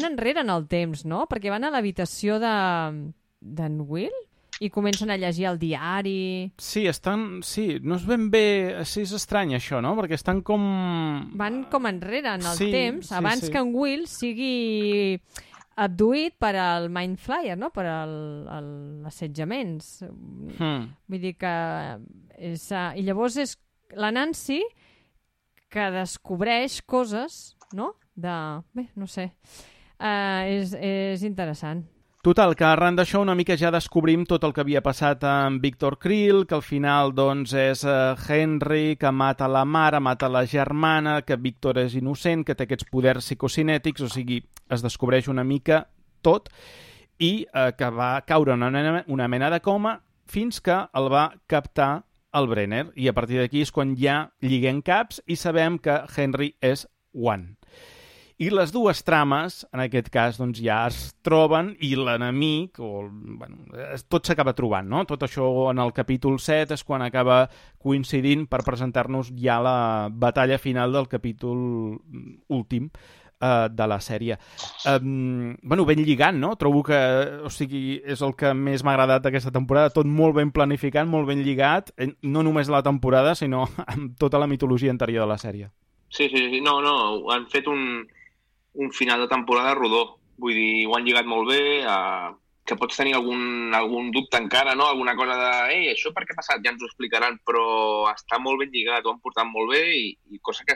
enrere en el temps, no? Perquè van a l'habitació d'en Will i comencen a llegir el diari... Sí, no és ben bé... Sí, és estrany, això, no? Perquè estan com... Van com enrere en el temps, abans que en Will sigui abduït per al Mind Flyer, no? Per l'assetjaments. Vull dir que... I llavors és la Nancy que descobreix coses, no? Bé, no sé. És interessant. Total, que arran d'això una mica ja descobrim tot el que havia passat amb Victor Krill, que al final doncs és Henry, que mata la mare, mata la germana, que Victor és innocent, que té aquests poders psicocinètics, o sigui, es descobreix una mica tot i que va caure en una mena de coma fins que el va captar el Brenner. I a partir d'aquí és quan ja lliguem caps i sabem que Henry és One. I les dues trames, en aquest cas, doncs ja es troben i l'enemic, tot s'acaba trobant, no? Tot això en el capítol 7 és quan acaba coincidint per presentar-nos ja la batalla final del capítol últim de la sèrie. Ben lligant, no? Trobo que, és el que més m'ha agradat d'aquesta temporada, tot molt ben planificat, molt ben lligat, no només la temporada, sinó amb tota la mitologia anterior de la sèrie. Sí, no, han fet un final de temporada rodó. Vull dir, ho han lligat molt bé, que pots tenir algun dubte encara, no? Alguna cosa de, això per què ha passat? Ja ens ho explicaran, però està molt ben lligat, ho han portat molt bé i cosa que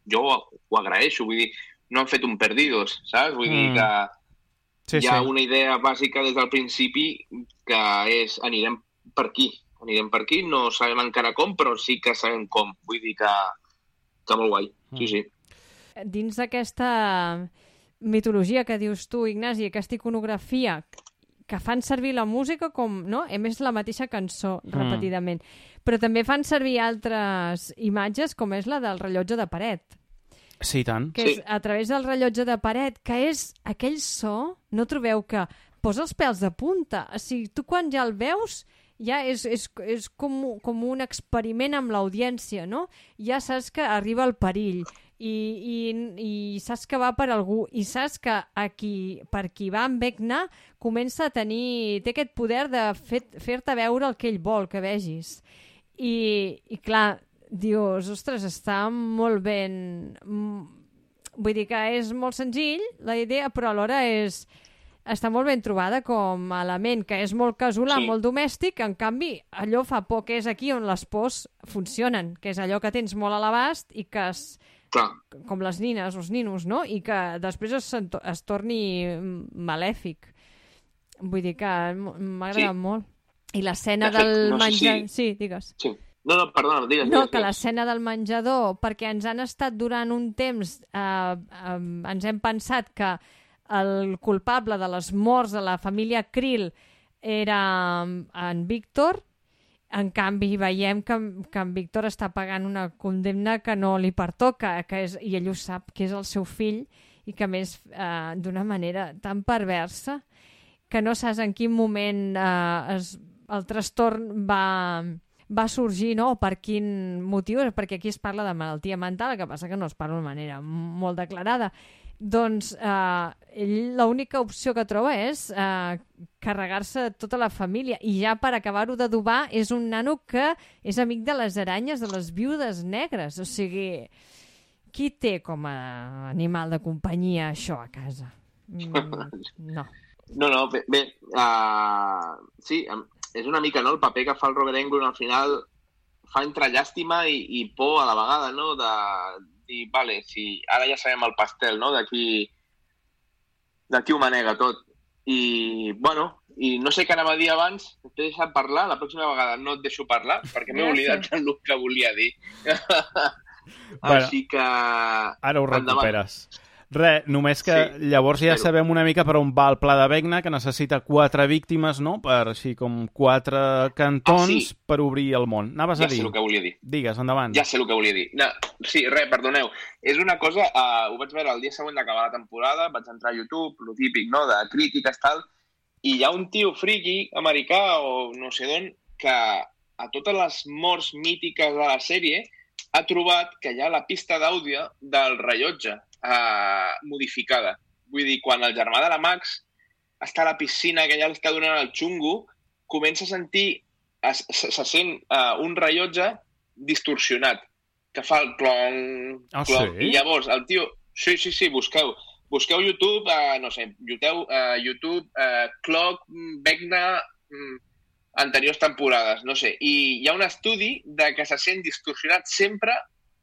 jo ho agraeixo, vull dir, no han fet un perdidos, saps? Vull dir que hi ha una idea bàsica des del principi que és anirem per aquí, no sabem encara com, però sí que sabem com. Vull dir que molt guai, sí. Dins d'aquesta mitologia que dius tu, Ignasi, aquesta iconografia que fan servir la música com, no? A més, la mateixa cançó, repetidament. Però també fan servir altres imatges, com és la del rellotge de paret. Sí, tant. Que és a través del rellotge de paret, que és aquell so, no trobeu que posa els pèls de punta? O sigui, tu quan ja el veus, ja és com un experiment amb l'audiència, no? Ja saps que arriba el perill i saps que va per algú i saps que per qui va amb Vecna comença a té aquest poder de fer-te veure el que ell vol que vegis. I clar, dius, ostres, està molt ben... Vull dir que és molt senzill, la idea, però alhora està molt ben trobada com a element, que és molt casolà, molt domèstic, en canvi, allò fa por, que és aquí on les pors funcionen, que és allò que tens molt a l'abast i que com les nines, els ninos, no? I que després es torni malèfic. Vull dir que m'ha agradat molt. I l'escena del menjar... Sí, digues. Sí. No, perdona, digues. No, que l'escena del menjador, perquè ens han estat durant un temps, ens hem pensat que el culpable de les morts de la família Krill era en Víctor. En canvi, veiem que en Víctor està pagant una condemna que no li pertoca, i ell ho sap, que és el seu fill, i que a més d'una manera tan perversa que no saps en quin moment el trastorn va sorgir, no? O per quin motiu, perquè aquí es parla de malaltia mental, el que passa que no es parla de manera molt declarada. Doncs ell l'única opció que troba és carregar-se tota la família, i ja per acabar-ho d'adobar és un nano que és amic de les aranyes, de les viudes negres. O sigui, qui té com a animal de companyia això a casa? No. No, bé, sí, és una mica, no?, el paper que fa el Robert Englund al final fa entre llàstima i por a la vegada, no?, de dir, vale, si ara ja sabem el pastel, no?, d'aquí ho manega tot. I, bueno, i no sé què anava a dir abans, t'he deixat parlar, la pròxima vegada no et deixo parlar, perquè m'he oblidat el que volia dir. Així que... Ara ho recuperes. Només que llavors ja sabem una mica per on va el pla de Vecna, que necessita 4 víctimes, no? Per així com 4 cantons per obrir el món. Anaves a dir? Ja sé el que volia dir. Digues, endavant. Ja sé el que volia dir. No, sí, perdoneu. És una cosa, ho vaig veure el dia següent d'acabar la temporada, vaig entrar a YouTube, lo típic, no?, de crítiques, tal, i hi ha un tio friki americà o no sé d'on que a totes les morts mítiques de la sèrie ha trobat que hi ha la pista d'àudio del rellotge modificada. Vull dir, quan el germà de la Max està a la piscina, que ja li està donant el xungo, comença a sentir, se sent un rellotge distorsionat, que fa el clon, clon. Sí? I llavors el tio... Sí, busqueu YouTube, no sé, YouTube, Clock, Vecna, anteriors temporades, no sé. I hi ha un estudi de que se sent distorsionat sempre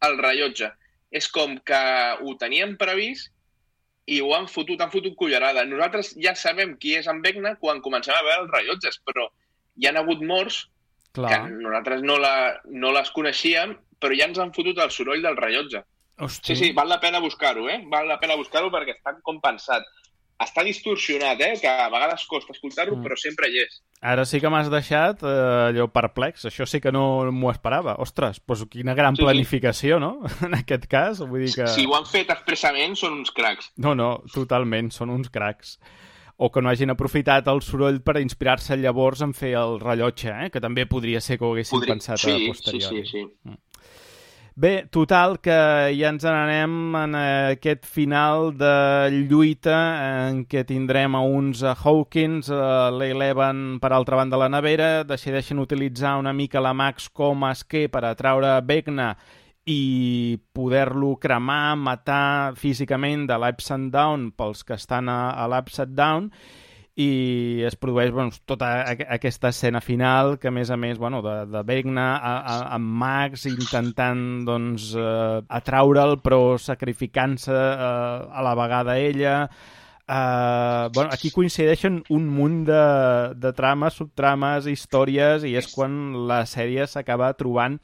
el rellotge. És com que ho teníem previst i ho han fotut cullerada. Nosaltres ja sabem qui és en Vecna quan comencem a veure els rellotges, però hi han hagut morts que nosaltres no les coneixíem, però ja ens han fotut el soroll del rellotge. Hosti. Sí, val la pena buscar-ho, Val la pena buscar-ho perquè està com pensat. Està distorsionat, que a vegades costa escoltar-ho, però sempre hi és. Ara sí que m'has deixat allò perplex. Això sí que no m'ho esperava. Ostres, doncs quina gran planificació, no? En aquest cas, vull dir que... Si ho han fet expressament, són uns cracs. No, totalment, són uns cracs. O que no hagin aprofitat el soroll per inspirar-se llavors en fer el rellotge, que també podria ser que ho haguessin pensat a posteriori. Sí. Bé, total, que ja ens n'anem en aquest final de lluita en què tindrem a uns Hawkins, l'Eleven per altra banda de la nevera, decideixen utilitzar una mica la Max com a esquer per atraure Vecna i poder-lo cremar, matar físicament de l'Upside Down pels que estan a l'Upside Down, i es produeix tota aquesta escena final que, a més, de Vecna amb Max intentant atraure'l però sacrificant-se a la vegada ella. Aquí coincideixen un munt de trames, subtrames, històries, i és quan la sèrie s'acaba trobant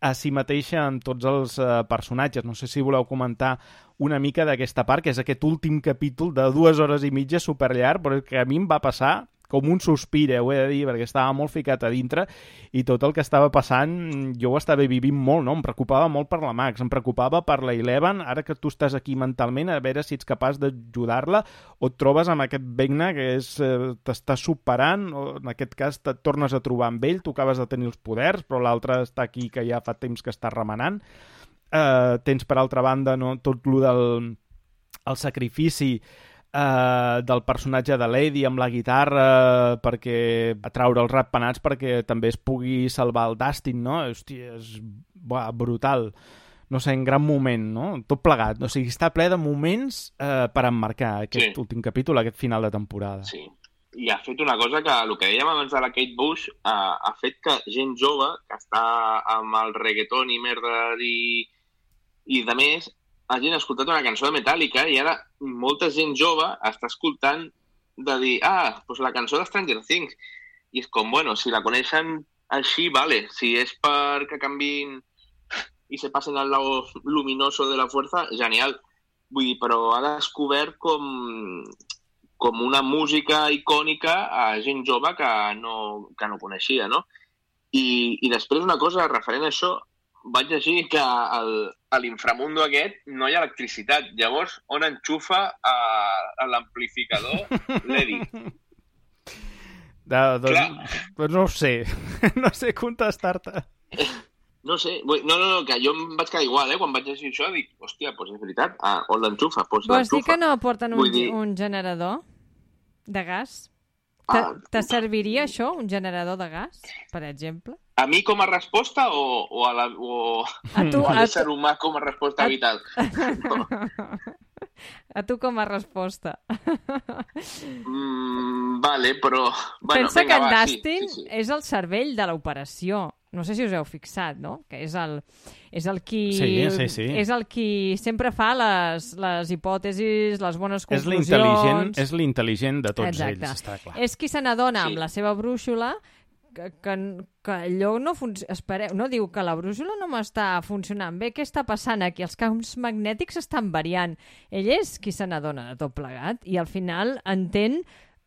a si mateixa amb tots els personatges. No sé si voleu comentar una mica d'aquesta part, que és aquest últim capítol de 2 hores i mitja superllarg, però que a mi em va passar com un sospir, ho he de dir, perquè estava molt ficat a dintre i tot el que estava passant jo ho estava vivint molt, no? Em preocupava molt per la Max, em preocupava per la Eleven, ara que tu estàs aquí mentalment, a veure si ets capaç d'ajudar-la o et trobes amb aquest Vecna que t'està superant, o en aquest cas et tornes a trobar amb ell, tu acabes de tenir els poders, però l'altre està aquí que ja fa temps que està remenant. Tens, per altra banda, tot el del sacrifici del personatge de Lady amb la guitarra perquè atraure els ratpenats perquè també es pugui salvar el Dustin, no? Hòstia, és brutal. No sé, en gran moment, no? Tot plegat. O sigui, està ple de moments per emmarcar aquest últim capítol, aquest final de temporada. Sí. I ha fet una cosa que, el que dèiem abans de la Kate Bush, ha fet que gent jove que està amb el reggaeton i merda i de més, hagin escoltat una cançó de Metallica i ara molta gent jove està escoltant de dir, doncs la cançó de Stranger Things. I és com, bueno, si la coneixen així, vale. Si és perquè canviïn i se passen al lado luminoso de la fuerza, genial. Vull dir, però ha descobert com una música icònica a gent jove que no coneixia, no? I després una cosa referent a això, vaig llegir que a l'inframundo aquest no hi ha electricitat. Llavors, on enxufa a l'amplificador l'Eddie? Doncs no ho sé. No sé contestar-te. No sé. No, que jo em vaig quedar igual, quan vaig llegir això, dic, hòstia, doncs és veritat, on l'enxufa? Vols dir que no porten un generador de gas? Te serviria això, un generador de gas, per exemple? A mi com a resposta o a l'ésser humà com a resposta vital? No. A tu com a resposta. Vale, però... Pensa que en Dustin és el cervell de l'operació. No sé si us heu fixat, no? Que és el qui... Sí. És el qui sempre fa les hipòtesis, les bones conclusions... És l'intel·ligent de tots ells, està clar. És qui se n'adona amb la seva brúixola allò no funciona. Espereu, no? Diu que la brúixola no m'està funcionant bé. Què està passant aquí? Els camps magnètics estan variant. Ell és qui se n'adona de tot plegat i al final entén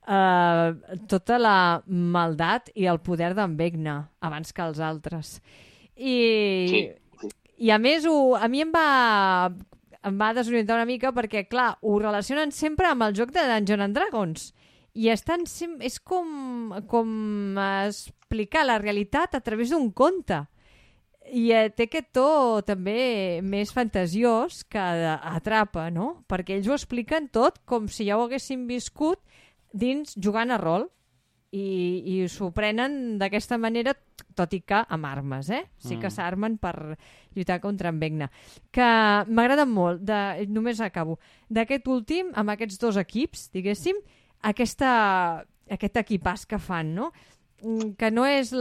tota la maldat i el poder d'en Vecna abans que els altres. I a més, a mi em va desorientar una mica perquè, clar, ho relacionen sempre amb el joc de Dungeons and Dragons. I és com explicar la realitat a través d'un conte. I té aquest to també més fantasiós que atrapa, no? Perquè ells ho expliquen tot com si ja ho haguessin viscut dins jugant a rol. I s'ho prenen d'aquesta manera, tot i que amb armes, Sí que s'armen per lluitar contra en Vecna. Que m'agraden molt, només acabo, d'aquest últim, amb aquests dos equips, diguéssim, aquest equipàs que fan, no? Que no és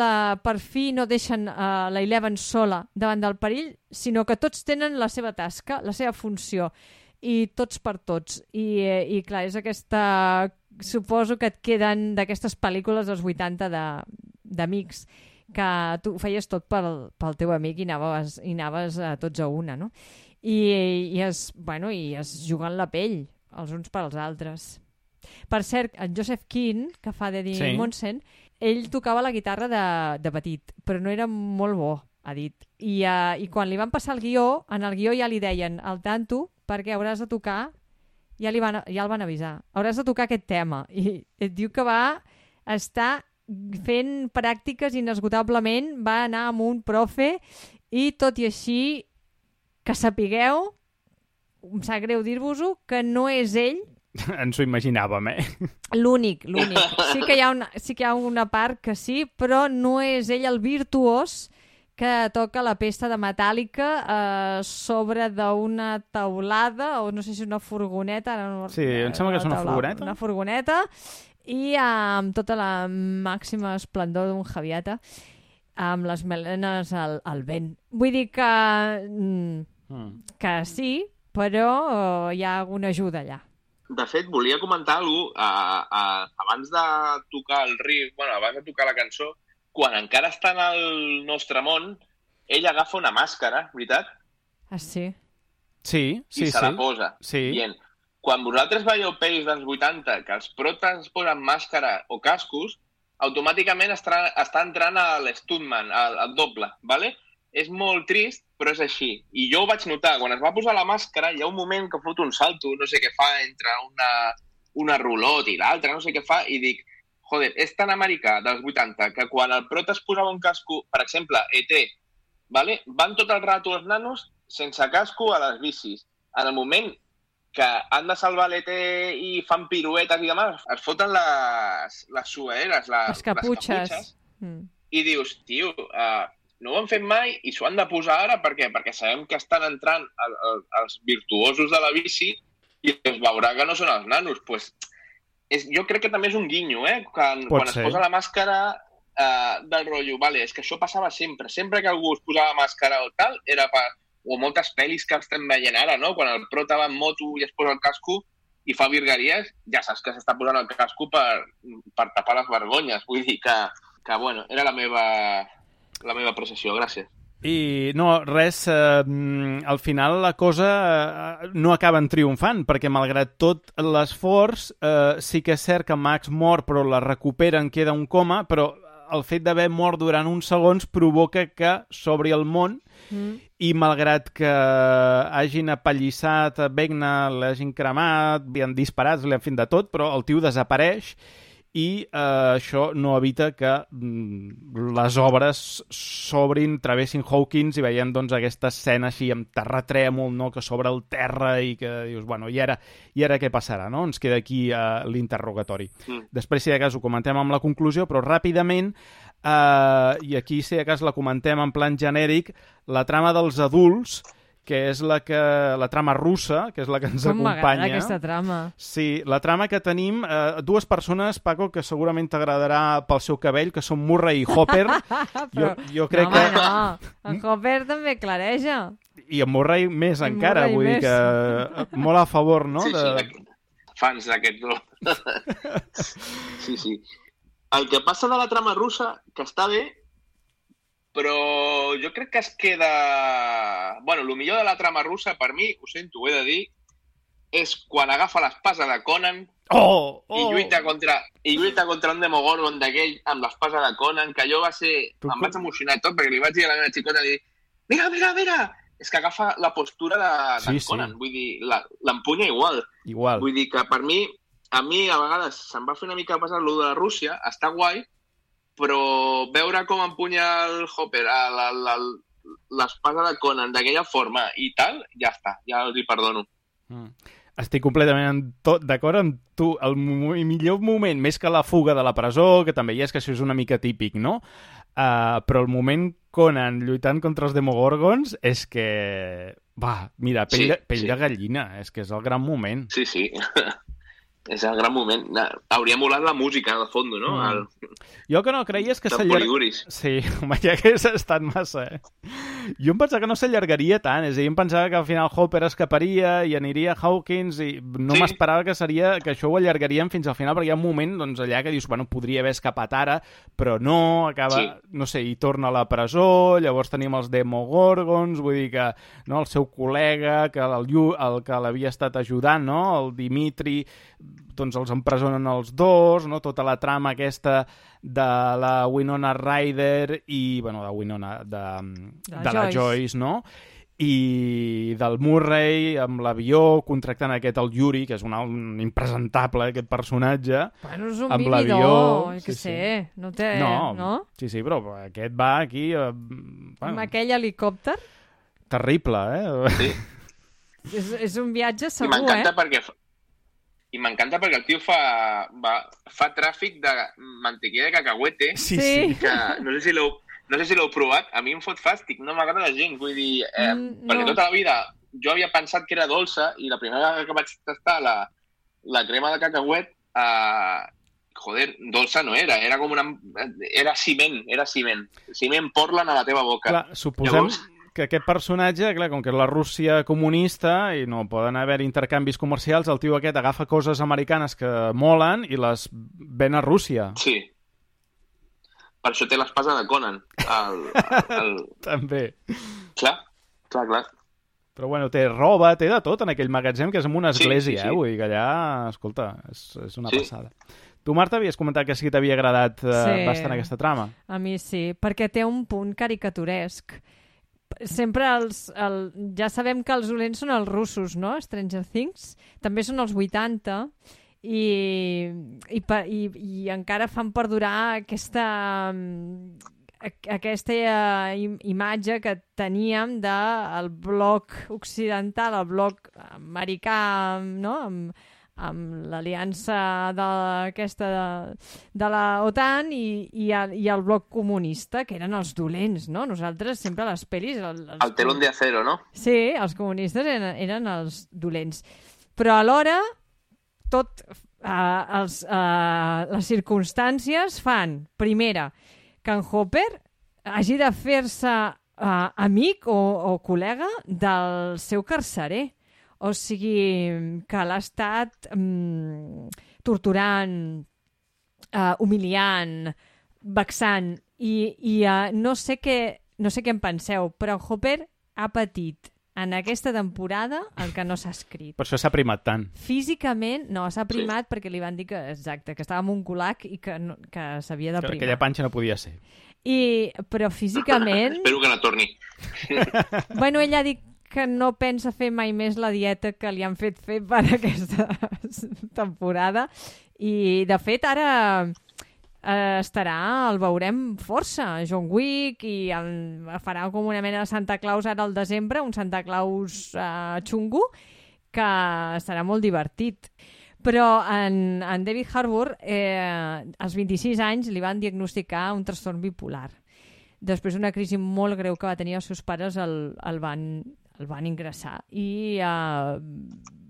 per fi no deixen la Eleven sola davant del perill, sinó que tots tenen la seva tasca, la seva funció, i tots per tots. I clar, és aquesta... Suposo que et queden d'aquestes pel·lícules dels 80 d'amics, que tu feies tot pel teu amic i anaves tots a una, no? I es juguen la pell els uns per als altres. Per cert, en Joseph Keane, que fa d'Eddie Monsen, ell tocava la guitarra de petit, però no era molt bo, ha dit. I quan li van passar el guió, en el guió ja li deien al tanto, perquè hauràs de tocar, ja el van avisar, hauràs de tocar aquest tema. I et diu que va estar fent pràctiques inesgotablement, va anar amb un profe i tot i així que sapigueu, em sap greu dir-vos-ho, que no és ell. Ens ho imaginàvem, L'únic. Sí que hi ha una part que sí, però no és ell el virtuós que toca la pesta de Metallica sobre d'una taulada, o no sé si una furgoneta. Sí, em sembla que és una furgoneta. Una furgoneta, i amb tota la màxima esplendor d'un Javiata, amb les melenes al vent. Vull dir que sí, però hi ha alguna ajuda allà. De fet, volia comentar alguna cosa, abans de tocar el riff, abans de tocar la cançó, quan encara està en el nostre món, ell agafa una màscara, veritat? Ah, sí? Sí. I se la posa. Sí. Dient, quan vosaltres veieu pel·lis dels 80 que els protes posen màscara o cascos, automàticament està entrant a l'stuntman, al doble, ¿vale? És molt trist, però és així. I jo ho vaig notar. Quan es va posar la màscara, hi ha un moment que fot un salto, no sé què fa, entre una rulot i l'altra, no sé què fa, i dic, joder, és tan americà dels 80 que quan el prota es posava un casco, per exemple, ET, ¿vale? Van tot el rato els nanos sense casco a les bicis. En el moment que han de salvar l'ET i fan piruetes i demà, es foten les suaderes, les caputxes. I dius, tio, no ho han fet mai i s'ho han de posar ara. Per què? Perquè sabem que estan entrant els virtuosos de la bici i es veurà que no són els nanos. Pues, jo crec que també és un guinyo, quan es posa la màscara del rotllo. Vale, és que això passava sempre. Sempre que algú es posava màscara o tal, era per... O moltes pel·lis que estem veient ara, no? Quan el prota va en moto i es posa el casco i fa virgueries, ja saps que s'està posant el casco per tapar les vergonyes. Vull dir que bueno, era la meva apreciació. Gràcies. I no, res, al final la cosa no acaba triomfant, perquè malgrat tot l'esforç, sí que és cert que Max mor, però la recuperen, queda un coma, però el fet d'haver mort durant uns segons provoca que s'obri el món i malgrat que hagin apallissat Vecna, l'hagin cremat, li han disparat, li han fet de tot, però el tio desapareix i això no evita que les obres s'obrin, travessin Hawkins i veiem doncs, aquesta escena així amb terratrèmol, no? Que s'obre el terra i que dius, bueno, i ara què passarà? No? Ens queda aquí l'interrogatori. Després, si de cas, ho comentem amb la conclusió, però ràpidament, i aquí, si de cas, la comentem en plan genèric, la trama dels adults, que és la trama russa, que és la que ens acompanya. Com m'agrada aquesta trama. Sí, la trama que tenim, dues persones, Paco, que segurament t'agradarà pel seu cabell, que són Murray i Hopper. Però, jo crec que... No, en Hopper també clareja. I en Murray més encara, vull dir que molt a favor, no? Sí, fans d'aquest. Sí. El que passa de la trama russa, que està bé, però jo crec que es queda... Bueno, el millor de la trama russa, per mi, ho sento, ho he de dir, és quan agafa l'espasa de Conan i lluita contra un Demogorgon d'aquell amb l'espasa de Conan, que allò va ser... Em vaig emocionar tot, perquè li vaig dir a la meva xicota, mira! És que agafa la postura de Conan, vull dir, l'empunya igual. Vull dir que per mi, a vegades se'm va fer una mica passar lo de la Rússia, està guai, però veure com empunya el Hopper l'espasa de Conan d'aquella forma i tal, ja està, ja els hi perdono. Estic completament d'acord amb tu. El millor moment, més que la fuga de la presó, que també hi és, que això és una mica típic, no? Però el moment Conan lluitant contra els Demogorgons és que... Va, mira, pell de gallina, és que és el gran moment. Sí. És el gran moment. Hauria molat la música, de fons, no? Jo que no creia és que s'allargaria... Sí, home, ja que has estat massa, Jo em pensava que no s'allargaria tant, és a dir, em pensava que al final Hopper escaparia i aniria a Hawkins i no m'esperava que això ho allargarien fins al final, perquè hi ha un moment doncs, allà que dius, bueno, podria haver escapat ara, però no, acaba, no sé, i torna a la presó, llavors tenim els Demogorgons, vull dir que no, el seu col·lega, el que l'havia estat ajudant, no? El Dimitri, doncs els empresonen els dos, no? Tota la trama aquesta de la Winona Ryder i, bueno, de la Joyce, no? I del Murray amb l'avió, contractant el Yuri, que és un impresentable, aquest personatge. Bueno, és un vividor, que sé, no té... No? Sí, però aquest va aquí... Amb aquell helicòpter? Terrible, Sí. És un viatge segur, I m'encanta perquè el tio fa tràfic de mantequilla de cacahuete. Sí. Que no sé si l'heu provat. A mi em fot fàstic, no m'agrada gens. Vull dir, perquè tota la vida jo havia pensat que era dolça i la primera vegada que vaig tastar la crema de cacauet, dolça no era. Era com era ciment. Ciment Portland a la teva boca. Clar, suposem... que aquest personatge, clar, com que és la Rússia comunista i no poden haver intercanvis comercials, el tio aquest agafa coses americanes que molen i les ven a Rússia. Sí. Per això té l'espasa de Conan. També. Clar. Però bueno, té roba, té de tot en aquell magatzem, que és en una església, Vull dir que allà, escolta, és una passada. Tu, Marta, havies comentat que sí que t'havia agradat bastant aquesta trama. A mi sí, perquè té un punt caricaturesc. Sempre ja sabem que els dolents són els russos, no? Stranger Things. També són els 80 i encara fan perdurar aquesta imatge que teníem del bloc occidental, el bloc americà, no? Amb l'aliança de la OTAN i el bloc comunista, que eren els dolents, no? Nosaltres sempre a les pel·lis... El telón de acero, no? Sí, els comunistes eren els dolents. Però alhora, les circumstàncies fan, primera, que en Hopper hagi de fer-se amic o col·lega del seu carcerer. O sigui, que l'ha estat torturant, humiliant, vexant. I no sé què en penseu, però Hopper ha patit en aquesta temporada el que no s'ha escrit. Per això s'ha primat tant. Físicament, no, s'ha primat perquè li van dir que estava en un culac i que s'havia de primar. Que aquella panxa no podia ser. Però físicament... Espero que no torni. Bueno, ell ha dit que no pensa fer mai més la dieta que li han fet fer per aquesta temporada. I, de fet, ara el veurem força. John Wick, i farà com una mena de Santa Claus ara al desembre, un Santa Claus xungo, que serà molt divertit. Però en David Harbour, als 26 anys, li van diagnosticar un trastorn bipolar. Després d'una crisi molt greu que va tenir, els seus pares el van ingressar. I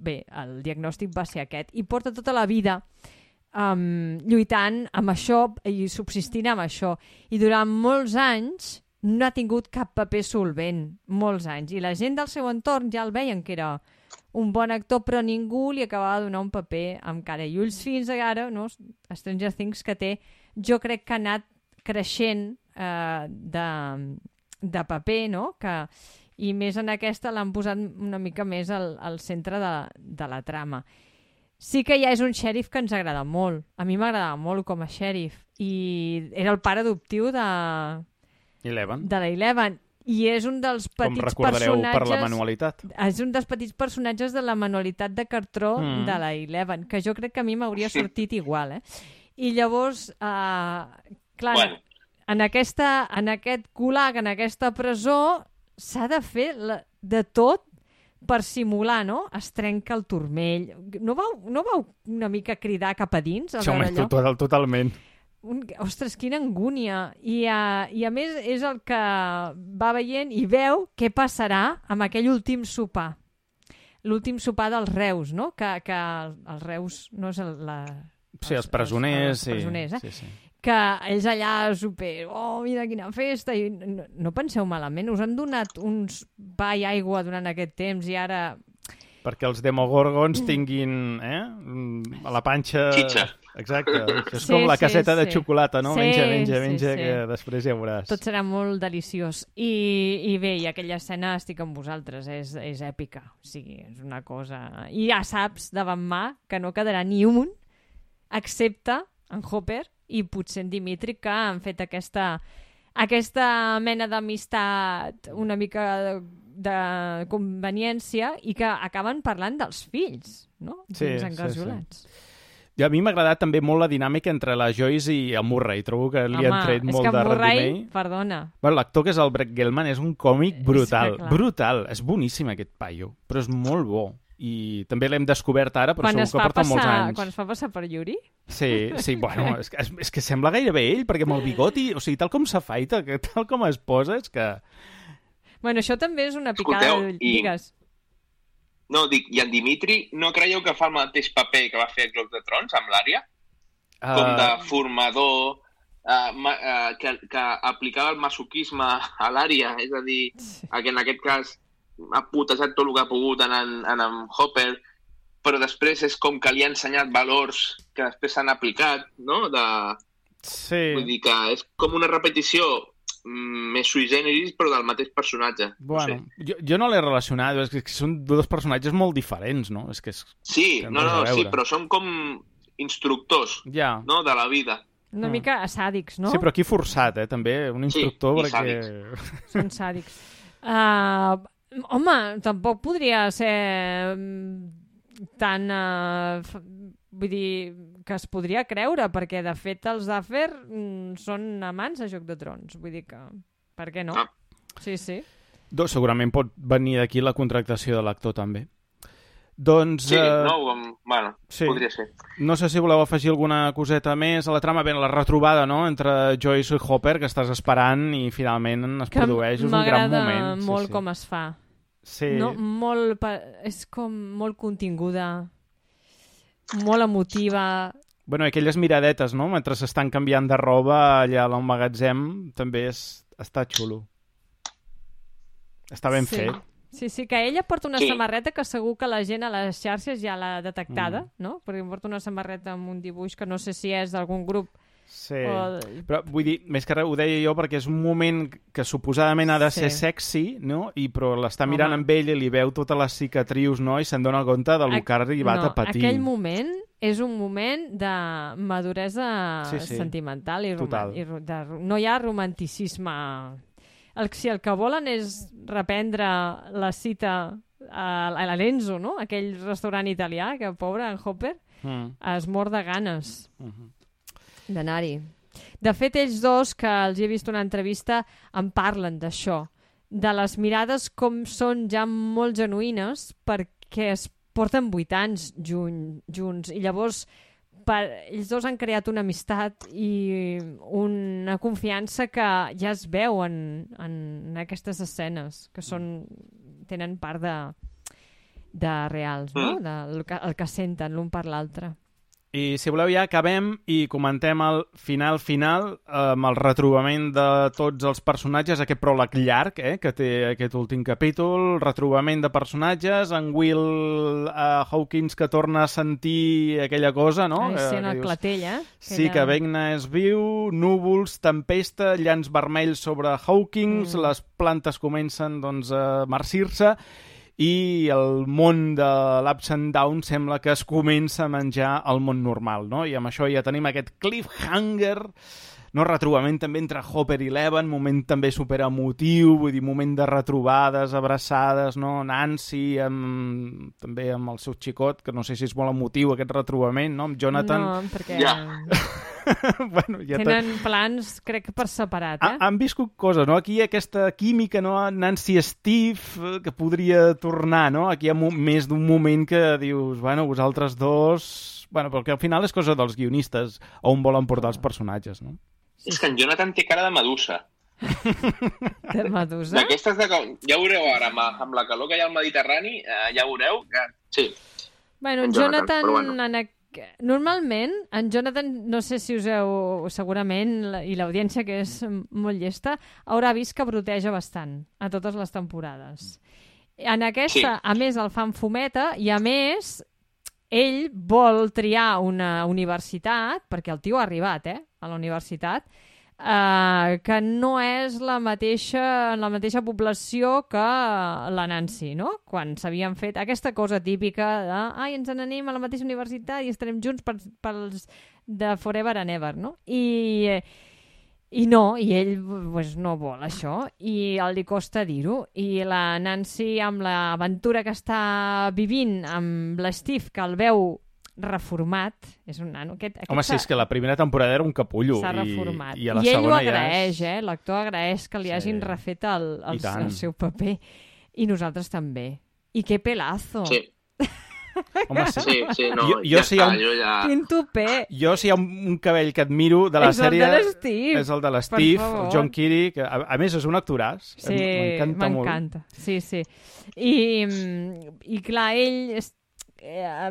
bé, el diagnòstic va ser aquest. I porta tota la vida lluitant amb això i subsistint amb això. I durant molts anys no ha tingut cap paper solvent. Molts anys. I la gent del seu entorn ja el veien que era un bon actor, però ningú li acabava de donar un paper amb cara i ulls fins ara, no? Stranger Things, que té jo crec que ha anat creixent de paper, no? I més en aquesta l'han posat una mica més al centre de la trama. Sí que ja és un xèrif que ens agrada molt. A mi m'agradava molt com a xèrif. I era el pare adoptiu de la Eleven. I és un dels petits personatges... Com recordareu per la manualitat. És un dels petits personatges de la manualitat de cartró de la Eleven, que jo crec que a mi m'hauria sortit igual, I llavors, clar, en aquest gulag, en aquesta presó, s'ha de fer de tot per simular, no? Es trenca el turmell. No vau una mica cridar cap a dins? Sí, home, totalment. Ostres, quina angúnia. I a més és el que va veient i veu què passarà amb aquell últim sopar. L'últim sopar dels Reus, no? Que els Reus no és els presoners. Els presoners, Sí. Que ells allà mira quina festa, i no penseu malament, us han donat uns pa i aigua durant aquest temps i ara... Perquè els demogorgons tinguin a la panxa... Xitxa. Exacte, és com la caseta de xocolata, no? Sí, menja, que després ja veuràs. Tot serà molt deliciós. I bé, i aquella escena estic amb vosaltres, és èpica. O sigui, és una cosa... I ja saps davant mà que no quedarà ni un, excepte en Hopper i potser en Dimitri, que han fet aquesta mena d'amistat una mica de conveniència i que acaben parlant dels fills, no? Sí. Sí. A mi m'ha agradat també molt la dinàmica entre la Joyce i el Murray. Trobo que li han tret molt de rendiment. Perdona. Bueno, l'actor que és el Brett Gelman és un còmic brutal. És brutal. És boníssim aquest paio, però és molt bo. I també l'hem descobert ara, però segur que porta molts anys. Quan es fa passar per Yuri? Sí, bueno, és que sembla gairebé ell, perquè amb el bigoti, o sigui, tal com s'afaita, tal com es posa, és que... Bueno, això també és una picada de lligues. No, dic, i en Dimitri no creieu que fa el mateix paper que va fer a Joc de Trons amb l'Ària? Com de formador, que aplicava el masoquisme a l'Ària, és a dir, que en aquest cas ha putejat tot el que ha pogut en Hopper, però després és com que li ha ensenyat valors que després s'han aplicat, no? Sí. Vull dir que és com una repetició més sui generis, però del mateix personatge. Bueno, no sé. Jo no l'he relacionat, és que són dos personatges molt diferents, no? És que sí, sí, però són com instructors, no? De la vida. Una mica sàdics, no? Sí, però aquí forçat, també, un instructor, sí, perquè... Sàdics. Són sàdics. Home, tampoc podria ser tan... vull dir, que es podria creure, perquè de fet els Duffer són amants a Joc de Trons. Vull dir que... Per què no? Sí. Segurament pot venir d'aquí la contractació de l'actor, també. Doncs... Sí, bueno, sí. Podria ser. No sé si voleu afegir alguna coseta més a la trama. Bé, la retrobada, no?, entre Joyce i Hopper, que estàs esperant i finalment es produeix. És un gran moment. M'agrada molt com es fa. Sí. No? És com molt continguda, molt emotiva. Bueno, aquelles miradetes, no?, mentre s'estan canviant de roba allà al magatzem, també està xulo. Està ben fet. Sí, que ella porta una samarreta que segur que la gent a les xarxes ja l'ha detectada, no? Perquè porta una samarreta amb un dibuix que no sé si és d'algun grup. Sí, però vull dir, més que res ho deia jo perquè és un moment que suposadament ha de ser sexy, no? Però l'està mirant amb ell i li veu totes les cicatrius, no? I se'n dona compte del que ha arribat a patir. Aquell moment és un moment de maduresa sentimental i no hi ha romanticisme. Si el que volen és reprendre la cita a l'Enzo, no? Aquell restaurant italià, que pobre en Hopper es mor de ganes d'anar-hi. De fet, ells dos, que els he vist una entrevista, en parlen d'això, de les mirades com són ja molt genuïnes perquè es porten 8 anys junts i llavors ells dos han creat una amistat i una confiança que ja es veu en aquestes escenes, que tenen part de reals, no? El que senten l'un per l'altre. I si voleu ja acabem i comentem el final amb el retrobament de tots els personatges, aquest pròleg llarg que té aquest últim capítol, retrobament de personatges, en Will Hawkins que torna a sentir aquella cosa, no? Ai, sí, en el clatell, Sí, que Vecna és viu, núvols, tempesta, llans vermells sobre Hawkins, les plantes comencen doncs, a marcir-se, i el món de l'Ups and Downs sembla que es comença a menjar el món normal, no? I amb això ja tenim aquest cliffhanger, no? Retrobament també entre Hopper i Eleven, moment també superemotiu, vull dir, moment de retrobades, abraçades, no? Nancy també amb el seu xicot, que no sé si és molt emotiu aquest retrobament, no? Amb Jonathan. No, perquè... bueno, ja tenen plans, crec, per separat, Han viscut coses, no? Aquí hi ha aquesta química, no? Nancy Steve, que podria tornar, no? Aquí hi ha més d'un moment que dius, bueno, vosaltres dos... Bueno, perquè al final és cosa dels guionistes on volen portar els personatges, no? És que en Jonathan té cara de medusa. De medusa? D'aquestes de... Ja ho veureu ara, amb la calor que hi ha al Mediterrani, ja veureu que... Sí. Bueno, en Jonathan... Normalment, en Jonathan, no sé si us heu... Segurament, i l'audiència, que és molt llesta, haurà vist que broteja bastant a totes les temporades. En aquesta, a més, el fan fumeta, i a més, ell vol triar una universitat, perquè el tio ha arribat, a la universitat, que no és la mateixa població que la Nancy, no? Quan s'havien fet aquesta cosa típica de ens n'anem a la mateixa universitat i estarem junts pels de forever and ever, no? I no, i ell pues, no vol això, i li costa dir-ho. I la Nancy, amb l'aventura que està vivint amb l'Steve, que el veu reformat, és un nano. Home, sí, és que la primera temporada era un capullo. S'ha reformat. I a la ell segona ho agraeix, l'actor agraeix que li hagin refet el seu paper. I nosaltres també. I que pelazo! Sí. Home, sí, no, Quin tupé! Jo, si hi ha un cabell que admiro de la sèrie... És el de l'Steve, el John Keely, que a més és un actoràs. Sí, m'encanta. Sí. I clar, ell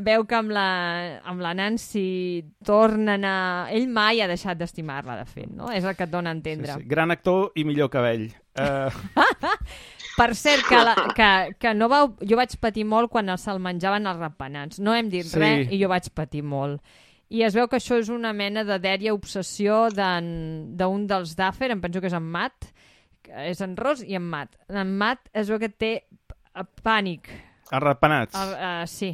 veu que amb la Nancy tornen a... Ell mai ha deixat d'estimar-la, de fet, no? És el que et dona a entendre. Sí. Gran actor i millor cabell. Per cert, que no vau... Jo vaig patir molt quan se'l menjaven els ratpenats. No hem dit res i jo vaig patir molt. I es veu que això és una mena de dèria obsessió d'un dels Duffer, em penso que és en Matt, és en Ross i en Matt. En Matt es veu que té pànic. Els ratpenats? Sí.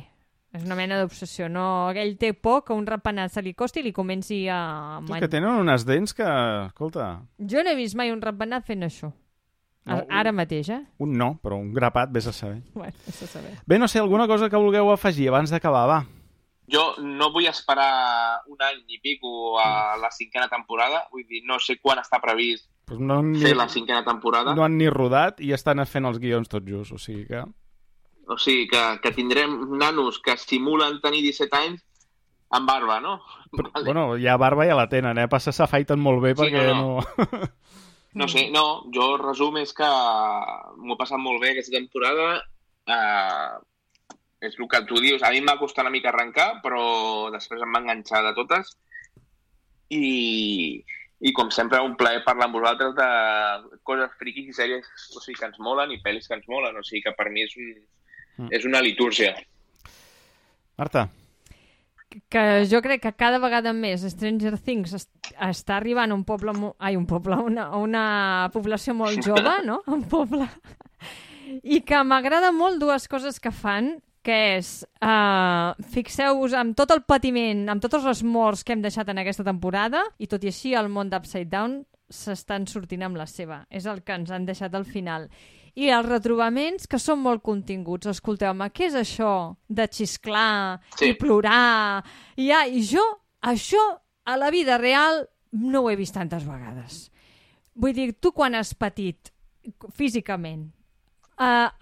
És una mena d'obsessió. No, ell té por que un ratpenat se li costi i li comenci a... Que tenen unes dents que... Escolta... Jo no he vist mai un ratpenat fent això. No, ara mateix, Un no, però un grapat, vés a saber. Bueno, vés a saber. Bé, no sé, alguna cosa que vulgueu afegir abans d'acabar, va. Jo no vull esperar un any i pico a la 5a temporada. Vull dir, no sé quan està previst fer la 5a temporada. No han ni rodat i estan fent els guions tot just, o sigui que... O sigui, que tindrem nanos que simulen tenir 17 anys amb barba, no? Però, vale. Bueno, ja barba ja la tenen, Passa s'afaiten molt bé perquè no... No sé, jo el resum és que m'ho he passat molt bé aquesta temporada. És el que tu dius. A mi em va costar una mica arrencar, però després em va enganxar de totes. I com sempre, un plaer parlar amb vosaltres de coses friquis i sèries que ens molen i pel·lis que ens molen. O sigui que per mi és una litúrgia. Marta? Que jo crec que cada vegada més Stranger Things està arribant a una població molt jove, no? Un poble. I que m'agrada molt dues coses que fan, que és, fixeu-vos amb tot el patiment, amb totes les morts que hem deixat en aquesta temporada, i tot i així el món d'Upside Down s'estan sortint amb la seva. És el que ens han deixat al final. I els retrobaments, que són molt continguts. Escolteu-me, què és això de xisclar i plorar? I jo, això, a la vida real, no ho he vist tantes vegades. Vull dir, tu quan has patit físicament,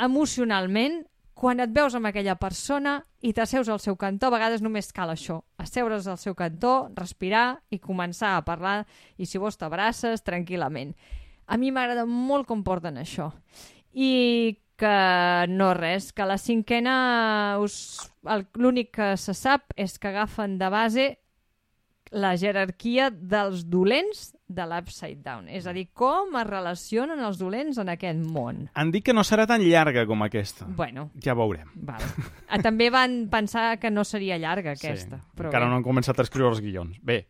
emocionalment, quan et veus amb aquella persona i t'asseus al seu cantó, a vegades només cal això, asseure's al seu cantó, respirar i començar a parlar, i si vols t'abraces tranquil·lament. A mi m'agrada molt com porten això. I que no res, que la cinquena l'únic que se sap és que agafen de base la jerarquia dels dolents de l'Upside Down. És a dir, com es relacionen els dolents en aquest món. Han dit que no serà tan llarga com aquesta. Bueno. Ja veurem. Val. També van pensar que no seria llarga aquesta. Sí, però encara no han començat a escriure els guions. Bé,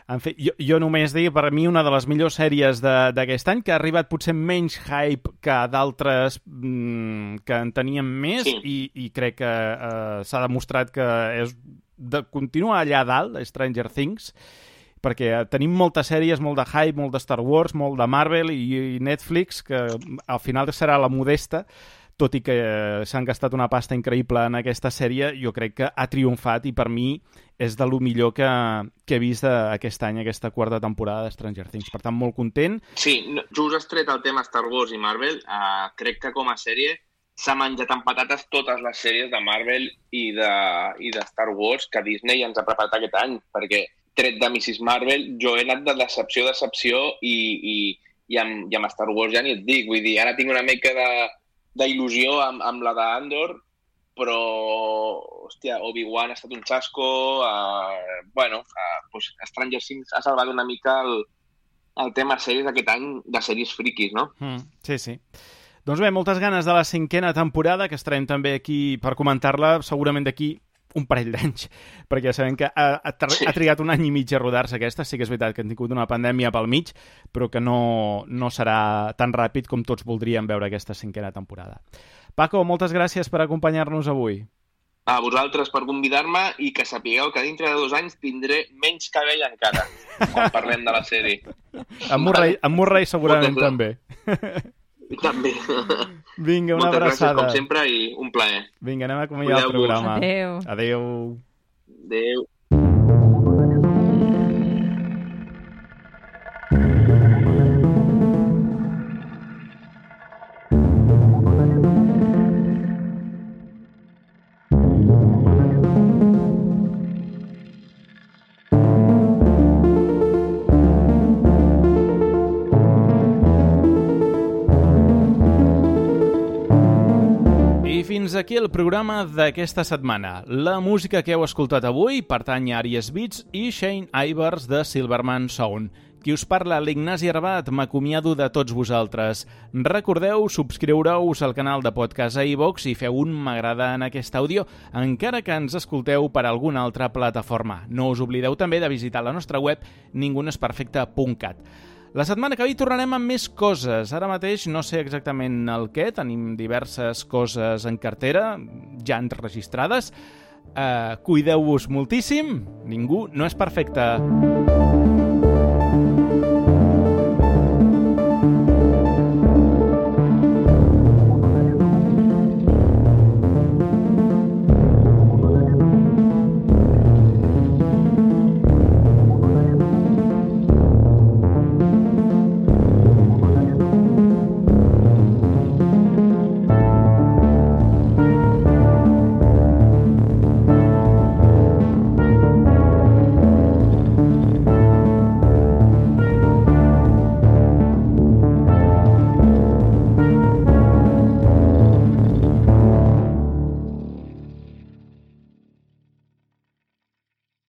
en fi, jo només dir, per mi, una de les millors sèries d'aquest any, que ha arribat potser menys hype que d'altres que en teníem més, i crec que s'ha demostrat que continua allà dalt, Stranger Things, perquè tenim moltes sèries, molt de hype, molt de Star Wars, molt de Marvel i Netflix, que al final serà la modesta, tot i que s'han gastat una pasta increïble en aquesta sèrie, jo crec que ha triomfat i per mi és de lo millor que he vist aquest any, aquesta quarta temporada de Stranger Things. Per tant, molt content. Sí, just has tret el tema Star Wars i Marvel. Crec que com a sèrie s'ha menjat amb patates totes les sèries de Marvel i de Star Wars que Disney ens ha preparat aquest any, perquè tret de Mrs. Marvel jo he anat de decepció a decepció i amb Star Wars ja ni et dic. Vull dir, ara tinc una mica d'il·lusió amb la d'Andor, però, hòstia, Obi-Wan ha estat un xasco. Pues Stranger Things ha salvat una mica el tema sèries d'aquest any de sèries friquis, no? Sí, sí. Doncs bé, moltes ganes de la cinquena temporada, que estarem també aquí per comentar-la, segurament d'aquí un parell d'anys, perquè ja sabem que ha trigat un any i mig a rodar-se aquesta. Sí que és veritat que han tingut una pandèmia pel mig, però que no serà tan ràpid com tots voldríem veure aquesta cinquena temporada. Paco, moltes gràcies per acompanyar-nos avui. A vosaltres per convidar-me i que sapigueu que dintre de 2 anys tindré menys cabell encara quan parlem de la sèrie. En Murray segurament també. També. Vinga, una abraçada. Moltes gràcies, com sempre, i un plaer. Vinga, anem a acomiadar el programa. Adéu. Adéu. Adéu. Fins aquí el programa d'aquesta setmana. La música que heu escoltat avui pertany a Aries Beats i Shane Ivers de Silverman Sound. Qui us parla, l'Ignasi Arbat, m'acomiado de tots vosaltres. Recordeu subscriure-us al canal de podcast a iVoox i feu un m'agrada en aquest àudio, encara que ens escolteu per alguna altra plataforma. No us oblideu també de visitar la nostra web ningunesperfecte.cat. La setmana que ve tornarem amb més coses. Ara mateix no sé exactament el què, tenim diverses coses en cartera, ja enregistrades. Cuideu-vos moltíssim, ningú no és perfecte.